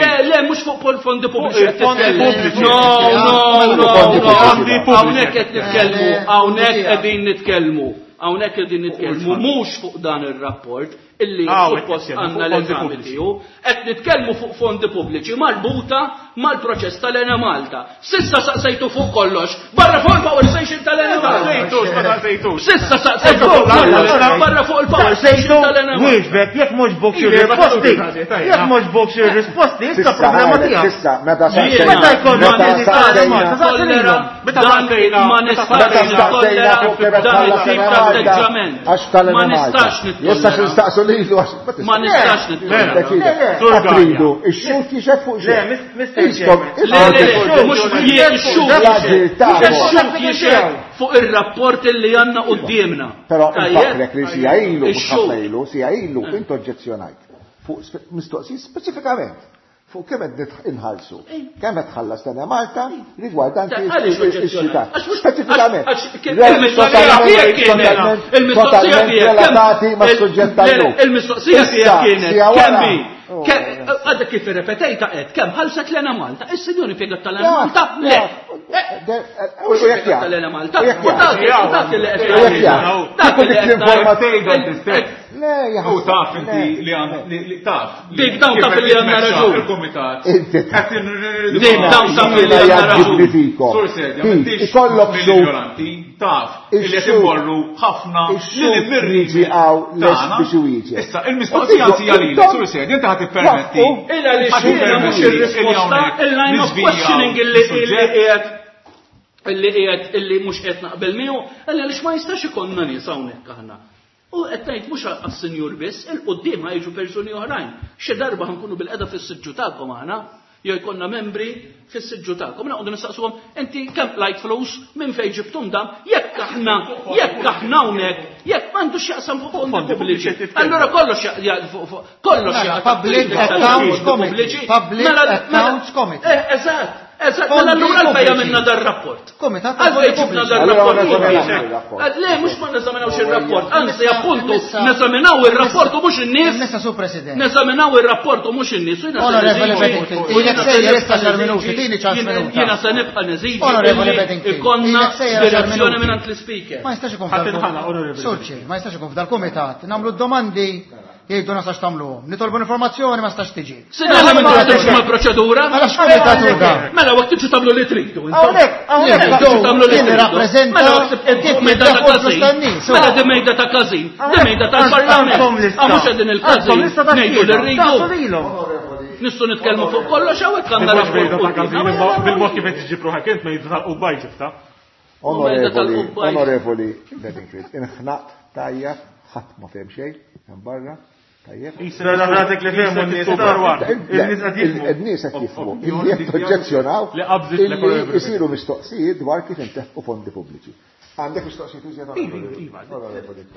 Le, le, mhux fuq fondi pubbliċi qed titkellem. No, no, no, no. Hawnhekk qed nitkellmu, hawnhekk qegħdin nitkellmu. Hawnhekk qegħdin nitkellmu mhux fuq dan ir-rapport illi suppost għandna l-eżami tiegħu, qed nitkellmu fuq fondi pubbliċi marbuta mal-proċess tal-Enemalta. Sissa saqsejtu fuq kollox, barra fuq il-power station tal-Enemalta. Sissa saqsejtu fuq kollox, barra fuq il-power station tal-Enemalta. Wieġbek, jekk mhux bok xi risposti, jekk mhux bok xi risposti, issa problema tiegħek. Sissa, meta saqsejna. Meta jkollna Meta Meta saqsejna ma nistax nittollera dan it-tip ta' atteġġament. Ma nistax nittollera. Jistax nistaqsu lilu għax. Ma nistax nittollera. Tridu, ix-xut jixed fuq xejn. Le, le, le, mhux ix-xut. Ix-xut jixed fuq ir-rapport li għandna quddiemna. Però nfakrek li sija ilu, mhux ħafna ilu, sija ilu, int oġġezzjonajt fuq mistoqsijiet speċifikament fuq kemm qed inħallsu, kemm qed tħallas l Malta rigwardanti x-xita. Speċifikament. Il-mistoqsija tiegħek relatati mas-suġġett tal-lum. Il-mistoqsija tiegħek kienet kemm Għadek kif irrepetejta qed kemm ħallset l Malta. Is-sinjur impjegat tal-Ena Malta? Le. U jekk jaf. Tal-Ena Malta. U dak li qed Dak li l-informazzjoni. Le, U taf inti li għand taf. Dik dawn taf li għandna raġun. Il-komitat. Dik dawn taf li għandna raġun. Sur Sedja, m'intix Ikollok mill-ignoranti, taf li qed imorru ħafna li mirriġi għaw lest biex iwieġeb. Issa, il-mistoqsija hija lili, Sur Sedja, inti ħadd ippermetti. Illa li xhieda mhux ir-risposta, il-line of questioning illi qiegħed illi qiegħed illi mhux qed naqbel miegħu, illa għaliex ma jistax ikollna nies hawnhekk aħna. U qed ngħid mhux għas-sinjur biss, il quddiem ħajġu persuni oħrajn. Xi darba ħankunu bil-qeda fis-siġġu tagħkom aħna, jew jkollna membri fis-siġġu tagħkom. Noqogħdu nistaqsuhom, inti kemm qlajt flus, minn fejn ġibtum dan, jekk aħna, jekk aħna hawnhekk, jekk m'għandux x'jaqsam fuq fondi pubbliċi. Allura kollox kollox Mela, Public Accounts Committee. Public Accounts Committee. Eżatt. Eżatt, mela allura għalfejn għamilna dar-rapport. Komitat Għalfejn ġibna dar-rapport. Le, mhux ma neżaminawx ir-rapport, anzi appuntu neżaminaw ir-rapport u mhux in-nies. Messa su President. Neżaminaw ir-rapport u mhux in-nies. Onorevole Bedingfield, ilek sejjer issa xar minuti, tini ċans minuta. Jiena se nibqa' neżiġi. Onorevole Bedingfield, Ikonna direzzjoni minn l-ispeaker. Ma jistax ikun f'dal. Sur Chair, ma jistax ikun f'dal-kumitat. Nagħmlu d-domandi. Jgħidu ma stax tagħmluhom. Nitolbu informazzjoni ma stax tiġi. Sinjora, ma tiġux mal-proċedura? Mela x'kumitat hu dan? Mela waqt tiġu tagħmlu li tridu. Hawnhekk, hawnhekk tagħmlu li tridu. Rappreżenta mela kif mejda ta' każin. Mela di mejda ta' każin, di mejda tal-Parlament. Ah, mhux qegħdin il-każin. Ngħidu li rridu. Nistgħu nitkellmu fuq kollox hawnhekk għandna rapport. Bil-mod kif qed tiġi ruħek int mejda tal-qubaj ġibta. Onorevoli, onorevoli Bedingfield, inħnaqt tajjeb, ħadd ma fehem xejn, hemm barra, tajjeb. Ratek li fehmu n-nies Il-nies qed jifhmu, illi qed oġġezzjonaw illi jsiru mistoqsijiet dwar kif intefqu fondi pubbliċi. Għandek mistoqsijiet iżjed onorevoli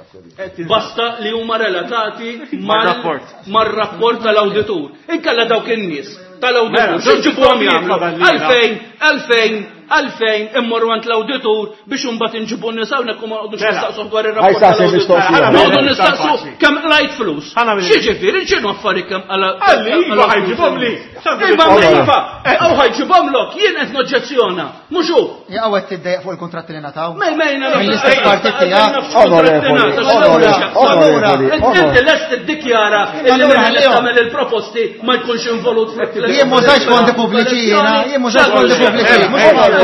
Basta li huma relatati mar-rapport tal-awditur. Inkella dawk in-nies tal-awditur x'ġibuhom jagħmlu? Għalfejn, għalfejn, għalfejn immorru għand l-awditur biex imbagħad inġibu n-nies hawnhekk u ma noqogħdux Mela. nistaqsu dwar ir-rapport tal-awditur. Noqogħdu nistaqsu kemm qlajt flus. X'jiġifieri x'inhu affarijiet kemm qala. Għalli iva ħajġibhom li. Iva iva, aw ħajġibhomlok, jien qed noġġezzjona. Mhux hu. Jaqgħu qed tiddejjaq fuq il-kuntratti li ngħataw. Mejna Mill-istess partit tiegħek. Onorevoli, Inti lest tiddikjara illi min qed tagħmel il-proposti ma jkunx involut fil Jien m'użajx fondi pubbliċi jiena, jien m'użajx fondi pubbliċi.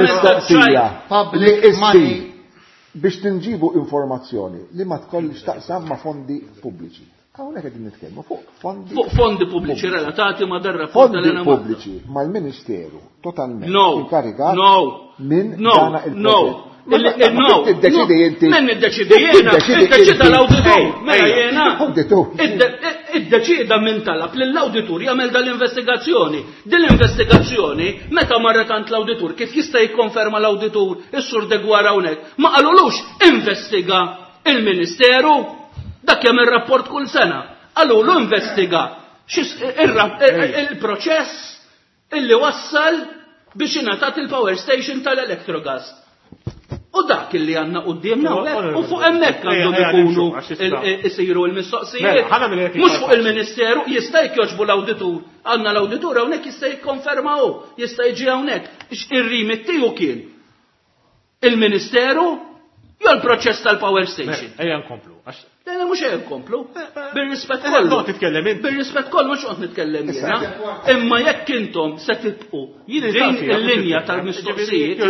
Mistoqsija. Public money. Biex tinġibu informazzjoni li ma tkollix taqsam ma' fondi pubbliċi. Hawnhekk qegħdin nitkellmu fuq fondi Fuq fondi pubbliċi relatati ma' dar rapport fondi tal-Enemalta. pubbliċi mal-Ministeru totalment No, inkarigat no, minn no, dana no. il-proġett. No, Tiddeċidi inti. Men iddeċidi jiena, iddeċida l-awditur. Mela jiena. Awditur. Iddeċida minn talab li l-awditur jagħmel dal-investigazzjoni. Din l-investigazzjoni meta marret għand l-awditur kif jista' jikkonferma l-awditur is-sur Degwara hawnhekk, ma qalulux investiga il-Ministeru dak jagħmel rapport kull sena. Qalulu investiga il-proċess illi wassal biex ingħatat il-power station tal-Electrogas. U dak illi għanna qudiemna hawnhekk, u fuq hemmhekk għandhom ikunu isiru l-mistoqsijiet. Mhux fuq il-Ministeru, jista' jogħġbu l-awditur. Għandna l-awditur hawnhekk jista' jikkonferma hu, jista' jiġi hawnhekk. Ir-rimit tiegħu kien il-Ministeru jew l-proċess tal-power station. Ejja nkomplu. Le, le, mhux ejja nkomplu. Bir-rispett kollu. titkellem inti. Bir-rispett kollu mhux qed nitkellem jiena. Imma jekk intom se tibqu din il-linja tal-mistoqsijiet,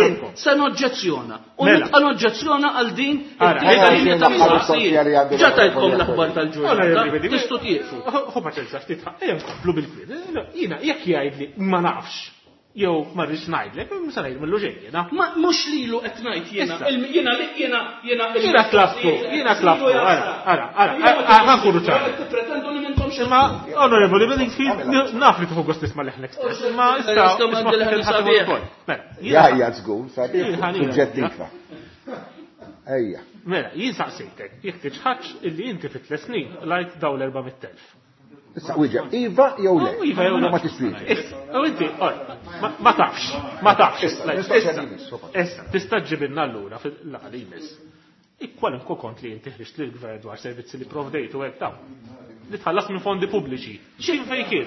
se noġġezzjona. U nibqa' noġġezzjona għal din il-linja tal-mistoqsijiet. Ġa tajtkom l-aħbar tal-ġurnata. Tistgħu tieqfu. Ħu paċenza ftit ejja nkomplu bil-kwiet. Jiena jekk jgħidli ma nafx jew ma rridx ngħidlek, mhux se ngħid millu xejn jiena. Ma mhux lilu qed ngħid jiena. Jiena li jiena jiena Jiena tlabtu, jiena tlabtu, ara, ara, ara, ħa nkunu ċari. Tippretendu li m'intomx Imma, onorevoli, Bedingfield, naf li tieħu gost tisma' leħnek stess, imma issa sabiħ. Ja, ja, żgur, sabiħ, suġġettiva. Ejja. Mela, jien saqsejtek, jekk tiġħadx illi inti fit tliet snin lajt daw l-400,000. Issa wieġeb, iva jew le? Iva jew le. Ma tistwieġeb. Issa, u inti, ma tafx, ma tafx. Issa, tista' ġibilna allura fil-laqgħa li jmiss. Kwalunkwe kont li inti ħriġt lill-gvern dwar servizzi li provdejt u hekk dawn. Li tħallas minn fondi pubbliċi. X'in fejn kien?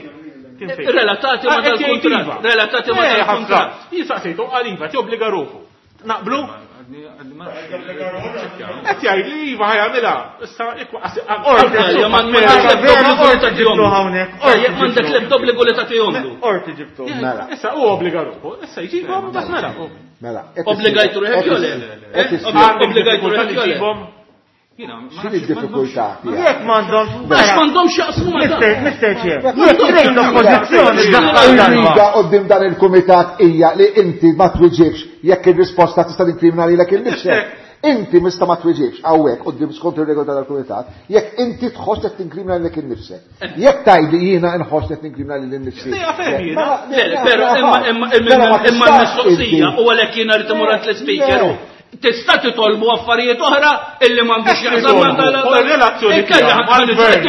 Relatati ma dal-kuntratt. Relatati ma dal-kuntratt. Jien saqsejtu qal iva, tobbliga ruħu. Naqblu? Qed jgħid li iva ħajamilha. Issa M'għandek l-ebda obbligu li tagħtihomlu. Qorti ġibtu. Mela. Issa hu obbliga ruħu. Issa jġibhom bas mela. Mela. Obbligajtu ruħek jew le? Obbligajtu ruħek jew le? X'inhi d-diffikultà tiegħek? Jekk m'għandhomx. Għax m'għandhomx jaqsmu ma' dan. Mr. Chair, jekk trid oppożizzjoni daħħal darba. Il-riga qoddim dan il-kumitat hija li inti ma twiġibx jekk ir-risposta tista' tinkrimina lilek innifsek. Inti mista ma twiġibx hawnhekk qudiem skont ir-regola tal-kumitat jekk inti tħoss qed tinkrimina lilek innifsek. Jekk tgħidli jiena nħoss qed tinkrimina lili nnifsi. Però imma l-mistoqsija u għalhekk jiena rrid imur għand l-ispeaker. Tista' titolbu affarijiet oħra illi m'għandux jaqsam ma' tal-relazzjoni. Inkella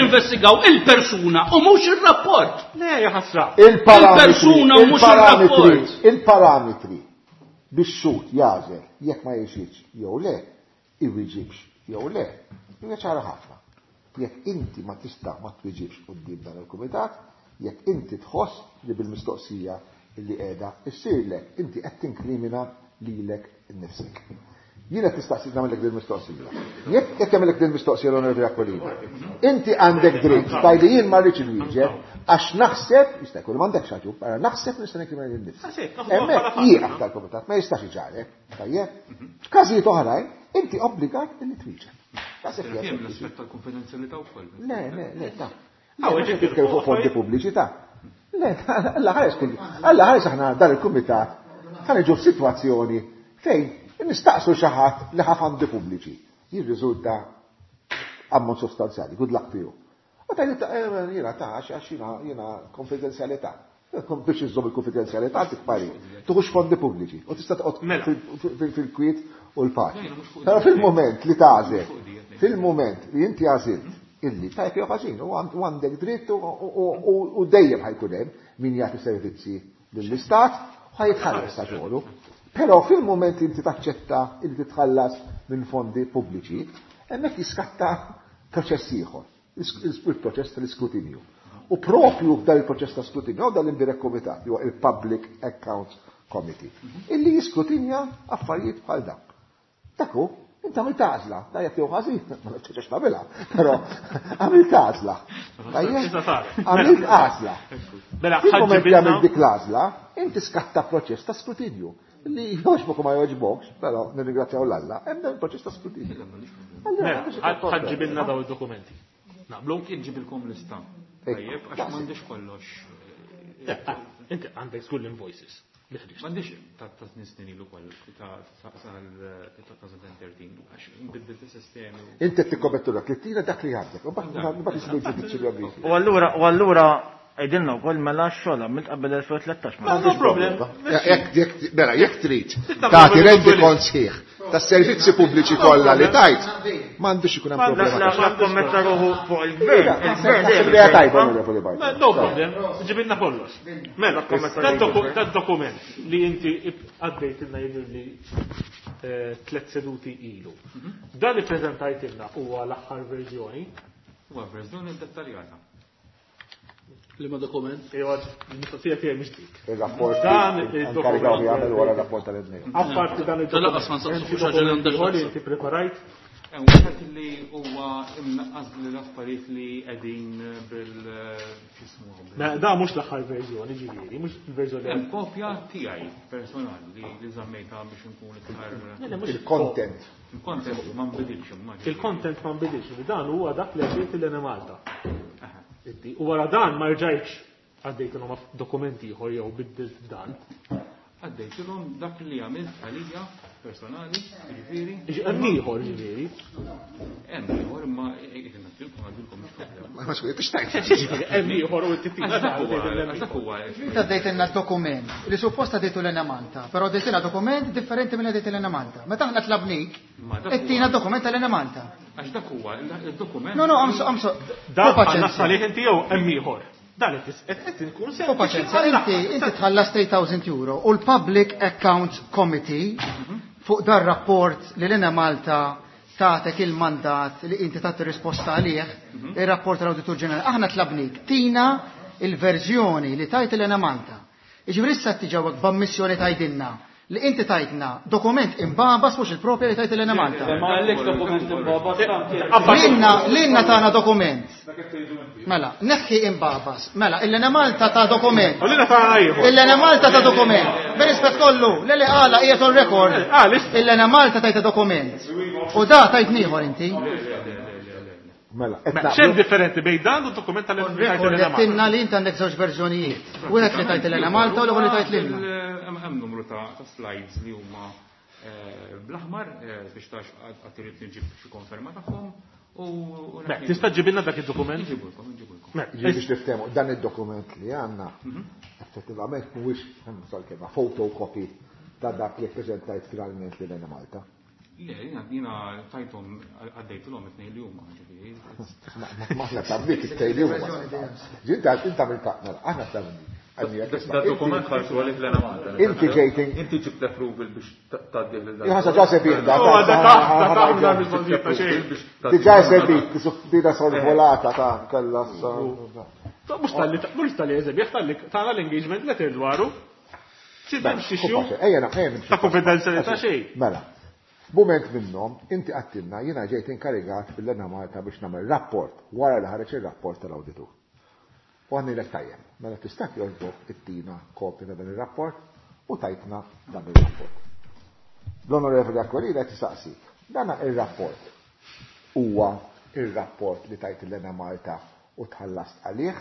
investigaw il-persuna u mhux ir-rapport. Le, ħasra. Il-persuna u mhux ir-rapport. Il-parametri biex xut jażel jekk ma jixitx jew le, iwiġibx jew le, hija ċara ħafna. Jekk inti ma tista' ma twiġibx quddiem dan il-kumitat, jekk inti tħoss li bil-mistoqsija li qiegħda issirlek, inti qed tinkrimina lilek innifsek. Jien qed nistaqsi nagħmellek din mistoqsija. Jekk qed jagħmellek din mistoqsija l-Onorevoli Aquilina, inti għandek dritt tgħidli jien ma rridx inwieġeb għax naħseb, jista' jkun m'għandekx raġun, però naħseb nista' nikrimina lil nifsi. Hemmhekk jieqaf tal-kumitat ma jistax iġarek, tajjeb. F'każijiet oħrajn, inti obbligat illi twieġeb. L-aspett tal-konfidenzjalità wkoll. Le, le, le, ta' Għaw, titkellmu fuq fondi pubbliċi ta' Le, alla ħares kull. Alla ħares aħna dan il-kumitat ħa niġu f'sitwazzjoni fejn nistaqsu xi ħadd li ħa fondi pubbliċi. Jirriżulta ammont sostanzjali, good luck to you. U tajli jiena ta' għax jiena konfidenzjalità. Biex iżżomm il-konfidenzjalità dik pari. Tuħux fondi pubbliċi u tista' toqgħod Mela. fil-kwiet u l-paċi. Però fil-moment li tagħżel, fil-moment li inti għażilt illi tajb jew ħażin u għandek dritt u dejjem ħajkun hemm min jagħti servizzi lill-istat u ħajitħallas ta' xogħlu. Però fil-moment li inti taċċetta illi titħallas minn fondi pubbliċi, hemmhekk jiskatta proċess ieħor, il-proċess tal-iskrutinju. U propju f'dan il-proċess ta' skrutinju, dan l-indirect komitat, huwa il-Public Accounts Committee, illi jiskrutinja affarijiet bħal dak. Dak hu, inti għamilt għażla, tajjeb jew ħażin, ma nafx tagħmilha, però għamilt għażla. Tajjeb, għamilt għażla. Mela, Fil-moment li ħaġġibilna għamilt dik l-għażla, inti skatta proċess ta' skrutinju. Li jogħġbok u ma jogħġbokx, però nirringrazzjaw l-Alla, hemm dan il-proċess ta' skrutinju. Allura, Mela, biex ikun problema. ħaġġibilna daw id-dokumenti. Naqblu? Inġibilkom lista. Ekku, Tajjeb, għax daqshekk. m'għandix kollox. Inti għandek żgur l-invoices. li ħriġt. M'għandix ta' snin snin ilu koll ta' sal-2013 għax nbiddelt is-sistemi. Inti qed tikkomettu dak li tina dak li għandek, u mbagħad isibu l-ġudizzju li għandek. U allura, u allura, għidilna wkoll mela x-xogħol għamilt qabel 2013. ma No problem. Mela, jekk trid tagħti rendi kont sħiħ tas-servizzi pubbliċi kollha li tajt, m'għandux ikun hemm problema. La la kommetta ruħu fuq il-gvern, il-gvern dejjem Idea tajba, il-gvern. Onorevoli Bartolo. No problem, ġibilna kollox. Mela, dat dokument li inti għaddejtilna jidher li tlet seduti ilu. Dan li prezentajtilna huwa l-aħħar verżjoni. Huwa verżjoni dettaljata. Li ma dokument. Iwa, il-mistoqsija tiegħi mhix dik. Il-rapport Dan inkarigaw il-dokument. jagħmel wara r-rapport tal-Ednejn. Apparti dan il-dokument. Tal-anqas ma nsaqsu hemm fuq xi ħaġa li għandha dokument ieħor li x'taqsam. inti preparajt. Hemm wieħed li huwa imnaqqas l-affarijiet li qegħdin bil x'ismu Mela, da mhux l-aħħar verżjoni ġifieri, mhux il-verżjoni. Hemm kopja tiegħi personali li żammejtha biex inkun iktar Le, mhux Il-content. il-content ma nbidilx immaġini. Il-content ma nbidilx, dan huwa dak li għaddejt l-Enemalta. Inti, U wara dan ma rġajtx għaddejtilhom dokumenti ieħor jew biddilt dan. Għaddejtilhom dak li għamilt għalija personali, jiġifieri. Hemm ieħor ġifieri. Hemm ieħor imma jekk ngħaddilkom għaddilkom mhux problema. Ma skwit, xtajt. Ġifieri hemm ieħor u t-tina Għax dak huwa, għax dak huwa. Inti għaddejtilna dokument li supposta għaddejtu l Malta, però għaddejtilna dokument differenti minn għaddejt l Malta. Meta aħna tlabnik, Ma dak huwa- ittina dokument tal Malta. Għax dak huwa il-dokument. No, no, amso, amso. Dan Hu paċenzja. ħallas għalih inti jew hemm ieħor. Dan qed qed inkun Hu sempliċi paċenzja, għall-aħħar. inti inti tħallas 3000 euro u l-Public Accounts Committee fuq dar rapport li l Malta tatek il-mandat li inti tagħti risposta għalih, ir-rapport tal-Awditur Ġenerali. Aħna tlabnik tina il-verżjoni li tajt l Malta. Iġifieri issa tiġawek b'ammissjoni tajdilna li inti tajtna dokument imbabas mhux il-propja li tajt l Malta. Ma għallek dokument imbabas. Lilna, lilna tagħna dokument. Mela, neħħi imbabas. Mela, il-Lena Malta ta' dokument. U lilna tagħna ieħor. Il-Lena Malta ta' dokument. Bir-rispett kollu, le li qala qiegħed on record. Ah, lista. Il-Lena Malta tajta dokument. U da tajt nieħor inti. Mela, qed Mela, naqblu. X'hemm differenti bejn dan u d-dokument On record tal-Enemalta? qed li inti għandek żewġ verżjonijiet. Wieħed li tajt il-Lena Malta u l-ieħor li tajt lilna. Hemm numru ta' slides li huma bl-aħmar biex tax għad irid nġib xi konferma tagħhom u Mela, Tista' ġibilna dak id-dokument? Nġibulkom, nġibulkom. Mela, Ġifieri biex niftehmu, dan id-dokument li għandna, effettivament mhuwiex hemm kelma photocopy ta' dak li ppreżentajt finalment lil Malta. Le, jiena tajthom għaddejtilhom it-tnejn li huma, ġifieri. Ma aħna tablik it-tejn li huma. Ġinta inta minn ta' mela, aħna tablik. Da dokument ħarsu għalih l Malta. Inti ġejt Inti ġibt approval biex tgħaddih lil dan. Jħasa ġa sebih da. Oh, da taħt, da taħt, da mistoqsija ta' xejn. Diġà sebih, dina sorvolata ta' kella sa. Mhux tal-li mhux tal-li eżempju, tal-li tagħna l-engagement letter dwaru. Xi hemm xi xju Ejja naqem. ta' konfidenzjalità xejn. Mela. Mument minnhom inti għattilna jiena ġejt inkarigat fil-Enemalta biex nagħmel rapport wara li ħareġ ir-rapport tal-awditur. U għandilek tajjeb, mela tista' jogħġbok ittina kopja ta' dan ir-rapport u tajtna dan ir-rapport. L-Onorevoli Aquilina qed isaqsik, dan ir-rapport huwa ir-rapport li tajt l-Enemalta u tħallast għalih,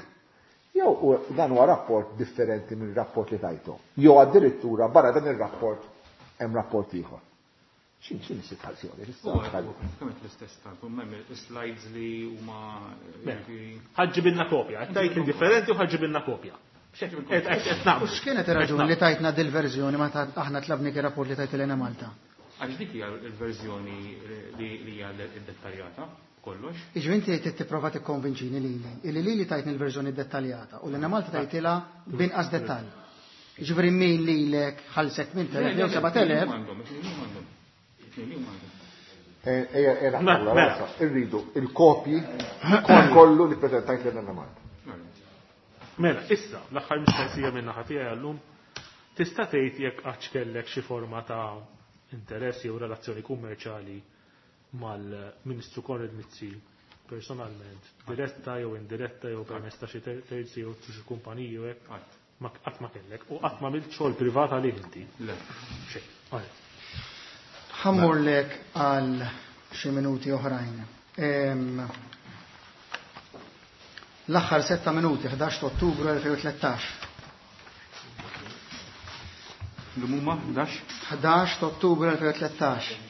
jew dan huwa rapport differenti minn rapport li tajtu. Jew addirittura barra dan ir-rapport hemm rapport ieħor. X'in is-sitwazzjoni? Pratikament l-istess ta' hemm slides li huma Ħaġġibilna kopja, tajt li differenti u ħaġġibilna kopja. U x'kienet ir-raġuni li tajtna dil-verżjoni meta aħna tlabnik ir-rapport li tajt l-Enemalta? Għax dik hija l-verżjoni li hija dettaljata kollox. Iġvi inti trid tipprova tikkonvinċini lili, illi lili tajtni l-verżjoni dettaljata u l-Enemalta tajtilha b'inqas dettall. Jiġifieri min lilek ħallsek 8,000 jew 7,000. Irridu il-kopji kollu li prezentajt l-Enemalta. Mela, issa, l-aħħar mistoqsija minn naħa tiegħi għallum, tista' tgħid jekk qatt kellek xi forma ta' interess jew relazzjoni kummerċjali mal-Ministru Konrad Mizzi personalment, diretta jew indiretta jew permezz ta' xi terzi jew xi kumpaniji jew hekk? Qatt ma kellek u qatt ma għamilt xogħol privat għalih inti. Le. Xejn. Ħammurlek għal xi minuti oħrajn. L-aħħar 6 minuti, 11 Ottubru 2013. L-muma 11? 11 Ottubru 2013.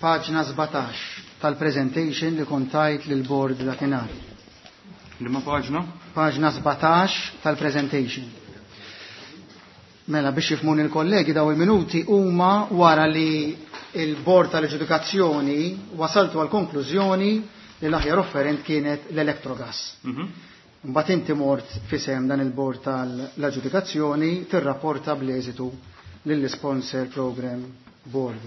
Paġna 17 tal-presentation li kontajt lil board dakinhar. Liema paġna? Paġna 17 tal-presentation. Mela biex jifhmuni l-kollegi daw il-minuti huma wara li il-bord tal-ġudikazzjoni wasaltu għal konklużjoni li l-aħjar offerent kienet l-Electrogas. Mbagħad inti mort fisem dan il-bord tal-aġġudikazzjoni tirrapporta bl-eżitu lill-sponsor program board.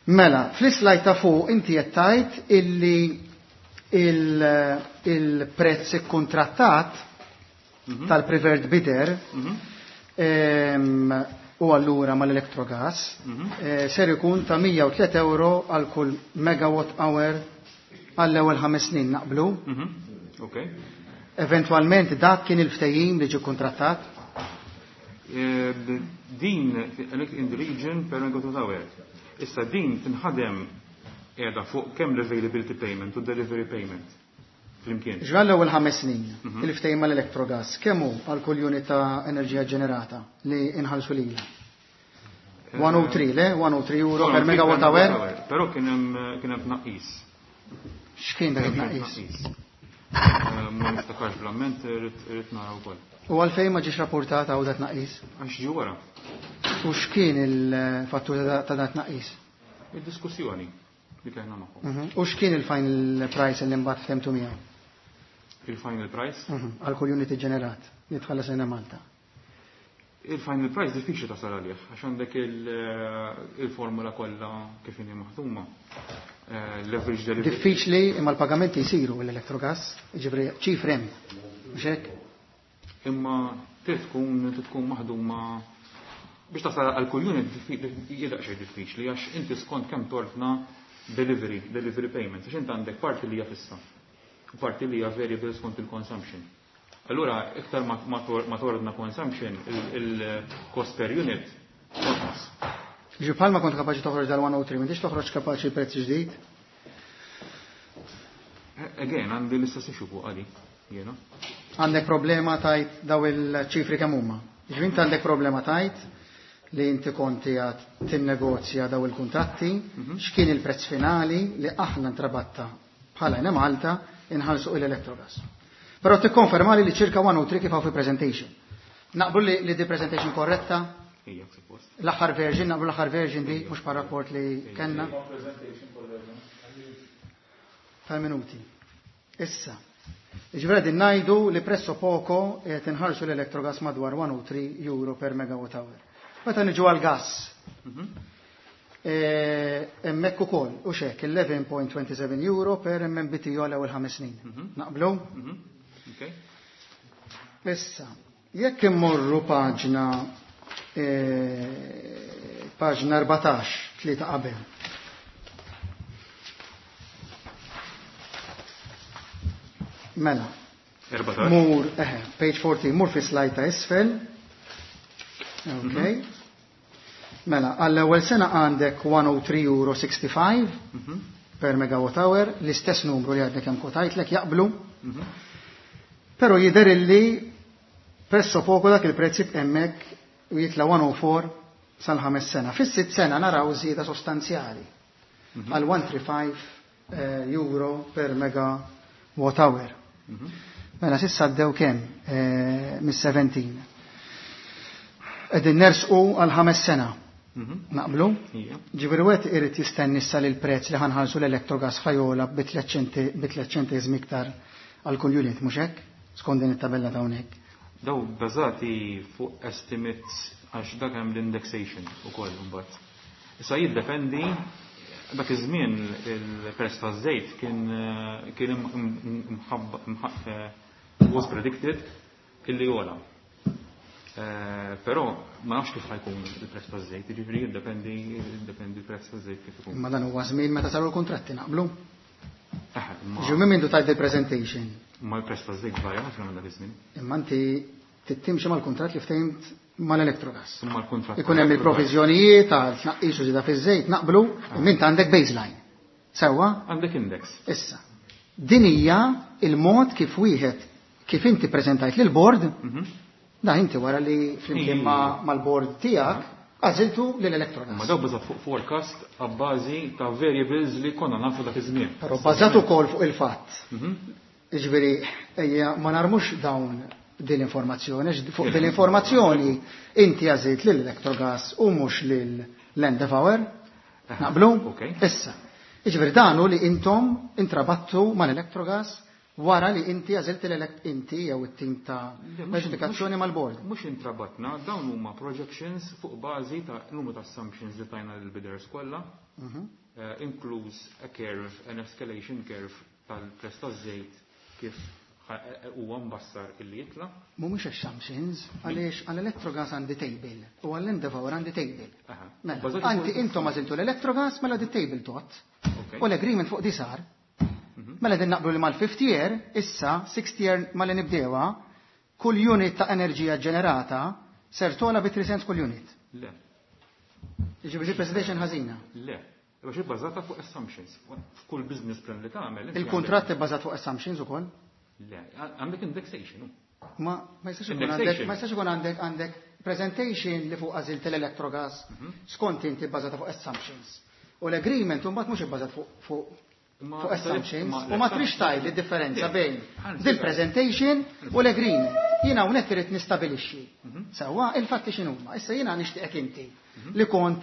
Mela, fl-slide ta' fuq inti qed tgħid illi il-prezz ikkuntrattat tal-preferred bidder u allura mal-Electrogas ser ikun ta' 103 euro għal kull megawatt hour għall-ewwel 5 snin naqblu. Eventualment dak kien il-ftehim li ġie kontrattat? Din in the region per megawatt hour. Issa din tinħadem qiegħda fuq kemm l-availability payment u delivery payment. Flimkien. Ġra l-ewwel 5 snin, il-ftehim mal-Electrogas, kemm hu għal kull unit ta' enerġija ġenerata li inħallsu lilha? 103, le? 103 euro per megawatt hour? Però kien hemm tnaqqis. X'kien dak it-tnaqqis? Ma niftakarx bl-amment, irrid nara wkoll. U għalfejn ma ġiex rapportat hawn dat tnaqqis? Għax ġie wara. U x'kien il-fattur ta' dat tnaqqis? Id-diskussjoni li kellna magħhom. U x'kien il-final price li mbagħad ftemtu miegħu? Il-final price? Għal kull unit ġenerat li tħallas lejna Malta. Il-final price diffiċli tasal għalih, għax għandek il-formula kollha kif inhi maħduma. L-average delivery. Diffiċli imma l-pagamenti jsiru l-Electrogas, jiġifieri ċifri hemm, mhux hekk? Imma trid tkun maħduma biex tasal għal kull unit hija daqsxejn diffiċli għax inti skont kemm tortna delivery payments, għax inti għandek parti li hija fissa u parti li hija variable skont il-consumption. Allura, iktar ma tordna consumption, il-cost per unit tonqos. Ġi bħalma kont kapaċi toħroġ dal-103, m'intix toħroġ kapaċi prezz ġdid? Again, għandi l-istess issue fuq għadi, jiena. Għandek problema tajt daw il-ċifri kemm huma. Ġifieri inti għandek problema tajt li inti konti għad tinnegozja daw il-kuntratti, x'kien il-prezz finali li aħna ntrabatta bħala Enemalta inħallsu l-Electrogas. Però tikkonferma li ċirka 103 kif hawn fi presentation. Naqblu li di presentation korretta? Ija, suppost. L-aħħar version, naqblu l-aħħar version di, mhux pa' rapport li kellna. Tal-minuti. Issa. Ġifieri din ngħidu li presso poco qed inħallsu l-Electrogas madwar 103 euro per megawatt hour. Meta niġu għal-gas, hemmhekk ukoll u xek 11.27 euro per MMBTU għal ewwel 5 snin. Naqblu? Issa, Jekk immorru paġna eh, paġna 14, tlieta qabel. Mela. 14. Mur, eħe, page 14, mur fi slide ta' isfel. Ok. Mela, għall-ewwel sena għandek 103.65 euro per megawatt hour, l-istess numru li għadni kemm kotajtlek jaqblu. Però jidher illi presso poco dak il-prezz jibqa' hemmhekk u jitla 104 sal-ħames sena. Fis-sitt sena naraw żieda sostanzjali għal 135 eh, euro per megawatt hour. Mela s'issa għaddew kemm eh, mis-17. Qegħdin nersqu għal ħames sena. Naqblu? Ija. Ġifieri wieħed irid jistenni issa li l-prezz li ħa nħallsu l-Electrogas ħa jogħla bi 3 ċenteżmi iktar għal kull unit, mhux hekk? Skont din it-tabella ta' hawnhekk. Daw bażati fuq estimates għax dak hemm l-indexation ukoll imbagħad. Issa jiddependi dak iż-żmien il-prezz taż-żejt kien eh, kien imħabba was predicted illi jogħla. Eh, Però ma nafx kif ħa jkun il-prezz taż-żejt, jiġifieri jiddependi jiddependi l-prezz taż-żejt kif ikun. Imma dan huwa żmien meta saru l-kontratti naqblu. Eh, imma- Ġu minn mindu tajt il-presentation. Ma l-prezz taż-żejt varja ħafna minn dak iż-żmien. Imma inti tittimxi mal-kuntratt li ftehmt mal-Electrogas. Imma l-kuntratt Ikun hemm il-proviżjonijiet għal tnaqqis u żieda fiż-żejt naqblu, imma inti għandek baseline. Sewwa? Għandek index. Issa. Din hija il-mod kif wieħed kif inti preżentajt lil board da inti wara li flimkien ma' mal-board tiegħek għażiltu lil Ma Electrogas. daw bażat fuq forecast għabbażi ta' variables li konna nafu dak iż-żmien. Però bażat ukoll fuq il-fatt. Jiġifieri ejja ma narmux dawn din l-informazzjoni, għax fuq din l-informazzjoni inti għażilt lil Electrogas u mhux lil Land Power. Naqblu? Ok. Issa. Jiġifieri dan hu li intom intrabattu mal-Electrogas wara li inti għażilt l-elect inti jew it-tim ta' aġġudikazzjoni mal-board. Mhux intrabatna, dawn huma projections fuq bażi ta' numru ta' assumptions li tajna lill-bidders kollha, eh, inkluż a curve, an escalation curve tal-prezz taż-żejt kif ħa- eh, huwa mbassar illi jitla. Mhumiex assumptions għaliex għall-Electrogas għandi table u għall-Endeavour għandi table. Aha. Mela, Bażati anti fuq- intom għażiltu l-Electrogas mela di table tot. Ok. U l-agreement fuq di sar. Mela din naqblu li mal-50 year, issa 60 year mal nibdewa, kull unit ta' enerġija ġenerata ser tola bi 3 cents kull unit. Le, Jiġifieri presentation ħażina. le. Għax ibbażata fuq assumptions. F'kull business plan li tagħmel. inti Il-kuntratt ibbażat fuq assumptions ukoll. għandek- Le, għandek indexation. hu. Ma ma jistax ikun għandek Indexation. ma jistax ikun għandek għandek presentation li fuq għażilt l-Electrogas skont inti bbażata fuq assumptions. U l-agreement mbagħad mhux ibbażat fuq fuq Ma- fuq assumptions ma- u ma trix tgħid id-differenza Le, bejn ħa dil-presentation u l-agreement. Jiena hawnhekk irid nistabilixxi. Sewwa il-fatti x'inhuma. Issa jiena nixtieqek inti li kont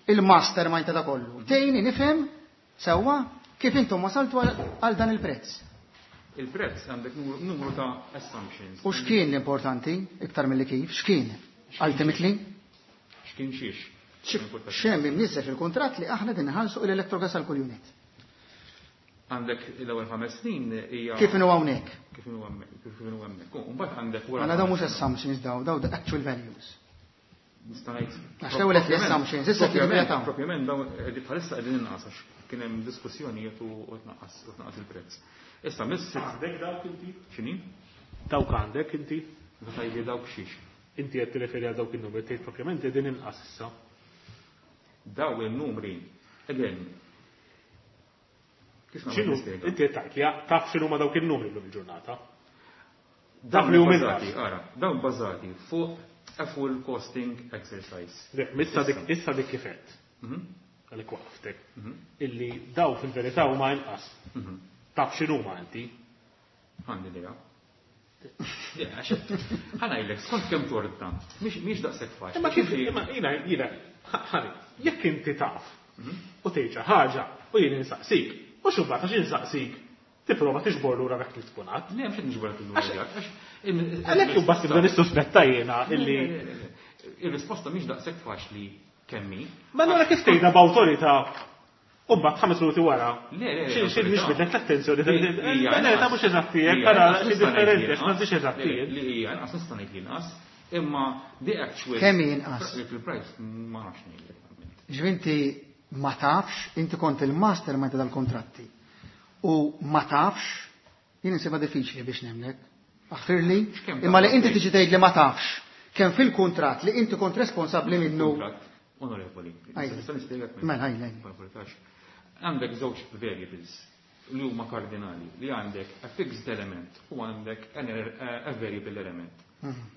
il-mastermind ta' da kollu. Tgħinni nifhem sewwa kif intom wasaltu għal għal dan il-prezz. Il-prezz għandek numru- numru ta' assumptions. U x'kien l-importanti iktar milli kif, x'kien? Ultimately, X'kien xiex? x'hemm imniżżel fil-kuntratt li aħna din nħallsu l-Electrogas għal kull unit. Għandek l-ewwel ħames snin hija Kif inhu hawnhekk? kif inhu hemmhekk, kif inhu hemmhekk. U mbagħad għandek wara. Mela daw mhux assumptions daw, daw the actual values. Nista' ngħid. Għax l-ewwel qed l-assumptions, issa qed Propjament- jibda Propjament dawn qegħdin bħalissa qegħdin inqas għax kien hemm diskussjonijiet u u tnaqqas u tnaqqas il-prezz. Issa miss Għandek dawk inti? x'inhi? Dawk għandek inti? Meta tgħidli dawk xiex. Inti qed tirreferi għal dawk in-numri tgħid propjament qegħdin inqas issa. Daw il-numri, again, kif nagħmel X'inhu nispjega? inti qed tgħid li taf x'inhu ma dawk in-numri llum il-ġurnata. Dawn li huma bbażati, inqas. ara, dawn bbażati fuq a full costing exercise. Le, Issa dik issa dik kif qed. Għalik waqftek. Illi daw fil-verità huma inqas. Taf x'inhuma inti. Għandi idea. Ħa ngħidlek, skont kemm tordna, mhix daqshekk faċli. Imma kif imma jiena jiena ħani, jekk inti taf u tgħid xi ħaġa u jien insaqsik, mhux imbagħad għax insaqsik tipprova tiġbor lura dak li tkun għad. Le, mhux qed niġbor lura dak, għax Għalhekk imbagħad tibda nissuspetta jiena illi Ir-risposta mhix daqshekk faċli kemm hi. Ma allura kif tgħidha b'awtorità U mbagħad 5 minuti wara. Le, Xi nixbidlek l-attenzjoni. Le, ta' mhux eżatti hekk, tara xi differenti għax m'għandix eżatti. Li hija inqas nista' ngħid li inqas, imma the actual. Kemm hi inqas? Il-price ma nafx ngħidlek. Ġifieri inti ma tafx, inti kont il-mastermind ta' dal-kontratti. U ma tafx, jien insibha diffiċli biex nemnek. Aħfirli, imma li inti tiġi tgħid li ma tafx kemm fil-kuntratt li inti kont responsabbli minnu. Kuntratt, onorevoli. Nista' nispjegak. Mela, ħaj, Għandek żewġ variables li huma kardinali, li għandek a fixed element u għandek a variable element.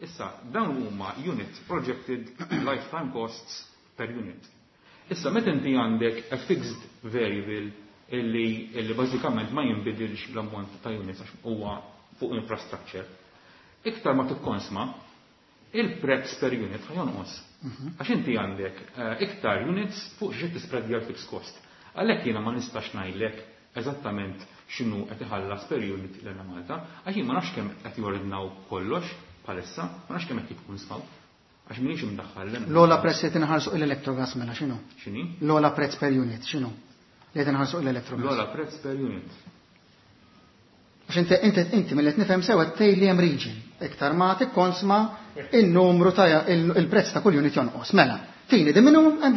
Issa, dawn huma unit projected lifetime costs per unit. Issa, meta inti għandek a fixed variable illi bażikament ma jinbidilx l-ammont ta' units għax huwa fuq infrastructure, iktar ma tikkonsma, il-prezz per unit ħa jonqos. Għax inti għandek iktar units fuq xi tispreadja l-fixed cost. Għalhekk jiena ma nistax ngħidlek eżattament x'inhu qed iħallas per unit l-Enemalta, għax jien ma nafx kemm qed jordnaw kollox bħalissa, ma nafx kemm qed jikkonsmaw. Għax m'iniex imdaħħal l L-ogħla prezz li tinħarsu l-Electrogas mela x'inhu? X'inhi? L-ogħla prezz per unit x'inhu? Li tinħarsu l-Electrogas. L-ogħla prezz per unit. Għax inti mill-qed nifhem sewa tgħid li hemm region. Iktar ma tikkonsma in-numru ta' il-prezz ta' kull unit jonqos. Mela, tini the minimum and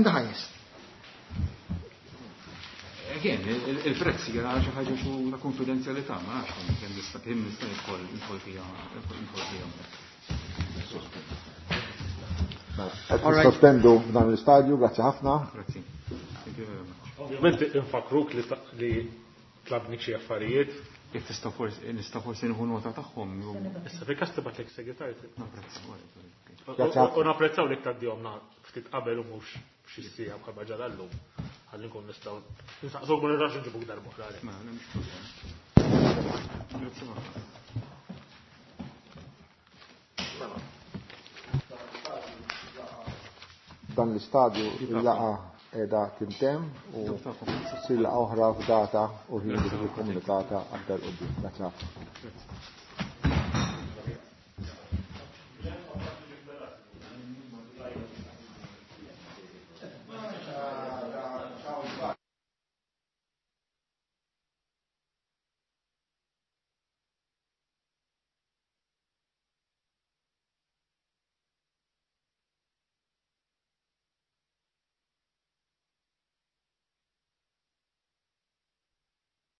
the highest. Again, il-prezz hija xi ħaġa xu ta' konfidenzjalità, ma nafx kemm nista' kemm nista' nidħol fiha nidħol fiha. Qed nissospendu f'dan l-istadju, grazzi ħafna. Grazzi. Thank you very much. Ovvjament infakruk li tlabni xi affarijiet. Jekk tista' forsi nista' forsi nieħu nota tagħhom. Issa fil-każ tibgħatlek segretarju. Grazzi. U napprezzaw li tgħaddihom ftit qabel u mhux xi siegħa bħalma ġara llum. Ħalli nkun nistgħu nsaqsuk ma nirrax nġibuk darba oħra. Mela, mhux problema. Grazzi ħafna. Dan l-istadju il-laqa qiegħda tintemm u ssir laqgħa oħra f'data u ħin li tiġi komunikata aktar quddiem. Grazzi ħafna.